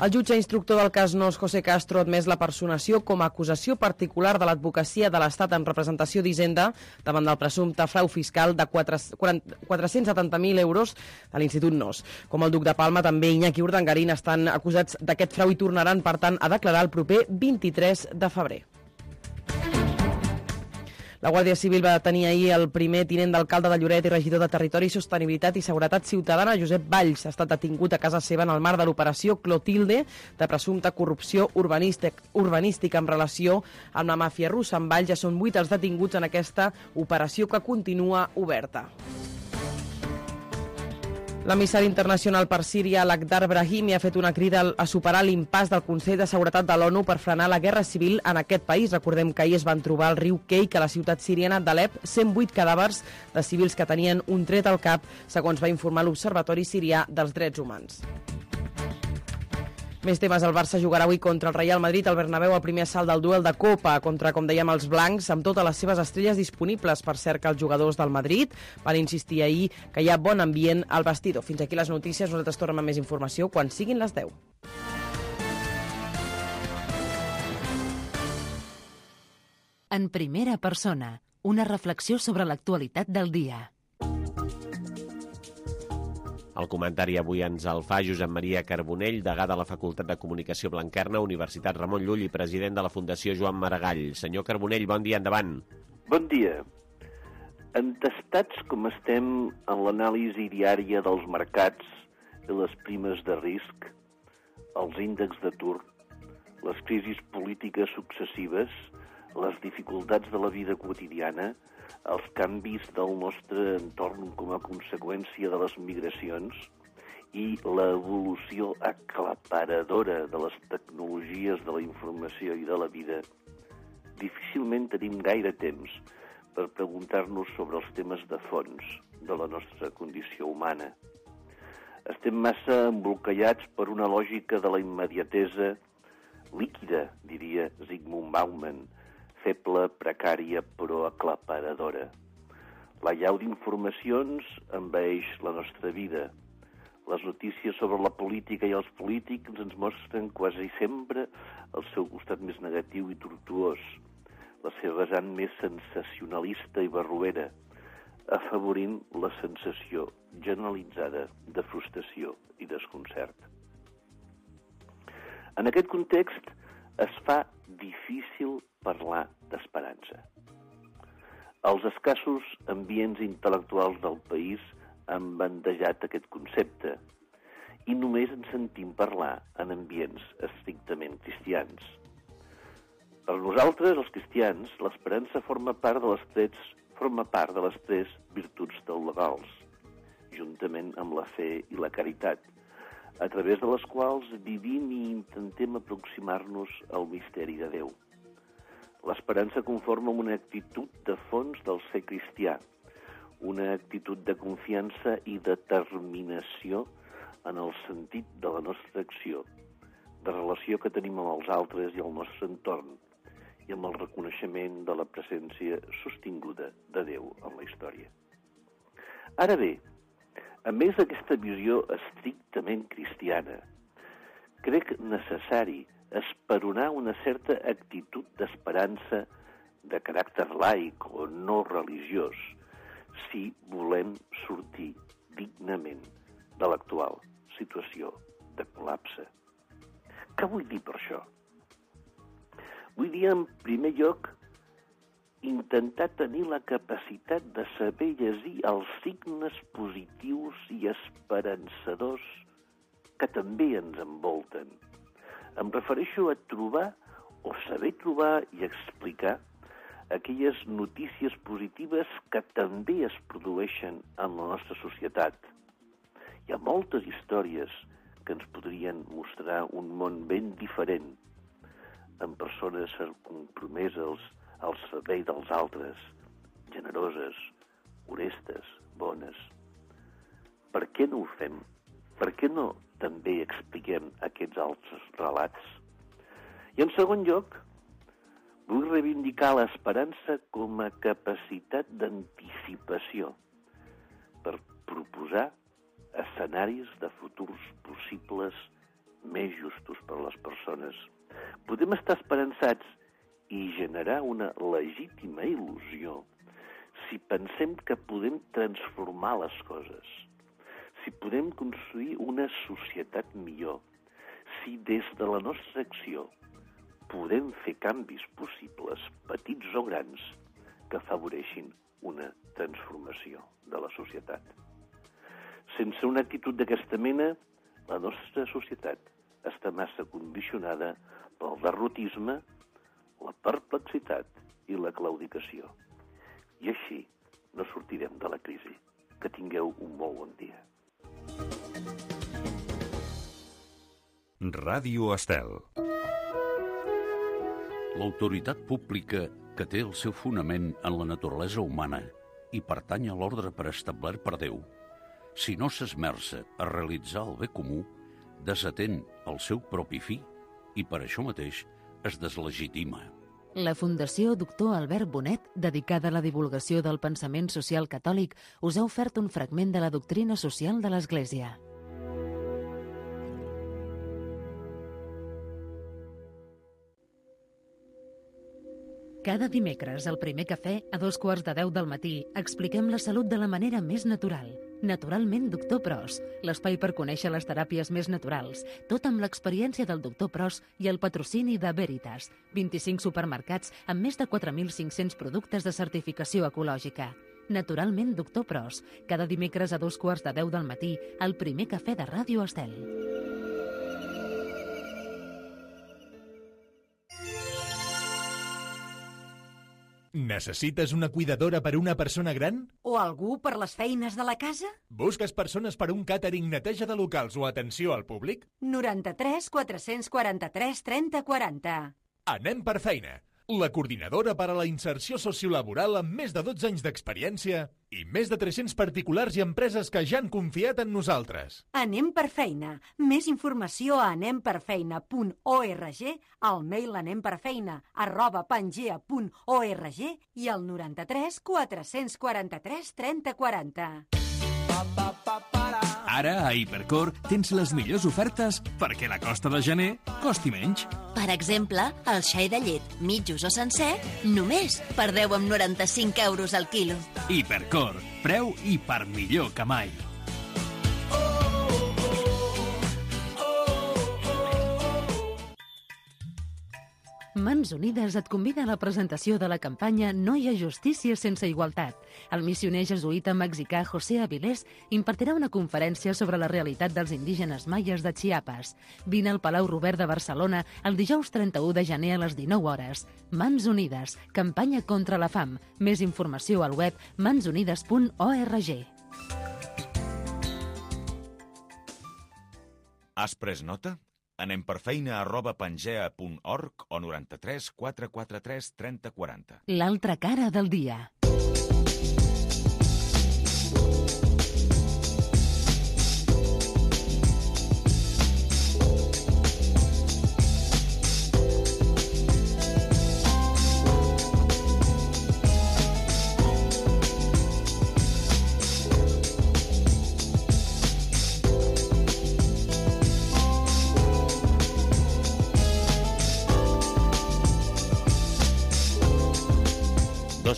El jutge instructor del cas Nos, José Castro, ha admès la personació com a acusació particular de l'advocacia de l'Estat en representació d'Hisenda davant del presumpte frau fiscal de 470.000 euros de l'Institut Nos. Com el duc de Palma, també Iñaki Urdangarín estan acusats d'aquest frau i tornaran, per tant, a declarar el proper 23 de febrer. La Guàrdia Civil va detenir ahir el primer tinent d'alcalde de Lloret i regidor de Territori, Sostenibilitat i Seguretat Ciutadana, Josep Valls. Ha estat detingut a casa seva en el marc de l'operació Clotilde de presumpta corrupció urbanística en relació amb la màfia russa. En Valls ja són 8 els detinguts en aquesta operació que continua oberta. L'emissari internacional per Síria, Lakhdar Brahimi, ha fet una crida a superar l'impàs del Consell de Seguretat de l'ONU per frenar la guerra civil en aquest país. Recordem que ahir es van trobar al riu Keik, a la ciutat siriana d'Alep, 108 cadàvers de civils que tenien un tret al cap, segons va informar l'Observatori Sirià dels Drets Humans. Més temes, el Barça jugarà avui contra el Real Madrid al Bernabéu, el primer assalt del duel de Copa contra, com dèiem, els blancs, amb totes les seves estrelles disponibles. Per cert, que els jugadors del Madrid van insistir ahir que hi ha bon ambient al vestidor. Fins aquí les notícies, nosaltres tornem amb més informació quan siguin les 10. En primera persona, una reflexió sobre l'actualitat del dia. El comentari avui ens el fa Josep Maria Carbonell, degà de la Facultat de Comunicació Blanquerna, Universitat Ramon Llull i president de la Fundació Joan Maragall. Senyor Carbonell, bon dia, endavant. Bon dia. Entestats com estem en l'anàlisi diària dels mercats i les primes de risc, els índexs d'atur, les crisis polítiques successives, les dificultats de la vida quotidiana, els canvis del nostre entorn com a conseqüència de les migracions i l'evolució aclaparadora de les tecnologies de la informació i de la vida, difícilment tenim gaire temps per preguntar-nos sobre els temes de fons de la nostra condició humana. Estem massa embolcallats per una lògica de la immediatesa líquida, diria Zygmunt Bauman, feble, precària, però aclaparadora. La llau d'informacions envaeix la nostra vida. Les notícies sobre la política i els polítics ens mostren quasi sempre el seu costat més negatiu i tortuós, la seva vessant més sensacionalista i barroera, afavorint la sensació generalitzada de frustració i desconcert. En aquest context es fa difícil parlar d'esperança. Els escassos ambients intel·lectuals del país han bandejat aquest concepte i només en sentim parlar en ambients estrictament cristians. Per nosaltres, els cristians, l'esperança forma part de les tres virtuts teologals, juntament amb la fe i la caritat, a través de les quals vivim i intentem aproximar-nos al misteri de Déu. L'esperança conforma una actitud de fons del ser cristià, una actitud de confiança i determinació en el sentit de la nostra acció, de relació que tenim amb els altres i el nostre entorn, i amb el reconeixement de la presència sostinguda de Déu en la història. Ara bé, a més d'aquesta visió estrictament cristiana, crec necessari esperonar una certa actitud d'esperança de caràcter laic o no religiós si volem sortir dignament de l'actual situació de col·lapse. Què vull dir per això? Vull dir, en primer lloc, intentar tenir la capacitat de saber llegir els signes positius i esperançadors que també ens envolten. Em refereixo a trobar o saber trobar i explicar aquelles notícies positives que també es produeixen en la nostra societat. Hi ha moltes històries que ens podrien mostrar un món ben diferent, amb persones compromeses al servei dels altres, generoses, honestes, bones. Per què no ho fem? Per què no també expliquem aquests altres relats? I en segon lloc, vull reivindicar l'esperança com a capacitat d'anticipació per proposar escenaris de futurs possibles més justos per a les persones. Podem estar esperançats i generar una legítima il·lusió si pensem que podem transformar les coses, si podem construir una societat millor, si des de la nostra acció podem fer canvis possibles, petits o grans, que afavoreixin una transformació de la societat. Sense una actitud d'aquesta mena, la nostra societat està massa condicionada pel derrotisme, la perplexitat i la claudicació. I així no sortirem de la crisi. Que tingueu un molt bon dia. Ràdio Estel. L'autoritat pública, que té el seu fonament en la naturalesa humana i pertany a l'ordre preestablert per Déu, si no s'esmerça a realitzar el bé comú, desatén el seu propi fi i per això mateix es deslegitima. La Fundació Doctor Albert Bonet, dedicada a la divulgació del pensament social catòlic, us ha ofert un fragment de la doctrina social de l'Església. Cada dimecres, al Primer Cafè, a 2:15 del matí, expliquem la salut de la manera més natural. Naturalment, Doctor Pros, l'espai per conèixer les teràpies més naturals, tot amb l'experiència del Doctor Pros i el patrocini de Veritas, 25 supermercats amb més de 4.500 productes de certificació ecològica. Naturalment, Doctor Pros, cada dimecres a 2:15 del matí, al Primer Cafè de Ràdio Estel. Necessites una cuidadora per a una persona gran? O algú per les feines de la casa? Busques persones per a un càtering, neteja de locals o atenció al públic? 93 443 30 40. Anem per feina. La coordinadora per a la inserció sociolaboral amb més de 12 anys d'experiència i més de 300 particulars i empreses que ja han confiat en nosaltres. Anem per feina. Més informació a anemperfeina.org, al mail anemperfeina@pangea.org i al 93 443 30 40. Ara, a Hipercor, tens les millors ofertes perquè la costa de gener costi menys. Per exemple, el xai de llet, mitjos o sencer, només per 10,95 € al quilo. Hipercor, preu i per millor que mai. Mans Unides et convida a la presentació de la campanya No hi ha justícia sense igualtat. El missioner jesuïta mexicà José Avilés impartirà una conferència sobre la realitat dels indígenes maies de Chiapas. Vine al Palau Robert de Barcelona el dijous 31 de gener a les 19 hores. Mans Unides, campanya contra la fam. Més informació al web mansunides.org. Has pres nota? Anem per feina@pangea.org o 93 443 30 40. L'altra cara del dia.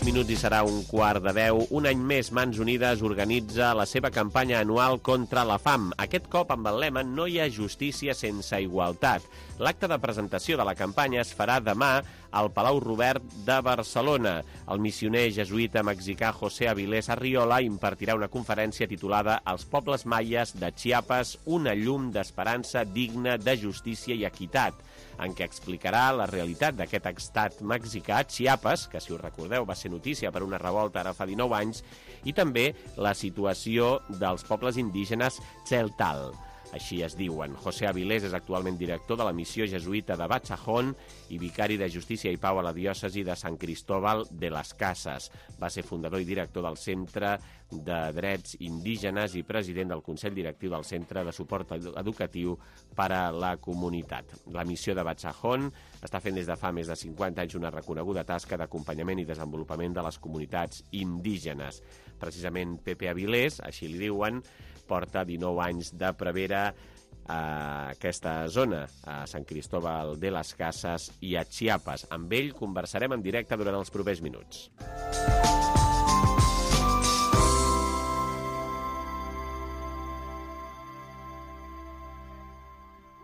Minuts i serà 9:15. Un any més, Mans Unides organitza la seva campanya anual contra la fam. Aquest cop amb el lema No hi ha justícia sense igualtat. L'acte de presentació de la campanya es farà demà al Palau Robert de Barcelona. El missioner jesuïta mexicà José Avilés Arriola impartirà una conferència titulada Els pobles maies de Chiapas, una llum d'esperança digna de justícia i equitat, en què explicarà la realitat d'aquest estat mexicà, Chiapas, que, si us recordeu, va ser notícia per una revolta ara fa 19 anys, i també la situació dels pobles indígenes Tzeltal. Així es diuen. José Avilés és actualment director de la missió jesuïta de Bachajón i vicari de Justícia i Pau a la diòcesi de Sant Cristóbal de las Casas. Va ser fundador i director del Centre de Drets Indígenes i president del Consell Directiu del Centre de Suport Educatiu per a la Comunitat. La missió de Bachajón està fent des de fa més de 50 anys una reconeguda tasca d'acompanyament i desenvolupament de les comunitats indígenes. Precisament Pepe Avilés, així li diuen, porta 19 anys de prevere a aquesta zona, a Sant Cristóbal de las Casas i a Chiapas. Amb ell conversarem en directe durant els propers minuts.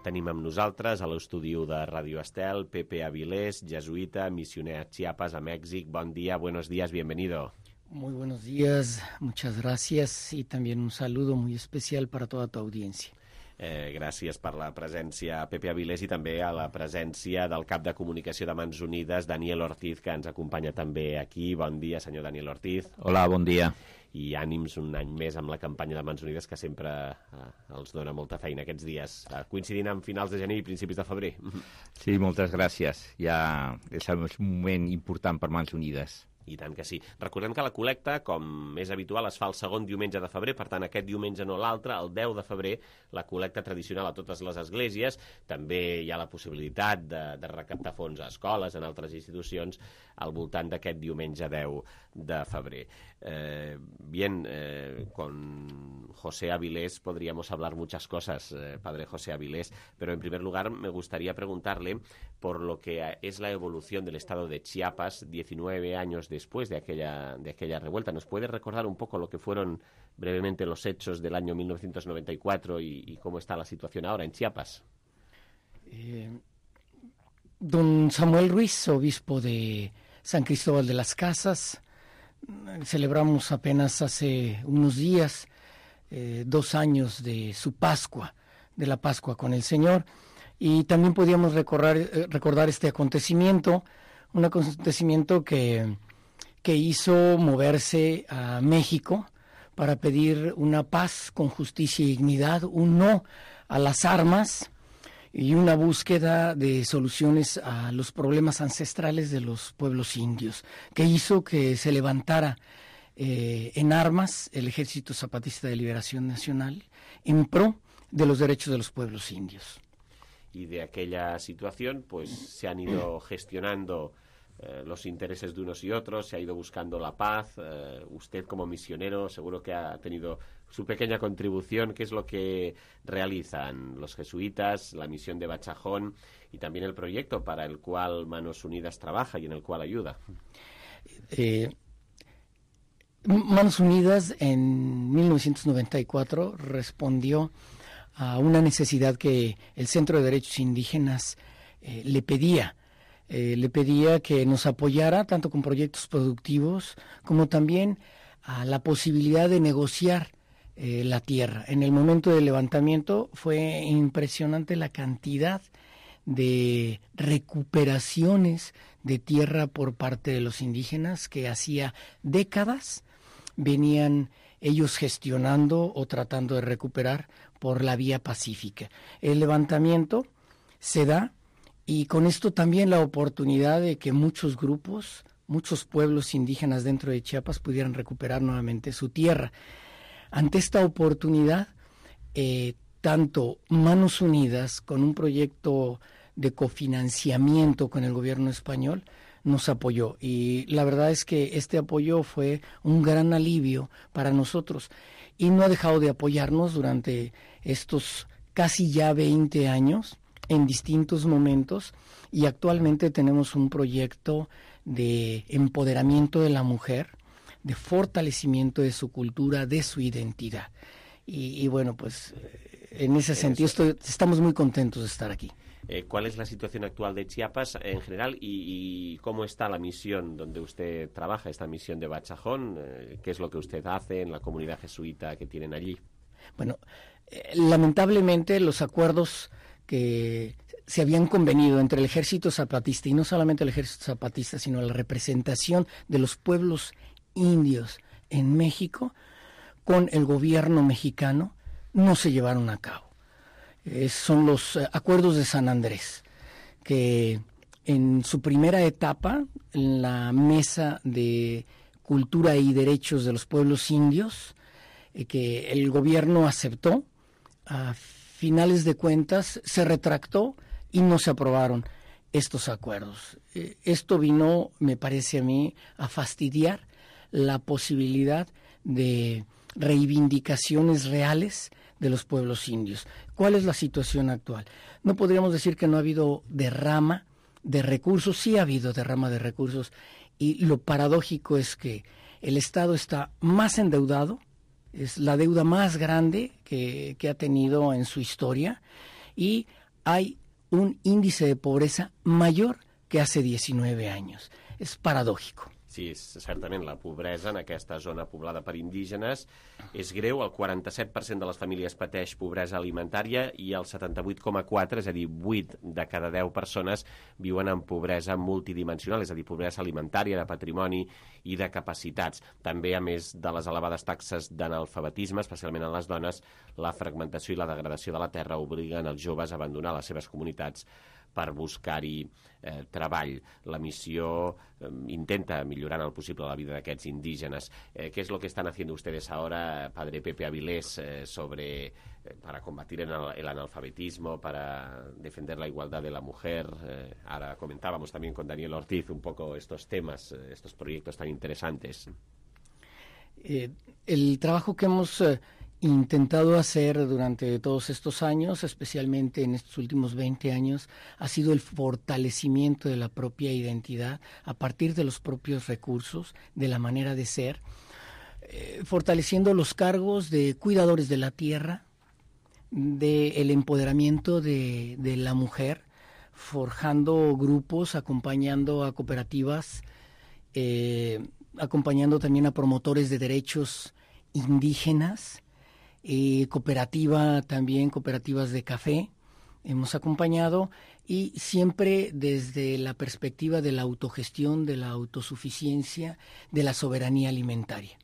Tenim amb nosaltres a l'estudi de Radio Estel Pepe Avilés, jesuïta, missioner a Chiapas, a Mèxic. Bon dia, buenos días, bienvenido. Muy buenos días, muchas gracias y también un saludo muy especial para toda tu audiencia. Gràcies per la presència, Pepe Avilés, i també a la presència del cap de comunicació de Mans Unides, Daniel Ortiz, que ens acompanya també aquí. Bon dia, senyor Daniel Ortiz. Hola, bon dia. I ànims un any més amb la campanya de Mans Unides, que sempre els dona molta feina aquests dies, coincidint amb finals de gener i principis de febrer. Sí, moltes gràcies. Ja és un moment important per Mans Unides. I tant que sí. Recordem que la col·lecta, com és habitual, es fa el segon diumenge de febrer, per tant, aquest diumenge no l'altre, el 10 de febrer, la col·lecta tradicional a totes les esglésies. També hi ha la possibilitat de recaptar fons a escoles, en altres institucions, al voltant d'aquest diumenge 10 de febrer. Con José Avilés podríamos hablar muchas cosas, padre José Avilés, pero en primer lugar me gustaría preguntarle por lo que es la evolución del estado de Chiapas 19 años después de aquella revuelta. ¿Nos puede recordar un poco lo que fueron brevemente los hechos del año 1994 y cómo está la situación ahora en Chiapas? Don Samuel Ruiz, obispo de San Cristóbal de las Casas, celebramos apenas hace unos días 2 años de su Pascua, de la Pascua con el Señor, y también podíamos recordar este acontecimiento, un acontecimiento que hizo moverse a México para pedir una paz con justicia y dignidad, un no a las armas y una búsqueda de soluciones a los problemas ancestrales de los pueblos indios, que hizo que se levantara en armas el Ejército Zapatista de Liberación Nacional en pro de los derechos de los pueblos indios. Y de aquella situación, pues se han ido gestionando los intereses de unos y otros, se ha ido buscando la paz. Usted como misionero seguro que ha tenido su pequeña contribución. ¿Qué es lo que realizan los jesuitas, la misión de Bachajón y también el proyecto para el cual Manos Unidas trabaja y en el cual ayuda? Manos Unidas en 1994 respondió a una necesidad que el Centro de Derechos Indígenas le pedía. le pedía que nos apoyara tanto con proyectos productivos como también a la posibilidad de negociar la tierra. En el momento del levantamiento fue impresionante la cantidad de recuperaciones de tierra por parte de los indígenas que hacía décadas venían ellos gestionando o tratando de recuperar por la vía pacífica. El levantamiento se da y con esto también la oportunidad de que muchos grupos, muchos pueblos indígenas dentro de Chiapas pudieran recuperar nuevamente su tierra. Ante esta oportunidad, tanto Manos Unidas, con un proyecto de cofinanciamiento con el gobierno español, nos apoyó. Y la verdad es que este apoyo fue un gran alivio para nosotros. Y no ha dejado de apoyarnos durante estos casi ya 20 años, en distintos momentos. Y actualmente tenemos un proyecto de empoderamiento de la mujer, de fortalecimiento de su cultura, de su identidad. Y bueno, pues en ese sentido estamos muy contentos de estar aquí. ¿Cuál es la situación actual de Chiapas en general y cómo está la misión donde usted trabaja, esta misión de Bachajón? ¿Qué es lo que usted hace en la comunidad jesuita que tienen allí? Bueno, lamentablemente los acuerdos que se habían convenido entre el Ejército Zapatista, y no solamente el Ejército Zapatista, sino la representación de los pueblos indios en México, con el gobierno mexicano, no se llevaron a cabo. Son los acuerdos de San Andrés, que en su primera etapa, en la Mesa de Cultura y Derechos de los Pueblos Indios, que el gobierno aceptó, a finales de cuentas se retractó y no se aprobaron estos acuerdos. Esto vino, me parece a mí, a fastidiar la posibilidad de reivindicaciones reales de los pueblos indios. ¿Cuál es la situación actual? No podríamos decir que no ha habido derrama de recursos, sí ha habido derrama de recursos, y lo paradójico es que el Estado está más endeudado, es la deuda más grande que ha tenido en su historia, y hay un índice de pobreza mayor que hace 19 años. És paradògic. Sí, certament la pobresa en aquesta zona poblada per indígenes és greu. El 47% de les famílies pateix pobresa alimentària i el 78,4%, és a dir, 8 de cada 10 persones viuen en pobresa multidimensional, és a dir, pobresa alimentària, de patrimoni i de capacitats. També, a més de les elevades taxes d'analfabetisme, especialment en les dones, la fragmentació i la degradació de la terra obliguen els joves a abandonar les seves comunitats per buscar-hi treball. La missió intenta millorar en el posible la vida d'aquests indígenes. ¿Qué es lo que están haciendo ustedes ahora, Padre Pepe Avilés, para combatir el analfabetismo, para defender la igualdad de la mujer? Ahora comentábamos también con Daniel Ortiz un poco estos temas, estos proyectos tan interesantes. El trabajo que hemos intentado hacer durante todos estos años, especialmente en estos últimos 20 años, ha sido el fortalecimiento de la propia identidad a partir de los propios recursos, de la manera de ser, fortaleciendo los cargos de cuidadores de la tierra, del empoderamiento de la mujer, forjando grupos, acompañando a cooperativas, acompañando también a promotores de derechos indígenas, cooperativas de café, hemos acompañado, y siempre desde la perspectiva de la autogestión, de la autosuficiencia, de la soberanía alimentaria.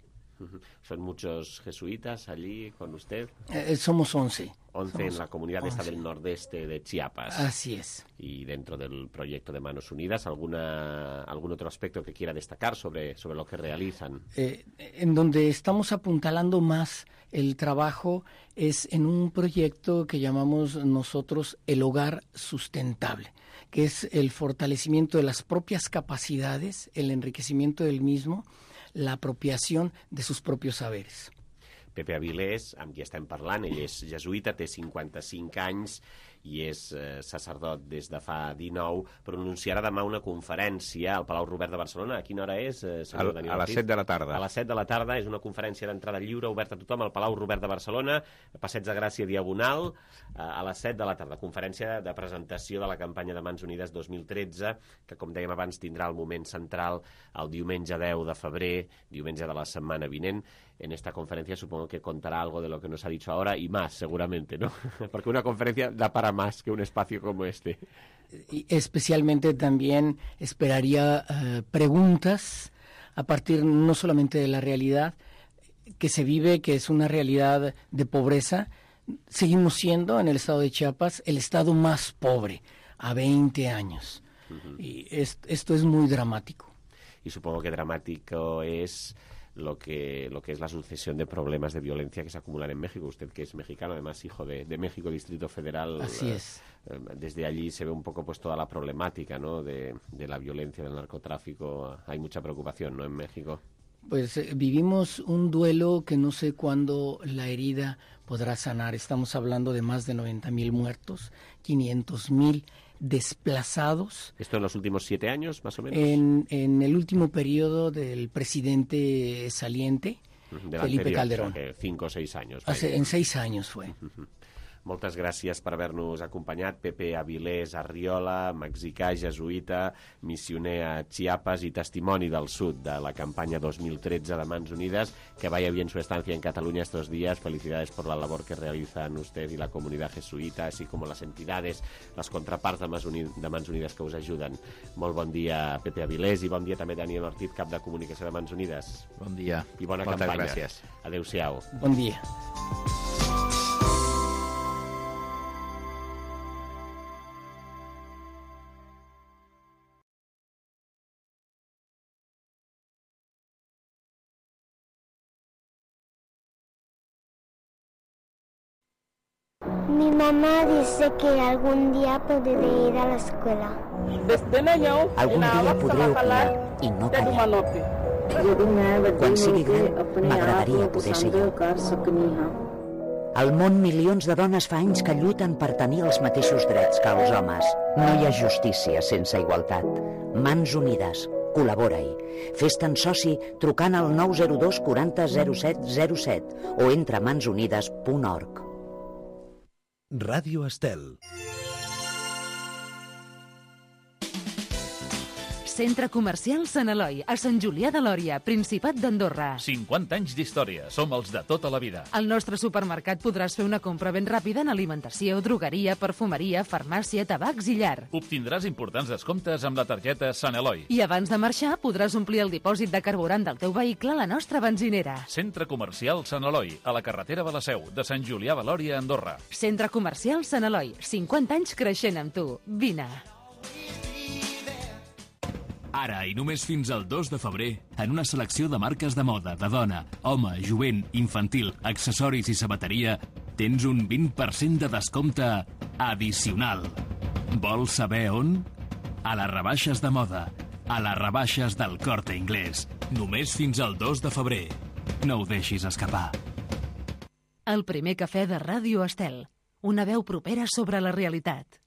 ¿Son muchos jesuitas allí con usted? Somos 11. 11 en la comunidad esta del nordeste de Chiapas. Así es. Y dentro del proyecto de Manos Unidas, ¿algún otro aspecto que quiera destacar sobre lo que realizan? En donde estamos apuntalando más el trabajo es en un proyecto que llamamos nosotros el hogar sustentable, que es el fortalecimiento de las propias capacidades, el enriquecimiento del mismo, la apropiación de sus propios saberes. Pepe Avilés, amb qui estem parlant. Ell és jesuïta, té 55 anys i és sacerdot des de fa 19, pronunciarà demà una conferència al Palau Robert de Barcelona. A quina hora és, senyor Daniel A les 7 de la tarda. A les 7 de la tarda. És una conferència d'entrada lliure, oberta a tothom, al Palau Robert de Barcelona, Passeig de Gràcia Diagonal, a les 7 de la tarda. Conferència de presentació de la campanya de Mans Unides 2013, que, com dèiem abans, tindrà el moment central el diumenge 10 de febrer, diumenge de la setmana vinent. En esta conferencia supongo que contará algo de lo que nos ha dicho ahora y más, seguramente, ¿no? Porque una conferencia da para más que un espacio como este. Y especialmente también esperaría preguntas a partir no solamente de la realidad que se vive, que es una realidad de pobreza. Seguimos siendo, en el estado de Chiapas, el estado más pobre a 20 años. Y esto es muy dramático. Y supongo que dramático es lo que es la sucesión de problemas de violencia que se acumulan en México. Usted, que es mexicano, además hijo de México, Distrito Federal. Así es. Desde allí se ve un poco pues toda la problemática, ¿no?, de la violencia, del narcotráfico. Hay mucha preocupación, ¿no?, en México. Pues vivimos un duelo que no sé cuándo la herida podrá sanar. Estamos hablando de más de 90,000 muertos, 500,000 desplazados. ¿Esto en los últimos 7 años, más o menos? En el último periodo del presidente saliente, Felipe Calderón. O sea, que 5 o 6 años. En 6 años fue. Moltes gràcies per haver-nos acompanyat. Pepe Avilés Arriola, mexicà, jesuïta, missioner a Chiapas y testimoni del sud de la campaña 2013 de Mans Unidas. Que vaya bien su estancia en Cataluña estos días. Felicidades por la labor que realizan usted y la comunidad jesuïta, así como las entidades, las contraparts de Mans Unides que us ajuden. Molt bon dia, Pepe Avilés, i bon dia també Daniel Ortiz, cap de comunicació de Mans Unides. Bon dia. I bona Moltes campanya. Gràcies. Adéu-siau. Bon dia. Mi mamá dice que algún día podré ir a la escuela. Algun dia podré opinar i no callar. Quan sigui gran, m'agradaria poder ser jo. Al món, milions de dones fa anys que lluiten per tenir els mateixos drets que els homes. No hi ha justícia sense igualtat. Mans Unides. Col·labora-hi. Fes-te'n soci trucant al 902 40 07 07 o entra a mansunides.org. Ràdio Estel. Centre Comercial Sant Eloi, a Sant Julià de Lòria, Principat d'Andorra. 50 anys d'història. Som els de tota la vida. Al nostre supermercat podràs fer una compra ben ràpida en alimentació, drogueria, perfumeria, farmàcia, tabacs i llar. Obtindràs importants descomptes amb la targeta Sant Eloi. I abans de marxar podràs omplir el dipòsit de carburant del teu vehicle a la nostra benzinera. Centre Comercial Sant Eloi, a la carretera de la Seu, de Sant Julià de Lòria, Andorra. Centre Comercial Sant Eloi, 50 anys creixent amb tu. Vine. Ara i només fins al 2 de febrer, en una selecció de marques de moda, de dona, home, jovent, infantil, accessoris i sabateria, tens un 20% de descompte addicional. Vols saber on? A les rebaixes de moda, a les rebaixes del Corte Inglés. Només fins al 2 de febrer. No ho deixis escapar. El primer cafè de Ràdio Estel. Una veu propera sobre la realitat.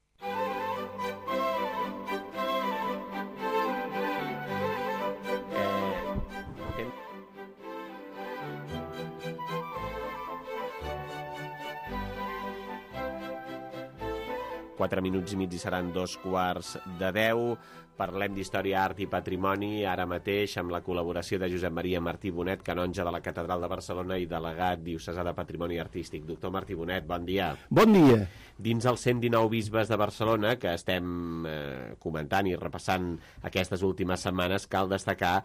Quatre minuts i mig i seran 2:15. Parlem d'història, art i patrimoni, ara mateix amb la col·laboració de Josep Maria Martí Bonet, canonge de la Catedral de Barcelona i delegat diocesà de Patrimoni Artístic. Doctor Martí Bonet, bon dia. Bon dia. Dins els 119 bisbes de Barcelona, que estem comentant i repassant aquestes últimes setmanes, cal destacar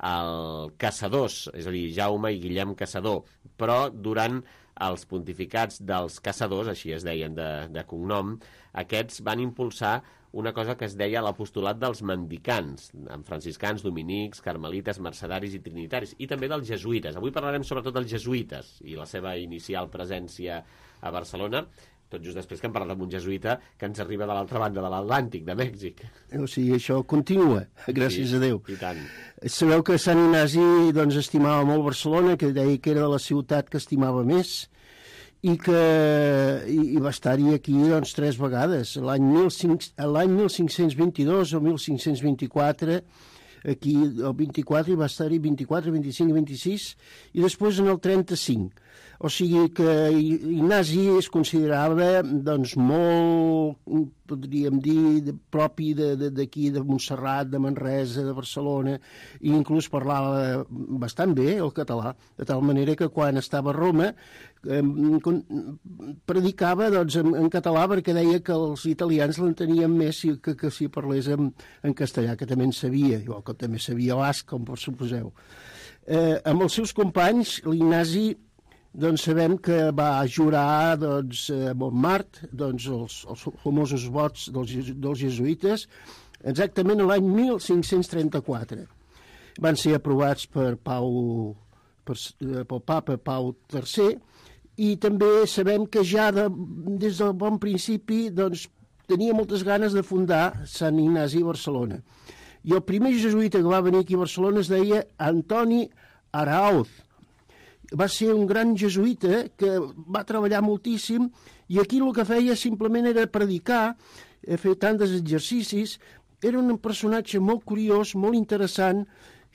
el Caçadors, és a dir, Jaume i Guillem Caçador, però durant els pontificats dels Caçadors, així es deien de cognom, aquests van impulsar una cosa que es deia l'apostolat dels mendicants, amb franciscans, dominics, carmelites, mercedaris i trinitaris, i també dels jesuïtes. Avui parlarem sobretot dels jesuïtes i la seva inicial presència a Barcelona. tot just després que hem parlat amb un jesuïta que ens arriba de l'altra banda de l'Atlàntic, de Mèxic. O sigui, això continua, gràcies a Déu. I tant. Sabeu que Sant Ignasi doncs, estimava molt Barcelona, que deia que era la ciutat que estimava més, i va estar-hi aquí doncs, 3 vegades. L'any 1522 o 1524, aquí el 24, i va estar-hi 24, 25 i 26, i després en el 35. O sigui que Ignasi es considerava doncs, molt, podríem dir, propi d'aquí, de Montserrat, de Manresa, de Barcelona, i inclús parlava bastant bé el català, de tal manera que quan estava a Roma predicava doncs, en català, perquè deia que els italians l'entenien més que si parlés en castellà, que també en sabia, igual que també sabia basc, com suposeu. Amb els seus companys, l'Ignasi doncs sabem que va jurar doncs, a Montmartre doncs, els famosos vots dels jesuïtes exactament l'any 1534. Van ser aprovats pel papa Pau III, i també sabem que ja des del bon principi doncs, tenia moltes ganes de fundar Sant Ignasi a Barcelona. I el primer jesuïta que va venir aquí a Barcelona es deia Antoni Araoz. Va ser un gran jesuïta que va treballar moltíssim, i aquí el que feia simplement era predicar, fer tants exercicis. Era un personatge molt curiós, molt interessant,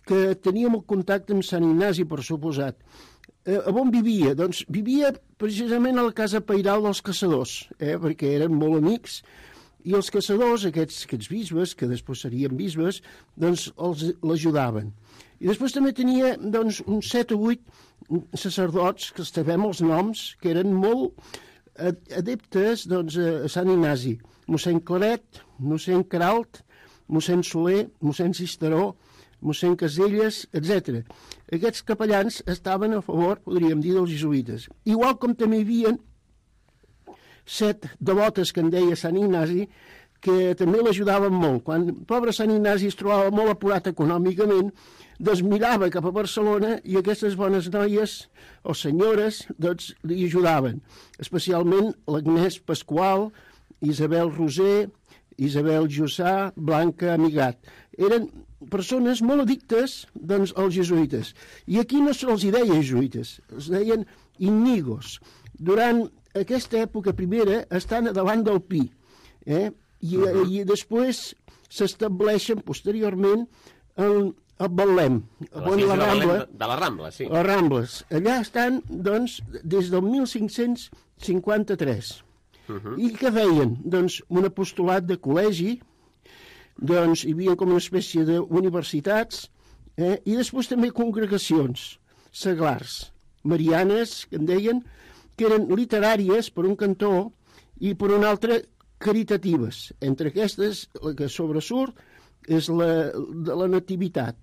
que tenia molt contacte amb Sant Ignasi, per suposat. A on vivia? Doncs vivia precisament a la casa pairal dels caçadors, perquè eren molt amics, i els caçadors, aquests bisbes, que després serien bisbes, doncs l'ajudaven. I després també tenia doncs, uns 7 o 8 sacerdots, que sabem els noms, que eren molt adeptes doncs, a Sant Ignasi. Mossèn Claret, mossèn Queralt, mossèn Soler, mossèn Cisteró, mossèn Caselles, etc. Aquests capellans estaven a favor, podríem dir, dels jesuïtes. Igual com també hi havia 7 devotes que en deia Sant Ignasi, que també l'ajudaven molt. Quan el pobre Sant Ignasi es trobava molt apurat econòmicament, doncs mirava cap a Barcelona i aquestes bones noies o senyores doncs, li ajudaven, especialment l'Agnès Pasqual, Isabel Roser, Isabel Jussà, Blanca Amigat. Eren persones molt addictes doncs, als jesuïtes. I aquí no se'ls deia jesuïtes, els deien Íñigos. Durant aquesta època primera estan davant del Pi, i després s'estableixen posteriorment a Betlem, de la Rambla, sí. Les Rambles. Allà estan, doncs, des del 1553. I què feien? Doncs un apostolat de col·legi, doncs hi havia com una espècie d'universitats, i després també congregacions seglars, marianes, que en deien, que eren literàries per un cantó i per un altre caritatives. Entre aquestes, la que sobresurt és la de la Nativitat,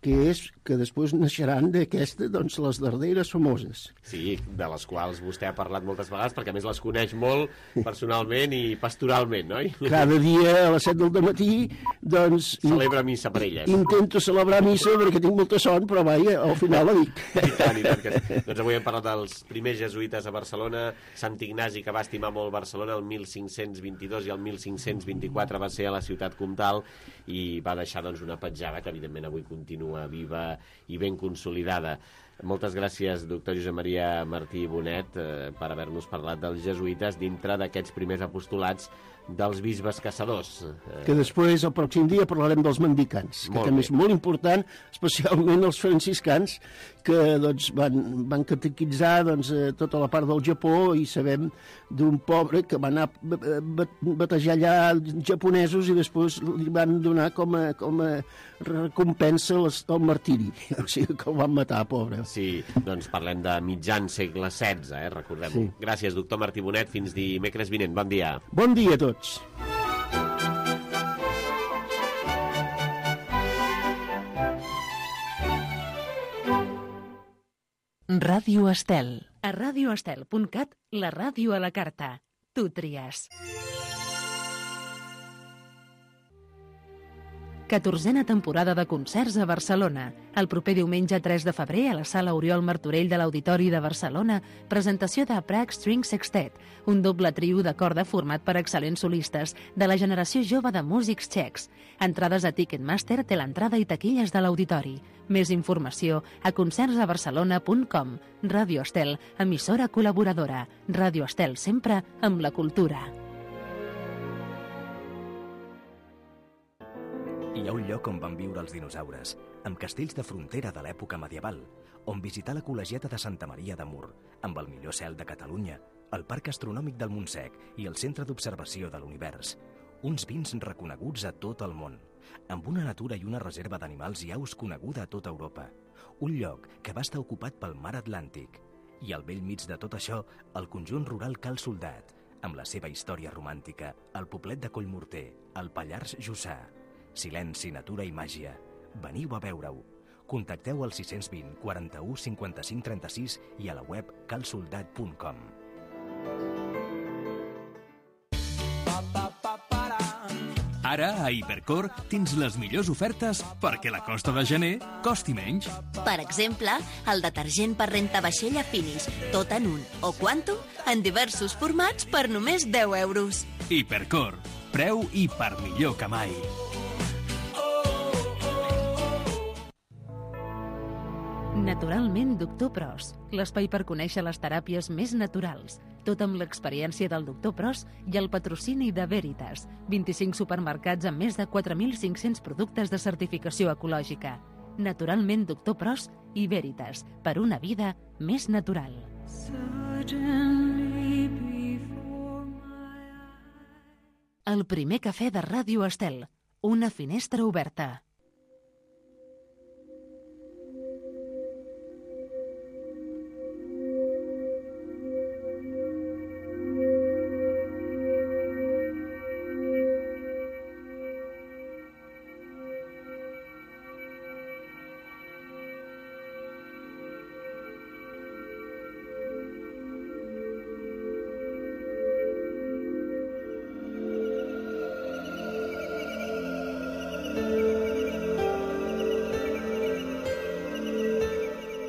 que després naixeran d'aquesta, doncs, les darreres famoses. Sí, de les quals vostè ha parlat moltes vegades, perquè a més les coneix molt personalment i pastoralment, oi? Cada dia a les 7 del matí, doncs... Celebra missa per elles. Intento celebrar missa perquè tinc molta son, però vaja, al final la dic. I tant que sí. Doncs avui hem parlat dels primers jesuïtes a Barcelona, Sant Ignasi, que va estimar molt Barcelona el 1522 i el 1524 va ser a la ciutat comtal, i va deixar doncs, una petjada que evidentment avui continua viva i ben consolidada. Moltes gràcies, doctor Josep Maria Martí Bonet, per haver-nos parlat dels jesuïtes dintre d'aquests primers apostolats dels bisbes caçadors. Que després, el pròxim dia, parlarem dels mendicants, que també és molt important, especialment els franciscans, que doncs, van catequitzar doncs, tota la part del Japó, i sabem d'un pobre que va anar a batejar allà japonesos i després li van donar com a recompensa el martiri, o sigui que el van matar, pobre. Sí, doncs parlem de mitjan segle XVI, recordem-ho. Sí. Gràcies, doctor Martí Bonet, fins dimecres vinent. Bon dia. Bon dia a tots. Ràdio Estel. A radioestel.cat, la ràdio a la carta. Tu tries. 14a temporada de concerts a Barcelona. El proper diumenge 3 de febrer a la Sala Oriol Martorell de l'Auditori de Barcelona, presentació de Prague String Sextet, un doble trio de corda format per excel·lents solistes de la generació jove de músics txecs. Entrades a Ticketmaster, té l'entrada i taquilles de l'Auditori. Més informació a concertsabarcelona.com. Ràdio Estel, emissora col·laboradora. Ràdio Estel, sempre amb la cultura. Hi ha un lloc on van viure els dinosaures, amb castells de frontera de l'època medieval, on visitar la col·legiata de Santa Maria de Mur, amb el millor cel de Catalunya, el Parc Astronòmic del Montsec i el Centre d'Observació de l'Univers. Uns vins reconeguts a tot el món, amb una natura i una reserva d'animals i aus coneguda a tota Europa. Un lloc que va estar ocupat pel mar Atlàntic. I al bell mig de tot això, el conjunt rural Cal Soldat, amb la seva història romàntica, el poblet de Collmorter, el Pallars Jussà. Silenci, natura i màgia. Veniu a veure-ho. Contacteu al 620 41 55 36 i a la web calsoldat.com. Ara, a Hipercor, tens les millors ofertes perquè la costa de gener costi menys. Per exemple, el detergent per rentavaixella Finis, tot en un o Quantum, en diversos formats per només 10 euros. Hipercor, preu i per millor que mai. Naturalment Doctor Pros, l'espai per conèixer les teràpies més naturals. Tot amb l'experiència del Doctor Pros i el patrocini de Veritas. 25 supermercats amb més de 4.500 productes de certificació ecològica. Naturalment Doctor Pros i Veritas, per una vida més natural. El primer cafè de Ràdio Estel. Una finestra oberta.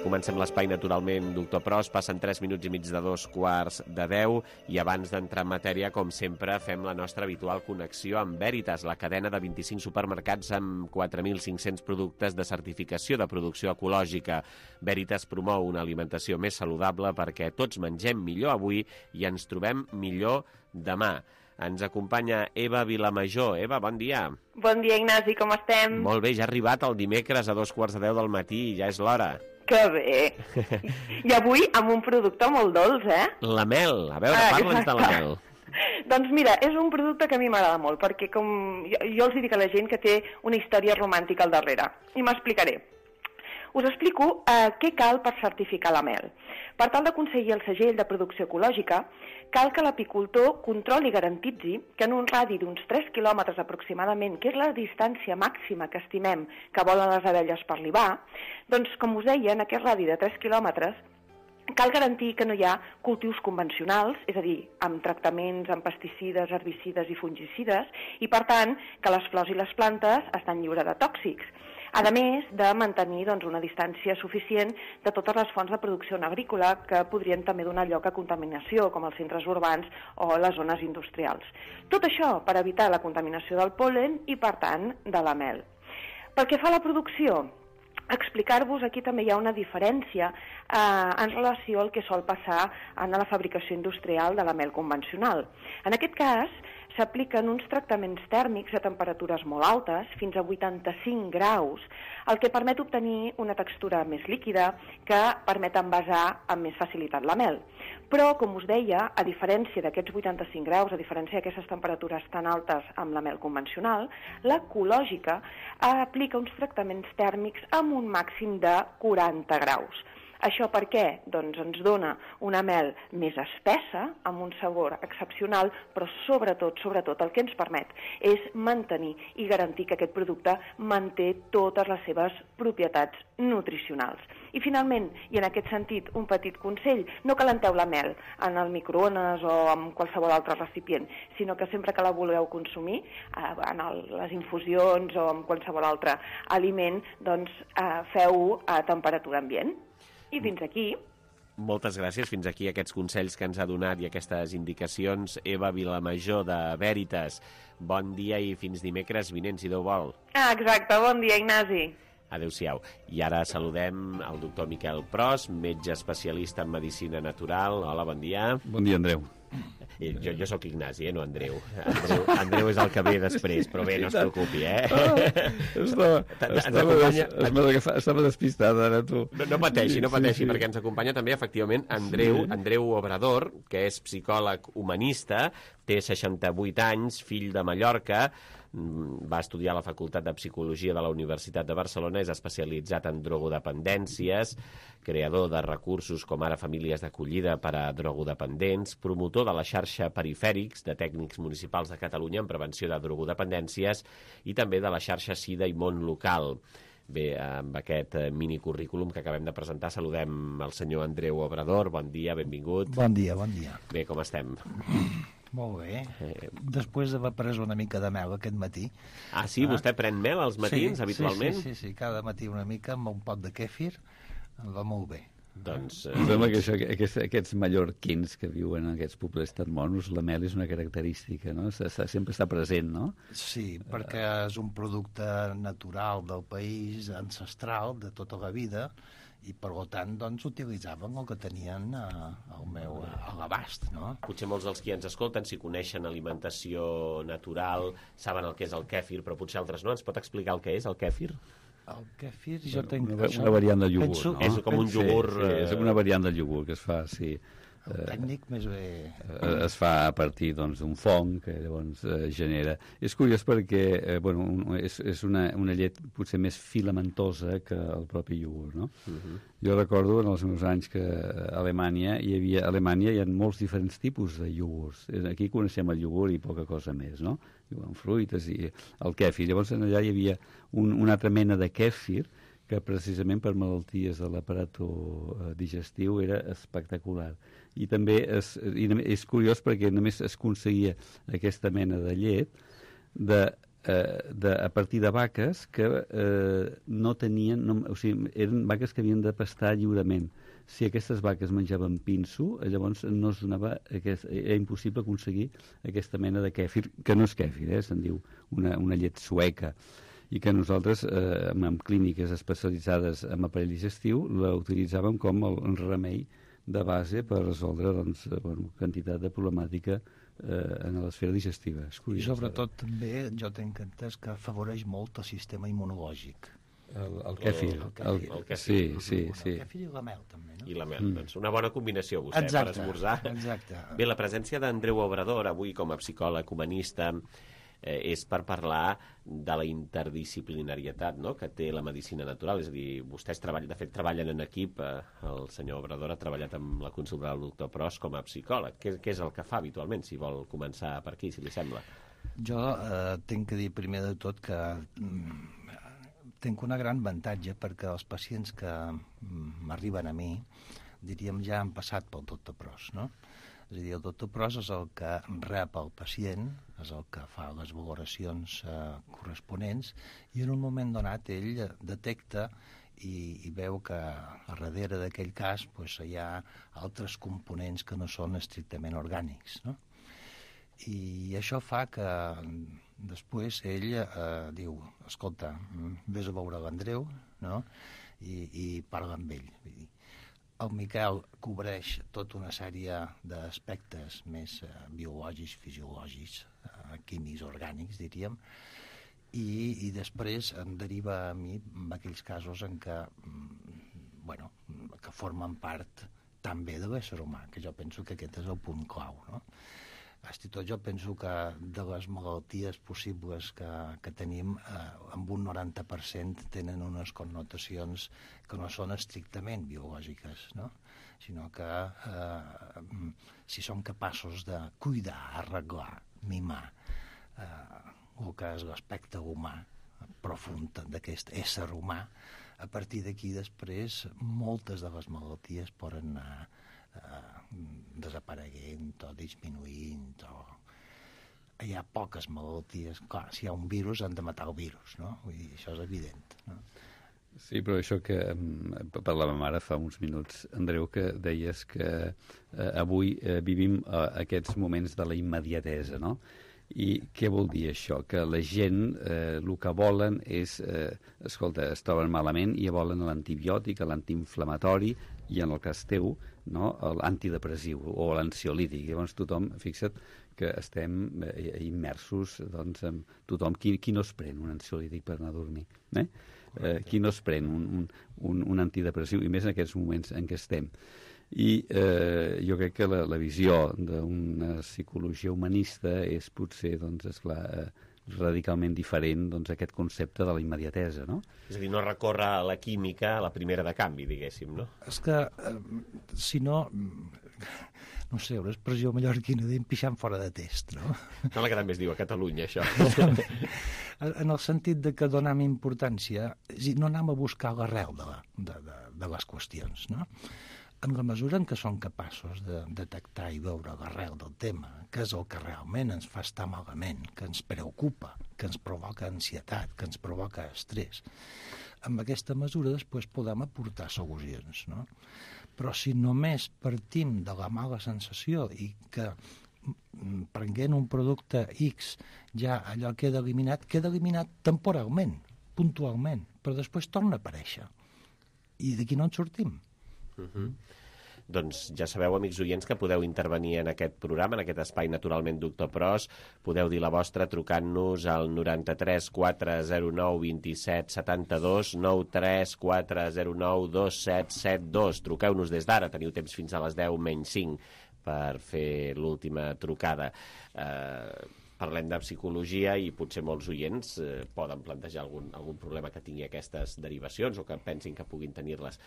Comencem l'espai naturalment, Doctor Pros. Passen 3 minuts i mig de 2:15 i abans d'entrar en matèria, com sempre, fem la nostra habitual connexió amb Veritas, la cadena de 25 supermercats amb 4.500 productes de certificació de producció ecològica. Veritas promou una alimentació més saludable perquè tots mengem millor avui i ens trobem millor demà. Ens acompanya Eva Vilamajor. Eva, bon dia. Bon dia, Ignasi, com estem? Molt bé, ja ha arribat el dimecres a 2:15 del matí, ja és l'hora. Que bé. I avui amb un producte molt dolç, eh? La mel. A veure, parla'ns de la mel. Doncs mira, és un producte que a mi m'agrada molt, perquè com jo els dic a la gent que té una història romàntica al darrere. I m'explicaré. Us explico què cal per certificar la mel. Per tal d'aconseguir el segell de producció ecològica, cal que l'apicultor controli i garantitzi que en un radi d'uns 3 quilòmetres aproximadament, que és la distància màxima que estimem que volen les abelles per libar, doncs, com us deia, en aquest radi de 3 quilòmetres, cal garantir que no hi ha cultius convencionals, és a dir, amb tractaments amb pesticides, herbicides i fungicides, i per tant que les flors i les plantes estan lliures de tòxics. A més de mantenir una distància suficient de totes les fonts de producció agrícola que podrien també donar lloc a contaminació, com els centres urbans o les zones industrials. Tot això per evitar la contaminació del pol·len i, per tant, de la mel. Pel que fa a la producció, explicar-vos, aquí també hi ha una diferència en relació al que sol passar en la fabricació industrial de la mel convencional. En aquest cas, s'apliquen uns tractaments tèrmics a temperatures molt altes, fins a 85 graus, el que permet obtenir una textura més líquida que permet envasar amb més facilitat la mel. Però, com us deia, a diferència d'aquests 85 graus, a diferència d'aquestes temperatures tan altes amb la mel convencional, l'ecològica aplica uns tractaments tèrmics amb un màxim de 40 graus. Això per què? Doncs ens dona una mel més espessa, amb un sabor excepcional, però sobretot el que ens permet és mantenir i garantir que aquest producte manté totes les seves propietats nutricionals. I finalment, i en aquest sentit, un petit consell, no calenteu la mel en el microones o en qualsevol altre recipient, sinó que sempre que la voleu consumir, en les infusions o en qualsevol altre aliment, doncs feu-ho a temperatura ambient. I fins aquí. Moltes gràcies. Fins aquí aquests consells que ens ha donat i aquestes indicacions Eva Vilamajor de Veritas. Bon dia i fins dimecres vinent, si Déu vol. Exacte, bon dia, Ignasi. Adéu-siau. I ara saludem el doctor Miquel Pros, metge especialista en medicina natural. Hola, bon dia. Bon dia, Andreu. Jo sóc Ignasi, no Andreu. Andreu és el que ve després, però bé, no es preocupi, Estava despistada, ara, tu. No pateixi, perquè ens acompanya també, efectivament, Andreu Obrador, que és psicòleg humanista, té 68 anys, fill de Mallorca, va estudiar a la Facultat de Psicologia de la Universitat de Barcelona, és especialitzat en drogodependències, creador de recursos com ara famílies d'acollida per a drogodependents, promotor de la xarxa Perifèrics de tècnics municipals de Catalunya en prevenció de drogodependències i també de la xarxa SIDA i Món Local. Bé, amb aquest minicurrículum que acabem de presentar, saludem el senyor Andreu Obrador. Bon dia, benvingut. Bon dia, bon dia. Bé, com estem? Molt bé. Després d'haver pres una mica de mel aquest matí. Ah, sí? Vostè pren mel als matins, habitualment? Sí, cada matí una mica amb un pot de kèfir. Em va molt bé. Doncs... Em sembla que aquests mallorquins que viuen en aquests pobles tan monos, la mel és una característica, no? Sempre està present, no? Sí, perquè és un producte natural del país, ancestral, de tota la vida, i per tant doncs utilitzaven el que tenien a l'abast, no? Potser molts dels qui ens escolten, si coneixen alimentació natural, saben el que és el kèfir, però potser altres no. Ens pot explicar el que és el kèfir? El kèfir, jo tenc... Una variant del iogurt, no? És com un iogurt... Sí, és una variant del iogurt que es fa, sí. El tècnic més bé... Es fa a partir d'un fong que llavors genera. És curiós perquè és una llet potser més filamentosa que el propi iogurt, no? Jo recordo en els meus anys que a Alemanya hi ha molts diferents tipus de iogurts. Aquí coneixem el iogurt i poca cosa més, no? Amb fruites i el kèfir. Llavors allà hi havia una altra mena de kèfir que precisament per malalties de l'aparato digestiu era espectacular. I també és curiós perquè només es aconseguia aquesta mena de llet a partir de vaques que no tenien... O sigui, eren vaques que havien de pastar lliurement. Si aquestes vaques menjaven pinso, llavors no es donava... Era impossible aconseguir aquesta mena de kèfir, que no és kèfir, se'n diu una llet sueca, i que nosaltres, en clíniques especialitzades en aparell digestiu, la utilitzàvem com un remei de base per resoldre quantitat de problemàtica en l'esfera digestiva. I sobretot també jo tenc entès que afavoreix molt el sistema immunològic. El kèfir. Sí. El kèfir i la mel també, no? I la mel, doncs una bona combinació vostè per esmorzar. Exacte. Bé, la presència d'Andreu Obrador avui com a psicòleg humanista és per parlar de la interdisciplinarietat, no?, que té la medicina natural. És a dir, vostès de fet treballen en equip. El senyor Obrador ha treballat amb la consulta del doctor Pros com a psicòleg. Què és el que fa habitualment, si vol començar per aquí, si li sembla? Jo tinc que dir primer de tot que tinc una gran avantatge perquè els pacients que m'arriben a mi, diríem, ja han passat pel doctor Pros, no? És a dir, el doctor Pros és el que rep el pacient, és el que fa les valoracions corresponents, i en un moment donat ell detecta i veu que a darrere d'aquell cas hi ha altres components que no són estrictament orgànics, no? I això fa que després ell diu, escolta, vés a veure l'Andreu, no?, i parla amb ell. El Miquel cobreix tota una sèrie d'aspectes més biològics, fisiològics, químics, orgànics, diríem, i després em deriva a mi en aquells casos en què, que formen part també de l'ésser humà, que jo penso que aquest és el punt clau, no? Fins i tot jo penso que de les malalties possibles que tenim, amb un 90% tenen unes connotacions que no són estrictament biològiques, no? Sinó que si som capaços de cuidar, arreglar, mimar el que és l'aspecte humà, profund d'aquest ésser humà, a partir d'aquí després moltes de les malalties poden anar desapareguent o disminuint hi ha poques malalties. Clar, si hi ha un virus han de matar el virus, no? Vull dir, això és evident, no? Sí, però això que parlàvem ara fa uns minuts, Andreu, que deies que avui vivim aquests moments de la immediatesa, no? I què vol dir això? Que la gent el que volen és, escolta, es troben malament i volen l'antibiòtic, l'antiinflamatori i en el cas teu, no, l'antidepressiu o l'ansiolític. Llavors tothom, fixa't que estem immersos, doncs, amb tothom. Qui no es pren un ansiolític per anar a dormir? Qui no es pren un antidepressiu? I més en aquests moments en què estem. I jo crec que la visió d'una psicologia humanista és potser, doncs, esclar, radicalment diferent d'aquest concepte de la immediatesa, no? És a dir, no recorre a la química, a la primera de canvi, diguéssim, no? És que, si no... No sé, una expressió mallorquina d'en pixant fora de test, no? Sembla que també es diu a Catalunya, això. En el sentit de que donem importància, no anem a buscar l'arrel de les qüestions, no? En la mesura en què som capaços de detectar i veure l'arrel del tema, que és el que realment ens fa estar malament, que ens preocupa, que ens provoca ansietat, que ens provoca estrès, amb aquesta mesura després podem aportar solucions, no? Però si només partim de la mala sensació i que prenent un producte X ja allò queda eliminat temporalment, puntualment, però després torna a aparèixer. I d'aquí no en sortim. Doncs ja sabeu, amics oients, que podeu intervenir en aquest programa, en aquest espai Naturalment Doctor Pros. Podeu dir la vostra trucant-nos al 93 409 27 72, 93 409 2772. Truqueu-nos des d'ara, teniu temps fins a les 10 menys 5 per fer l'última trucada. Parlem de psicologia i potser molts oients poden plantejar algun problema que tingui aquestes derivacions o que pensin que puguin tenir-les.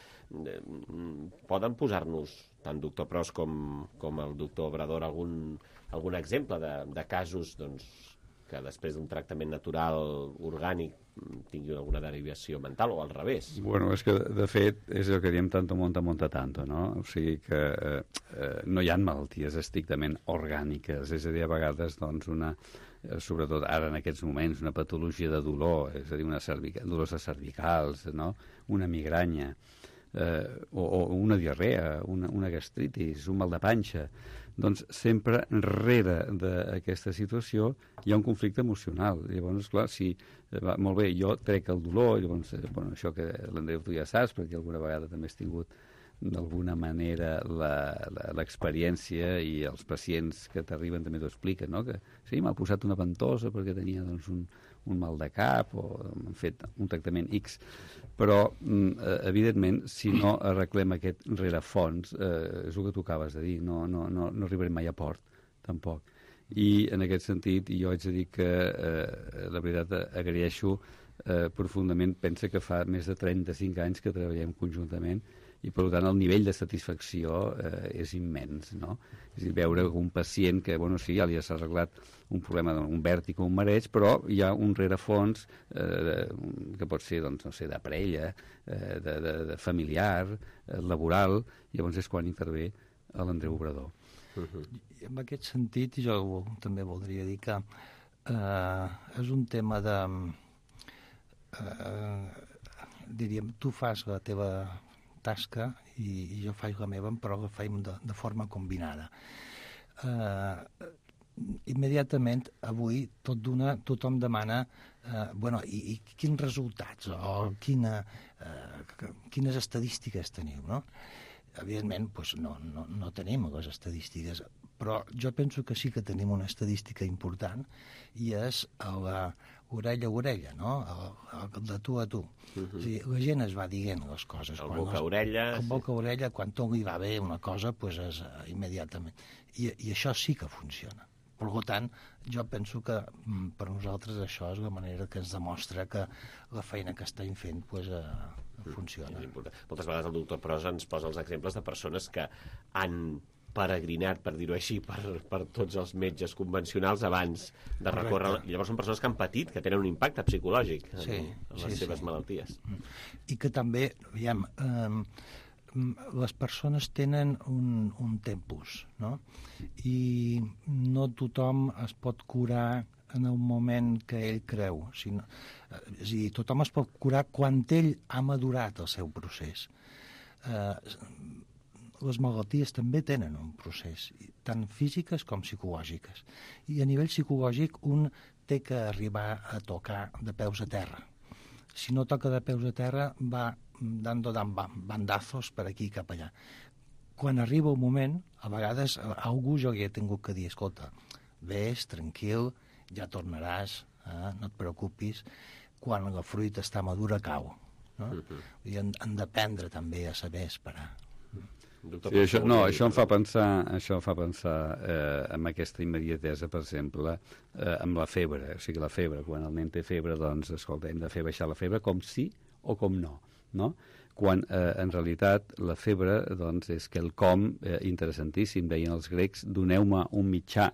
Poden posar-nos, tant doctor Pros com el doctor Obrador, algun exemple de casos que després d'un tractament natural orgànic tinguin alguna derivació mental o al revés? Bueno, és que de fet és el que diem tanto monta tanto, no? O sigui que no hi ha malalties estrictament orgàniques, és a dir, a vegades doncs sobretot ara en aquests moments, una patologia de dolor, és a dir, dolors cervicals, no? Una migranya, o una diarrea, una gastritis, un mal de panxa. Doncs sempre rere d'aquesta situació hi ha un conflicte emocional. Llavors, clar, si molt bé, jo trec el dolor, llavors, això que l'Andreu tu ja saps, perquè alguna vegada també has tingut d'alguna manera l'experiència i els pacients que t'arriben també t'ho expliquen, no? Que sí, m'ha posat una ventosa perquè tenia doncs, un mal de cap o han fet un tractament X, però evidentment si no arreglem aquest rerefons és el que tu acabes de dir, no arribarem mai a port tampoc. I en aquest sentit jo haig de dir que la veritat agraeixo profundament, pensa que fa més de 35 anys que treballem conjuntament i per tant el nivell de satisfacció és immens, no? És a dir, veure un pacient que, sí, ja li has arreglat un problema, un vèrtic o un mareig, però hi ha un rerefons que pot ser, doncs, no sé, de parella, de familiar, laboral, llavors és quan intervé l'Andreu Obrador. I en aquest sentit, jo també voldria dir que és un tema de... diríem, tu fas la teva tasca i jo faig la meva, però la faig de forma combinada. Immediatament, avui, tothom demana i quins resultats o quines estadístiques teniu, no? Evidentment, no tenim les estadístiques, però jo penso que sí que tenim una estadística important i és orella a orella, no? De tu a tu. O sigui, la gent es va dient les coses. El boca a orella. El boca a orella, quan tot li va bé una cosa, doncs és immediatament. I això sí que funciona. Per tant, jo penso que per nosaltres això és la manera que ens demostra que la feina que estem fent funciona. Moltes vegades el doctor Pros ens posa els exemples de persones que han peregrinat, per dir-ho així, per tots els metges convencionals abans de recórrer... Llavors són persones que han patit, que tenen un impacte psicològic en les seves malalties. I que també, veiem, les persones tenen un tempus, no? I no tothom es pot curar en el moment que ell creu. És a dir, tothom es pot curar quan ell ha madurat el seu procés. Les malalties també tenen un procés, tant físiques com psicològiques. I a nivell psicològic un té que arribar a tocar de peus a terra. Si no toca de peus a terra, va dando bandazos per aquí i cap allà. Quan arriba un moment, a vegades a algú jo li he tingut que dir, escolta, vés, tranquil, ja tornaràs, no et preocupis, quan la fruita està madura cau. No? I han d'aprendre també a saber esperar. Sí, això em fa pensar en aquesta immediatesa, per exemple, amb la febre. O sigui, la febre, quan el nen té febre, doncs, escolta, hem de fer baixar la febre com sí o com no, no? Quan en realitat la febre doncs, és quelcom interessantíssim. Deien els grecs, doneu-me un mitjà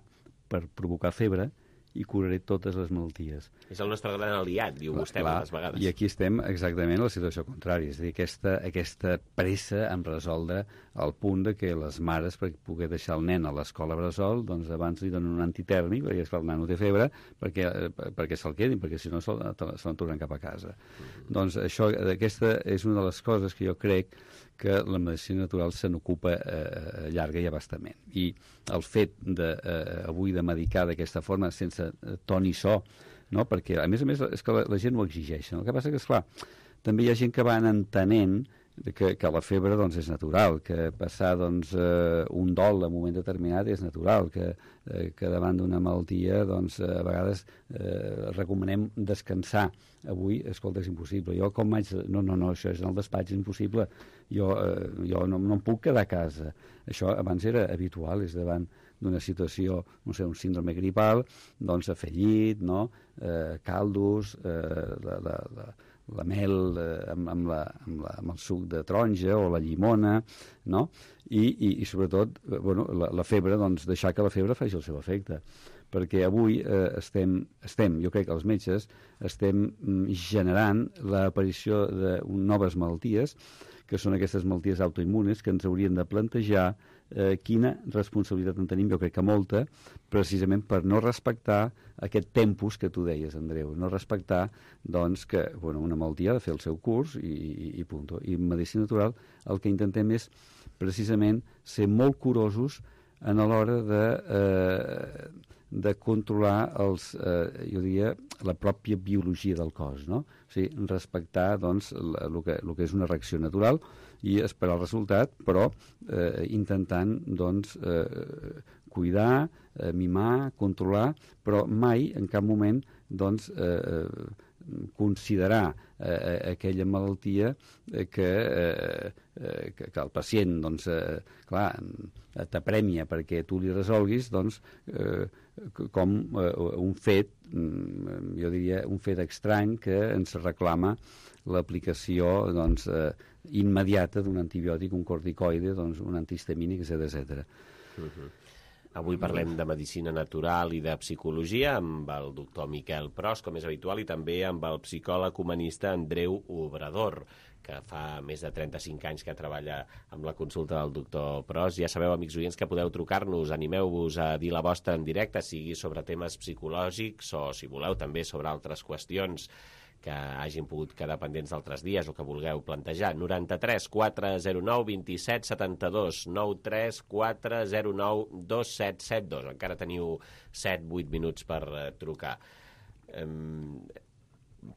per provocar febre i curaré totes les malalties. És el nostre gran aliat, diu vostè moltes vegades. I aquí estem exactament a la situació contrària, és a dir, aquesta pressa en resoldre al punt de que les mares, per poder deixar el nen a l'escola bressol, doncs abans li donen un antitèrmic, perquè esclar, el nen no té febre, perquè se'l quedin, perquè si no se'l tornen cap a casa. Doncs aquesta és una de les coses que jo crec que la medicina natural se n'ocupa llarga i abastament. I el fet avui de medicar d'aquesta forma, sense to ni so, no? Perquè a més és que la gent ho exigeix. El que passa que, esclar, també hi ha gent que van entenent que la febre doncs, és natural, que passar doncs, un dol en un moment determinat és natural, que davant d'una malaltia doncs, a vegades recomanem descansar. Avui, escolta, és impossible. Jo com vaig... No, això és en el despatx, és impossible. Jo no em puc quedar a casa. Això abans era habitual, és davant d'una situació, no sé, un síndrome gripal, doncs a fer llit, no? Caldos, la mel amb el suc de taronja o la llimona, no? I sobretot, la febre, doncs deixar que la febre faci el seu efecte. Perquè avui jo crec que els metges estem generant l'aparició de noves malalties, que són aquestes malalties autoimmunes, que ens haurien de plantejar quina responsabilitat en tenim, jo crec que molta, precisament per no respectar aquest tempus que tu deies, Andreu, no respectar doncs, que una malaltia ha de fer el seu curs i punt. I en medicina natural el que intentem és precisament ser molt curosos a l'hora de controlar jo diria, la pròpia biologia del cos, no? O sigui, respectar doncs, el que és una reacció natural i esperar el resultat, però intentant doncs, cuidar, mimar, controlar, però mai, en cap moment, doncs, considerar aquella malaltia que el pacient, doncs, clar, t'apremia perquè tu li resolguis, doncs, com un fet, jo diria, un fet estrany que ens reclama l'aplicació, doncs, immediata d'un antibiòtic, un corticoide, doncs, un antihistamínic, etc. Avui parlem de medicina natural i de psicologia amb el doctor Miquel Pros, com és habitual, i també amb el psicòleg humanista Andreu Obrador, que fa més de 35 anys que treballa amb la consulta del doctor Pros. Ja sabeu, amics oients, que podeu trucar-nos, animeu-vos a dir la vostra en directe, sigui sobre temes psicològics o, si voleu, també sobre altres qüestions que hagin pogut quedar pendents d'altres dies o que vulgueu plantejar. 93 409 27 72, 93 409 2772. Encara teniu 7-8 minuts per trucar.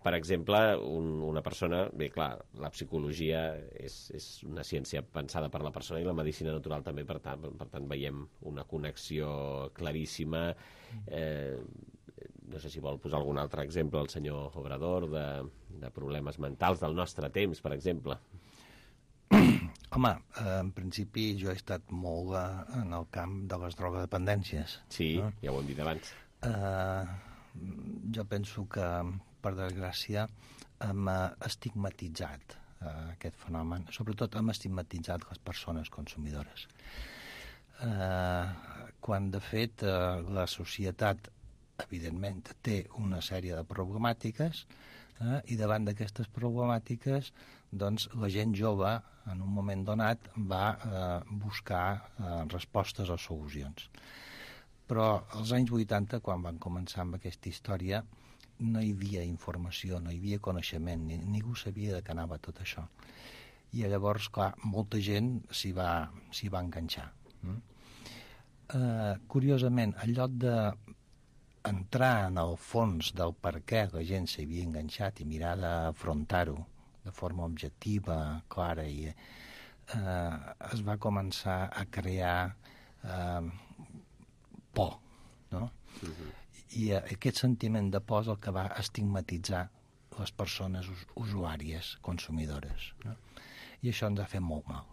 Per exemple, una persona... Bé, clar, la psicologia és una ciència pensada per la persona i la medicina natural també, per tant veiem una connexió claríssima. No sé si vol posar algun altre exemple, el senyor Obrador, de problemes mentals del nostre temps, per exemple. Home, en principi jo he estat molt en el camp de les drogodependències. Sí, ja ho hem dit abans. Jo penso que, per desgràcia, hem estigmatitzat aquest fenomen. Sobretot hem estigmatitzat les persones consumidores. Quan, de fet, la societat, evidentment, té una sèrie de problemàtiques i davant d'aquestes problemàtiques doncs, la gent jove, en un moment donat, va buscar respostes o solucions. Però als anys 80, quan van començar amb aquesta història, no hi havia informació, no hi havia coneixement, ningú sabia de què anava tot això. I llavors, clar, molta gent s'hi va enganxar. Curiosament, en lloc d'entrar en el fons del per què la gent s'havia enganxat i mirar d'afrontar-ho de forma objectiva, clara, i es va començar a crear por, no? I aquest sentiment de por és el que va estigmatitzar les persones usuàries, consumidores, no? I això ens ha fet molt mal.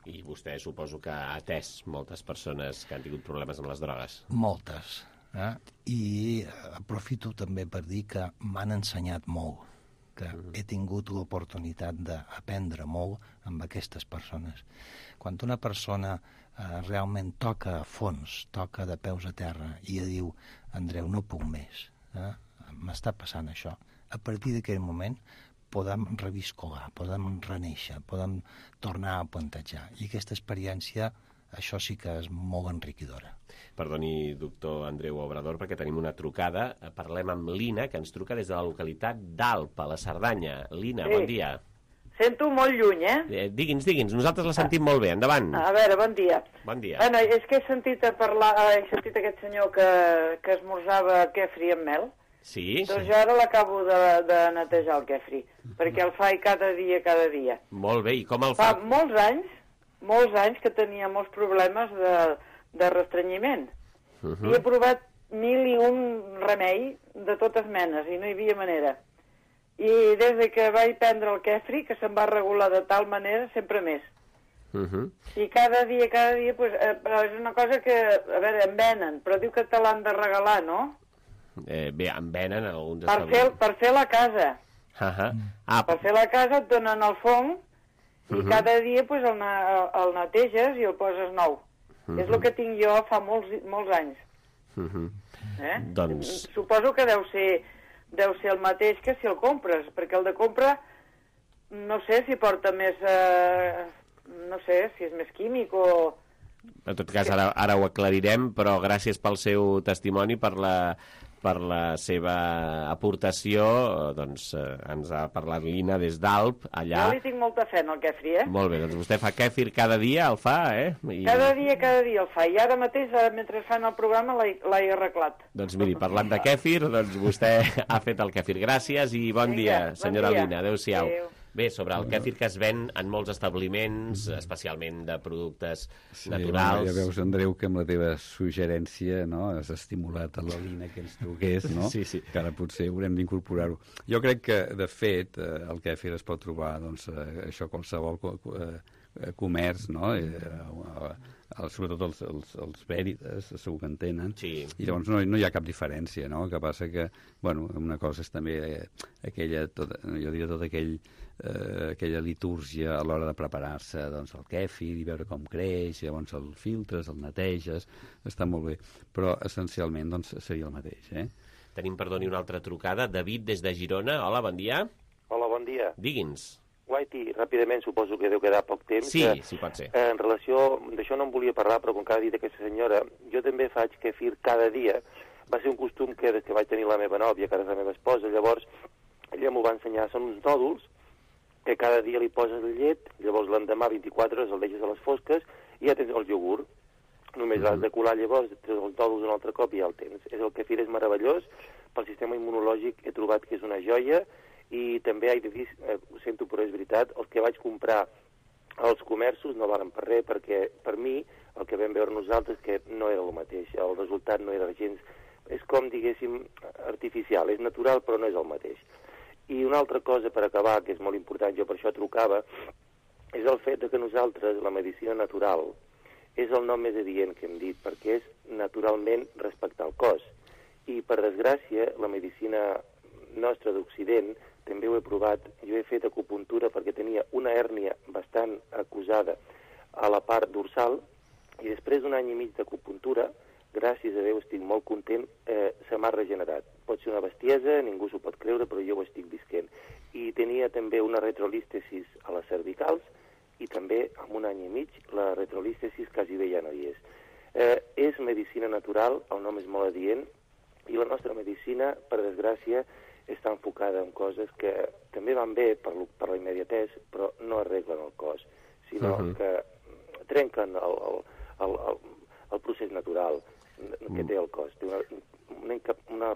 I vostè suposo que ha atès moltes persones que han tingut problemes amb les drogues. Moltes. I aprofito també per dir que m'han ensenyat molt, que he tingut l'oportunitat d'aprendre molt amb aquestes persones. Quan una persona realment toca a fons, toca de peus a terra i diu, Andreu, no puc més, m'està passant això, a partir d'aquell moment podem reviscolar, podem renéixer, podem tornar a plantejar. I aquesta experiència, això sí que és molt enriquidora. Perdoni, doctor Andreu Obrador, perquè tenim una trucada. Parlem amb l'Ina, que ens truca des de la localitat d'Alp, a la Cerdanya. L'Ina, bon dia. Sento molt lluny, Digui'ns, nosaltres la sentim molt bé, endavant. A veure, bon dia. Bon dia. Bueno, és que he sentit aquest senyor que esmorzava kefri amb mel. Sí? Doncs jo ara l'acabo de netejar el kefri, perquè el faig cada dia. Molt bé, i com el fa? Fa molts anys que tenia molts problemes de restrenyiment. I he provat 1001 remei de totes menes i no hi havia manera. I des que vaig prendre el kefri, que se'm va regular de tal manera, sempre més. I cada dia, pues, és una cosa que, a veure, em venen, però diu que te l'han de regalar, no? Bé, em venen alguns... Per fer la casa. Per fer la casa et donen el fong i cada dia pues, el neteges i el poses nou. És el que tinc jo fa molts anys. Doncs... Suposo que deu ser el mateix que si el compres, perquè el de compra no sé si porta més... no sé si és més químic o... En tot cas, ara ho aclarirem, però gràcies pel seu testimoni, per la seva aportació, doncs ens ha parlat l'Ina des d'Alp, allà... Jo li tinc molta fe en el kefri, Molt bé, doncs vostè fa kefir cada dia, el fa, Cada dia el fa, i ara mateix, mentre fan el programa, l'he arreglat. Doncs miri, parlant de kefir, doncs vostè ha fet el kefir. Gràcies i bon dia, senyora Lina, adéu-siau. Bé, sobre el kefir que es ven en molts establiments, especialment de productes naturals... Ja veus, Andreu, que amb la teva suggerència has estimulat a la Lina que ens truqués, no? Sí. Que ara potser haurem d'incorporar-ho. Jo crec que, de fet, el kefir es pot trobar, això, qualsevol comerç, no? Sobretot els Veritas, segur que en tenen, i llavors no hi ha cap diferència, no? El que passa que, una cosa és també aquella litúrgia a l'hora de preparar-se el kefir i veure com creix, llavors el filtres, el neteges, està molt bé, però essencialment seria el mateix. Tenim, perdoni, una altra trucada. David, des de Girona. Hola, bon dia. Hola, bon dia. Digui'ns. Guaiti, ràpidament, suposo que deu quedar poc temps. Sí, sí pot ser. En relació, d'això no en volia parlar, però com que ha dit aquesta senyora, jo també faig kefir cada dia. Va ser un costum que des que vaig tenir la meva nòvia, que ara és la meva esposa, llavors ella m'ho va ensenyar, són uns nòduls que cada dia li poses la llet, llavors l'endemà 24 hores el deixes a les fosques i ja tens el iogurt. Només l'has de colar, llavors treus els nòduls un altre cop i ja el tens. El kefir és meravellós, pel sistema immunològic he trobat que és una joia. I també he de dir, ho sento però és veritat, els que vaig comprar als comerços no valen per res, perquè per mi el que vam veure nosaltres que no era el mateix, el resultat no era gens, és com diguéssim artificial, és natural però no és el mateix. I una altra cosa per acabar, que és molt important, jo per això trucava, és el fet que nosaltres, la medicina natural, és el nom més adient que hem dit, perquè és naturalment respectar el cos. I, per desgràcia, la medicina nostra d'Occident, també ho he provat, jo he fet acupuntura perquè tenia una hèrnia bastant acusada a la part dorsal, i després d'un any i mig d'acupuntura, gràcies a Déu estic molt content, se m'ha regenerat. Pot ser una bestiesa, ningú s'ho pot creure, però jo ho estic visquent. I tenia també una retrolístesis a les cervicals, i també, en un any i mig, la retrolístesis quasi bé ja no hi és. És medicina natural, el nom és molt adient, i la nostra medicina, per desgràcia, està enfocada en coses que també van bé per la immediatesa, però no arreglen el cos, sinó que trenquen el procés natural que té el cos. Té una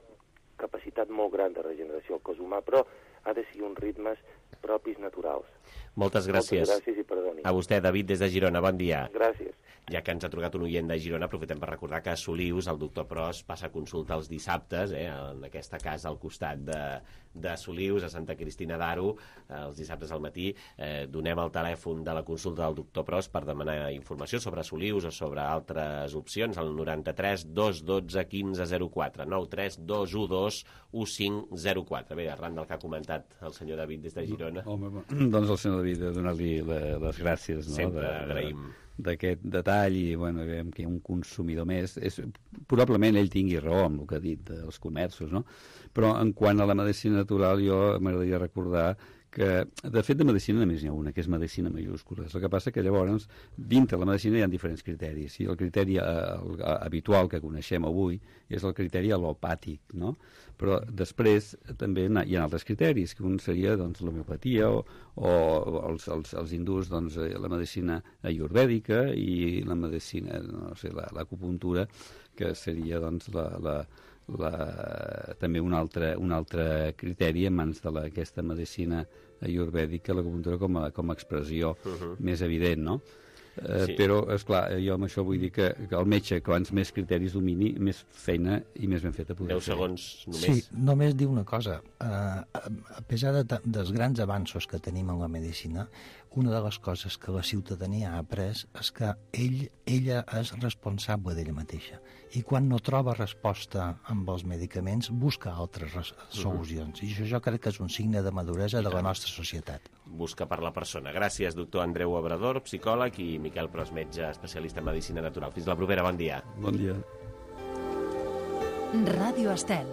capacitat molt gran de regeneració al cos humà, però ha de ser uns ritmes propis naturals. Moltes gràcies. Moltes gràcies i perdoni. A vostè, David, des de Girona. Bon dia. Gràcies. Ja que ens ha trucat un oient de Girona, aprofitem per recordar que a Solius el doctor Pros passa consulta els dissabtes, en aquesta casa al costat de Solius, a Santa Cristina d'Aro, els dissabtes al matí. Donem el telèfon de la consulta del doctor Pros per demanar informació sobre Solius o sobre altres opcions, al 93 212 1504, 93 212 1504. Bé, arran del que ha comentat el senyor David des de Girona. Home, doncs el senyor David, donar-li les gràcies. Sempre agraïm d'aquest detall, i bueno, veiem que hi ha un consumidor més. Probablement ell tingui raó amb el que ha dit dels comerços, no? Però en quant a la medicina natural, jo m'agradaria recordar que, de fet, de medicina només n'hi ha una, que és medicina majúscula. El que passa que llavors, dintre la medicina hi ha diferents criteris, i el criteri habitual que coneixem avui és el criteri al·lopàtic, no? Però després també hi ha altres criteris, que un seria l'homeopatia o els hindús, la medicina ayurvèdica, i la medicina, no sé, l'acupuntura, que seria també un altre criteri en mans d'aquesta medicina ayurvèdica, l'acupuntura com a expressió més evident, no? Sí. Però, esclar, jo amb això vull dir que el metge, quants més criteris domini, més feina i més ben feta podrà fer. 10 segons només. Sí, només dir una cosa. A pesar dels grans avanços que tenim en la medicina, una de les coses que la ciutadania ha après és que ella és responsable d'ella mateixa. I quan no troba resposta amb els medicaments, busca altres solucions. I això jo crec que és un signe de maduresa de la nostra societat. Busca per la persona. Gràcies, doctor Andreu Obrador, psicòleg, i Miquel Pros, metge especialista en medicina natural. Fins la propera, bon dia. Bon dia. Ràdio Estel.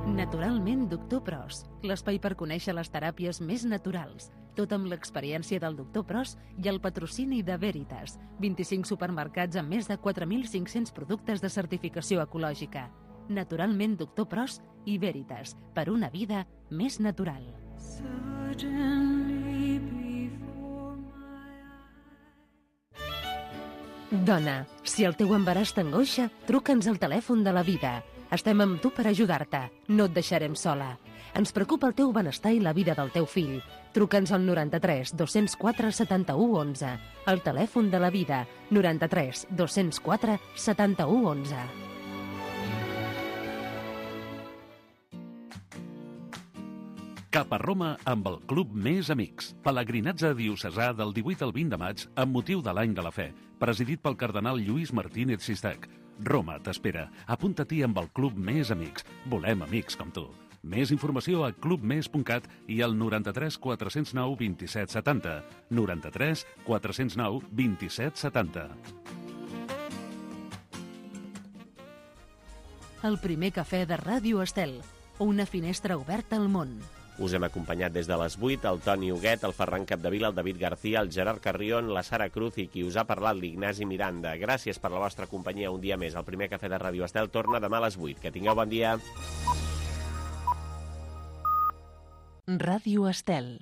Naturalment, doctor Pros, l'espai per conèixer les teràpies més naturals, tot amb l'experiència del doctor Pros i el patrocini de Veritas, 25 supermercats amb més de 4.500 productes de certificació ecològica. Naturalment, doctor Pros i Veritas, per una vida més natural. Dona, si el teu embaràs t'angoixa, truca'ns al telèfon de la vida. Estem amb tu per ajudar-te. No et deixarem sola. Ens preocupa el teu benestar i la vida del teu fill. Truca'ns al 93 204 71 11. El telèfon de la vida, 93 204 71 11. Cap a Roma amb el Club Més Amics. Pelegrinatge diocesà del 18 al 20 de maig amb motiu de l'Any de la Fe, presidit pel cardenal Lluís Martínez Sistac. Roma t'espera. Apunta-t'hi amb el Club Més Amics. Volem amics com tu. Més informació a clubmes.cat i al 93 409 27 70. 93 409 27 70. El primer cafè de Ràdio Estel. Una finestra oberta al món. Us hem acompanyat des de les 8 el Toni Huguet, el Ferran Capdevila, el David García, el Gerard Carrion, la Sara Cruz i qui us ha parlat, l'Ignasi Miranda. Gràcies per la vostra companyia un dia més. El primer cafè de Ràdio Estel torna demà a les 8. Que tingueu bon dia. Ràdio Estel.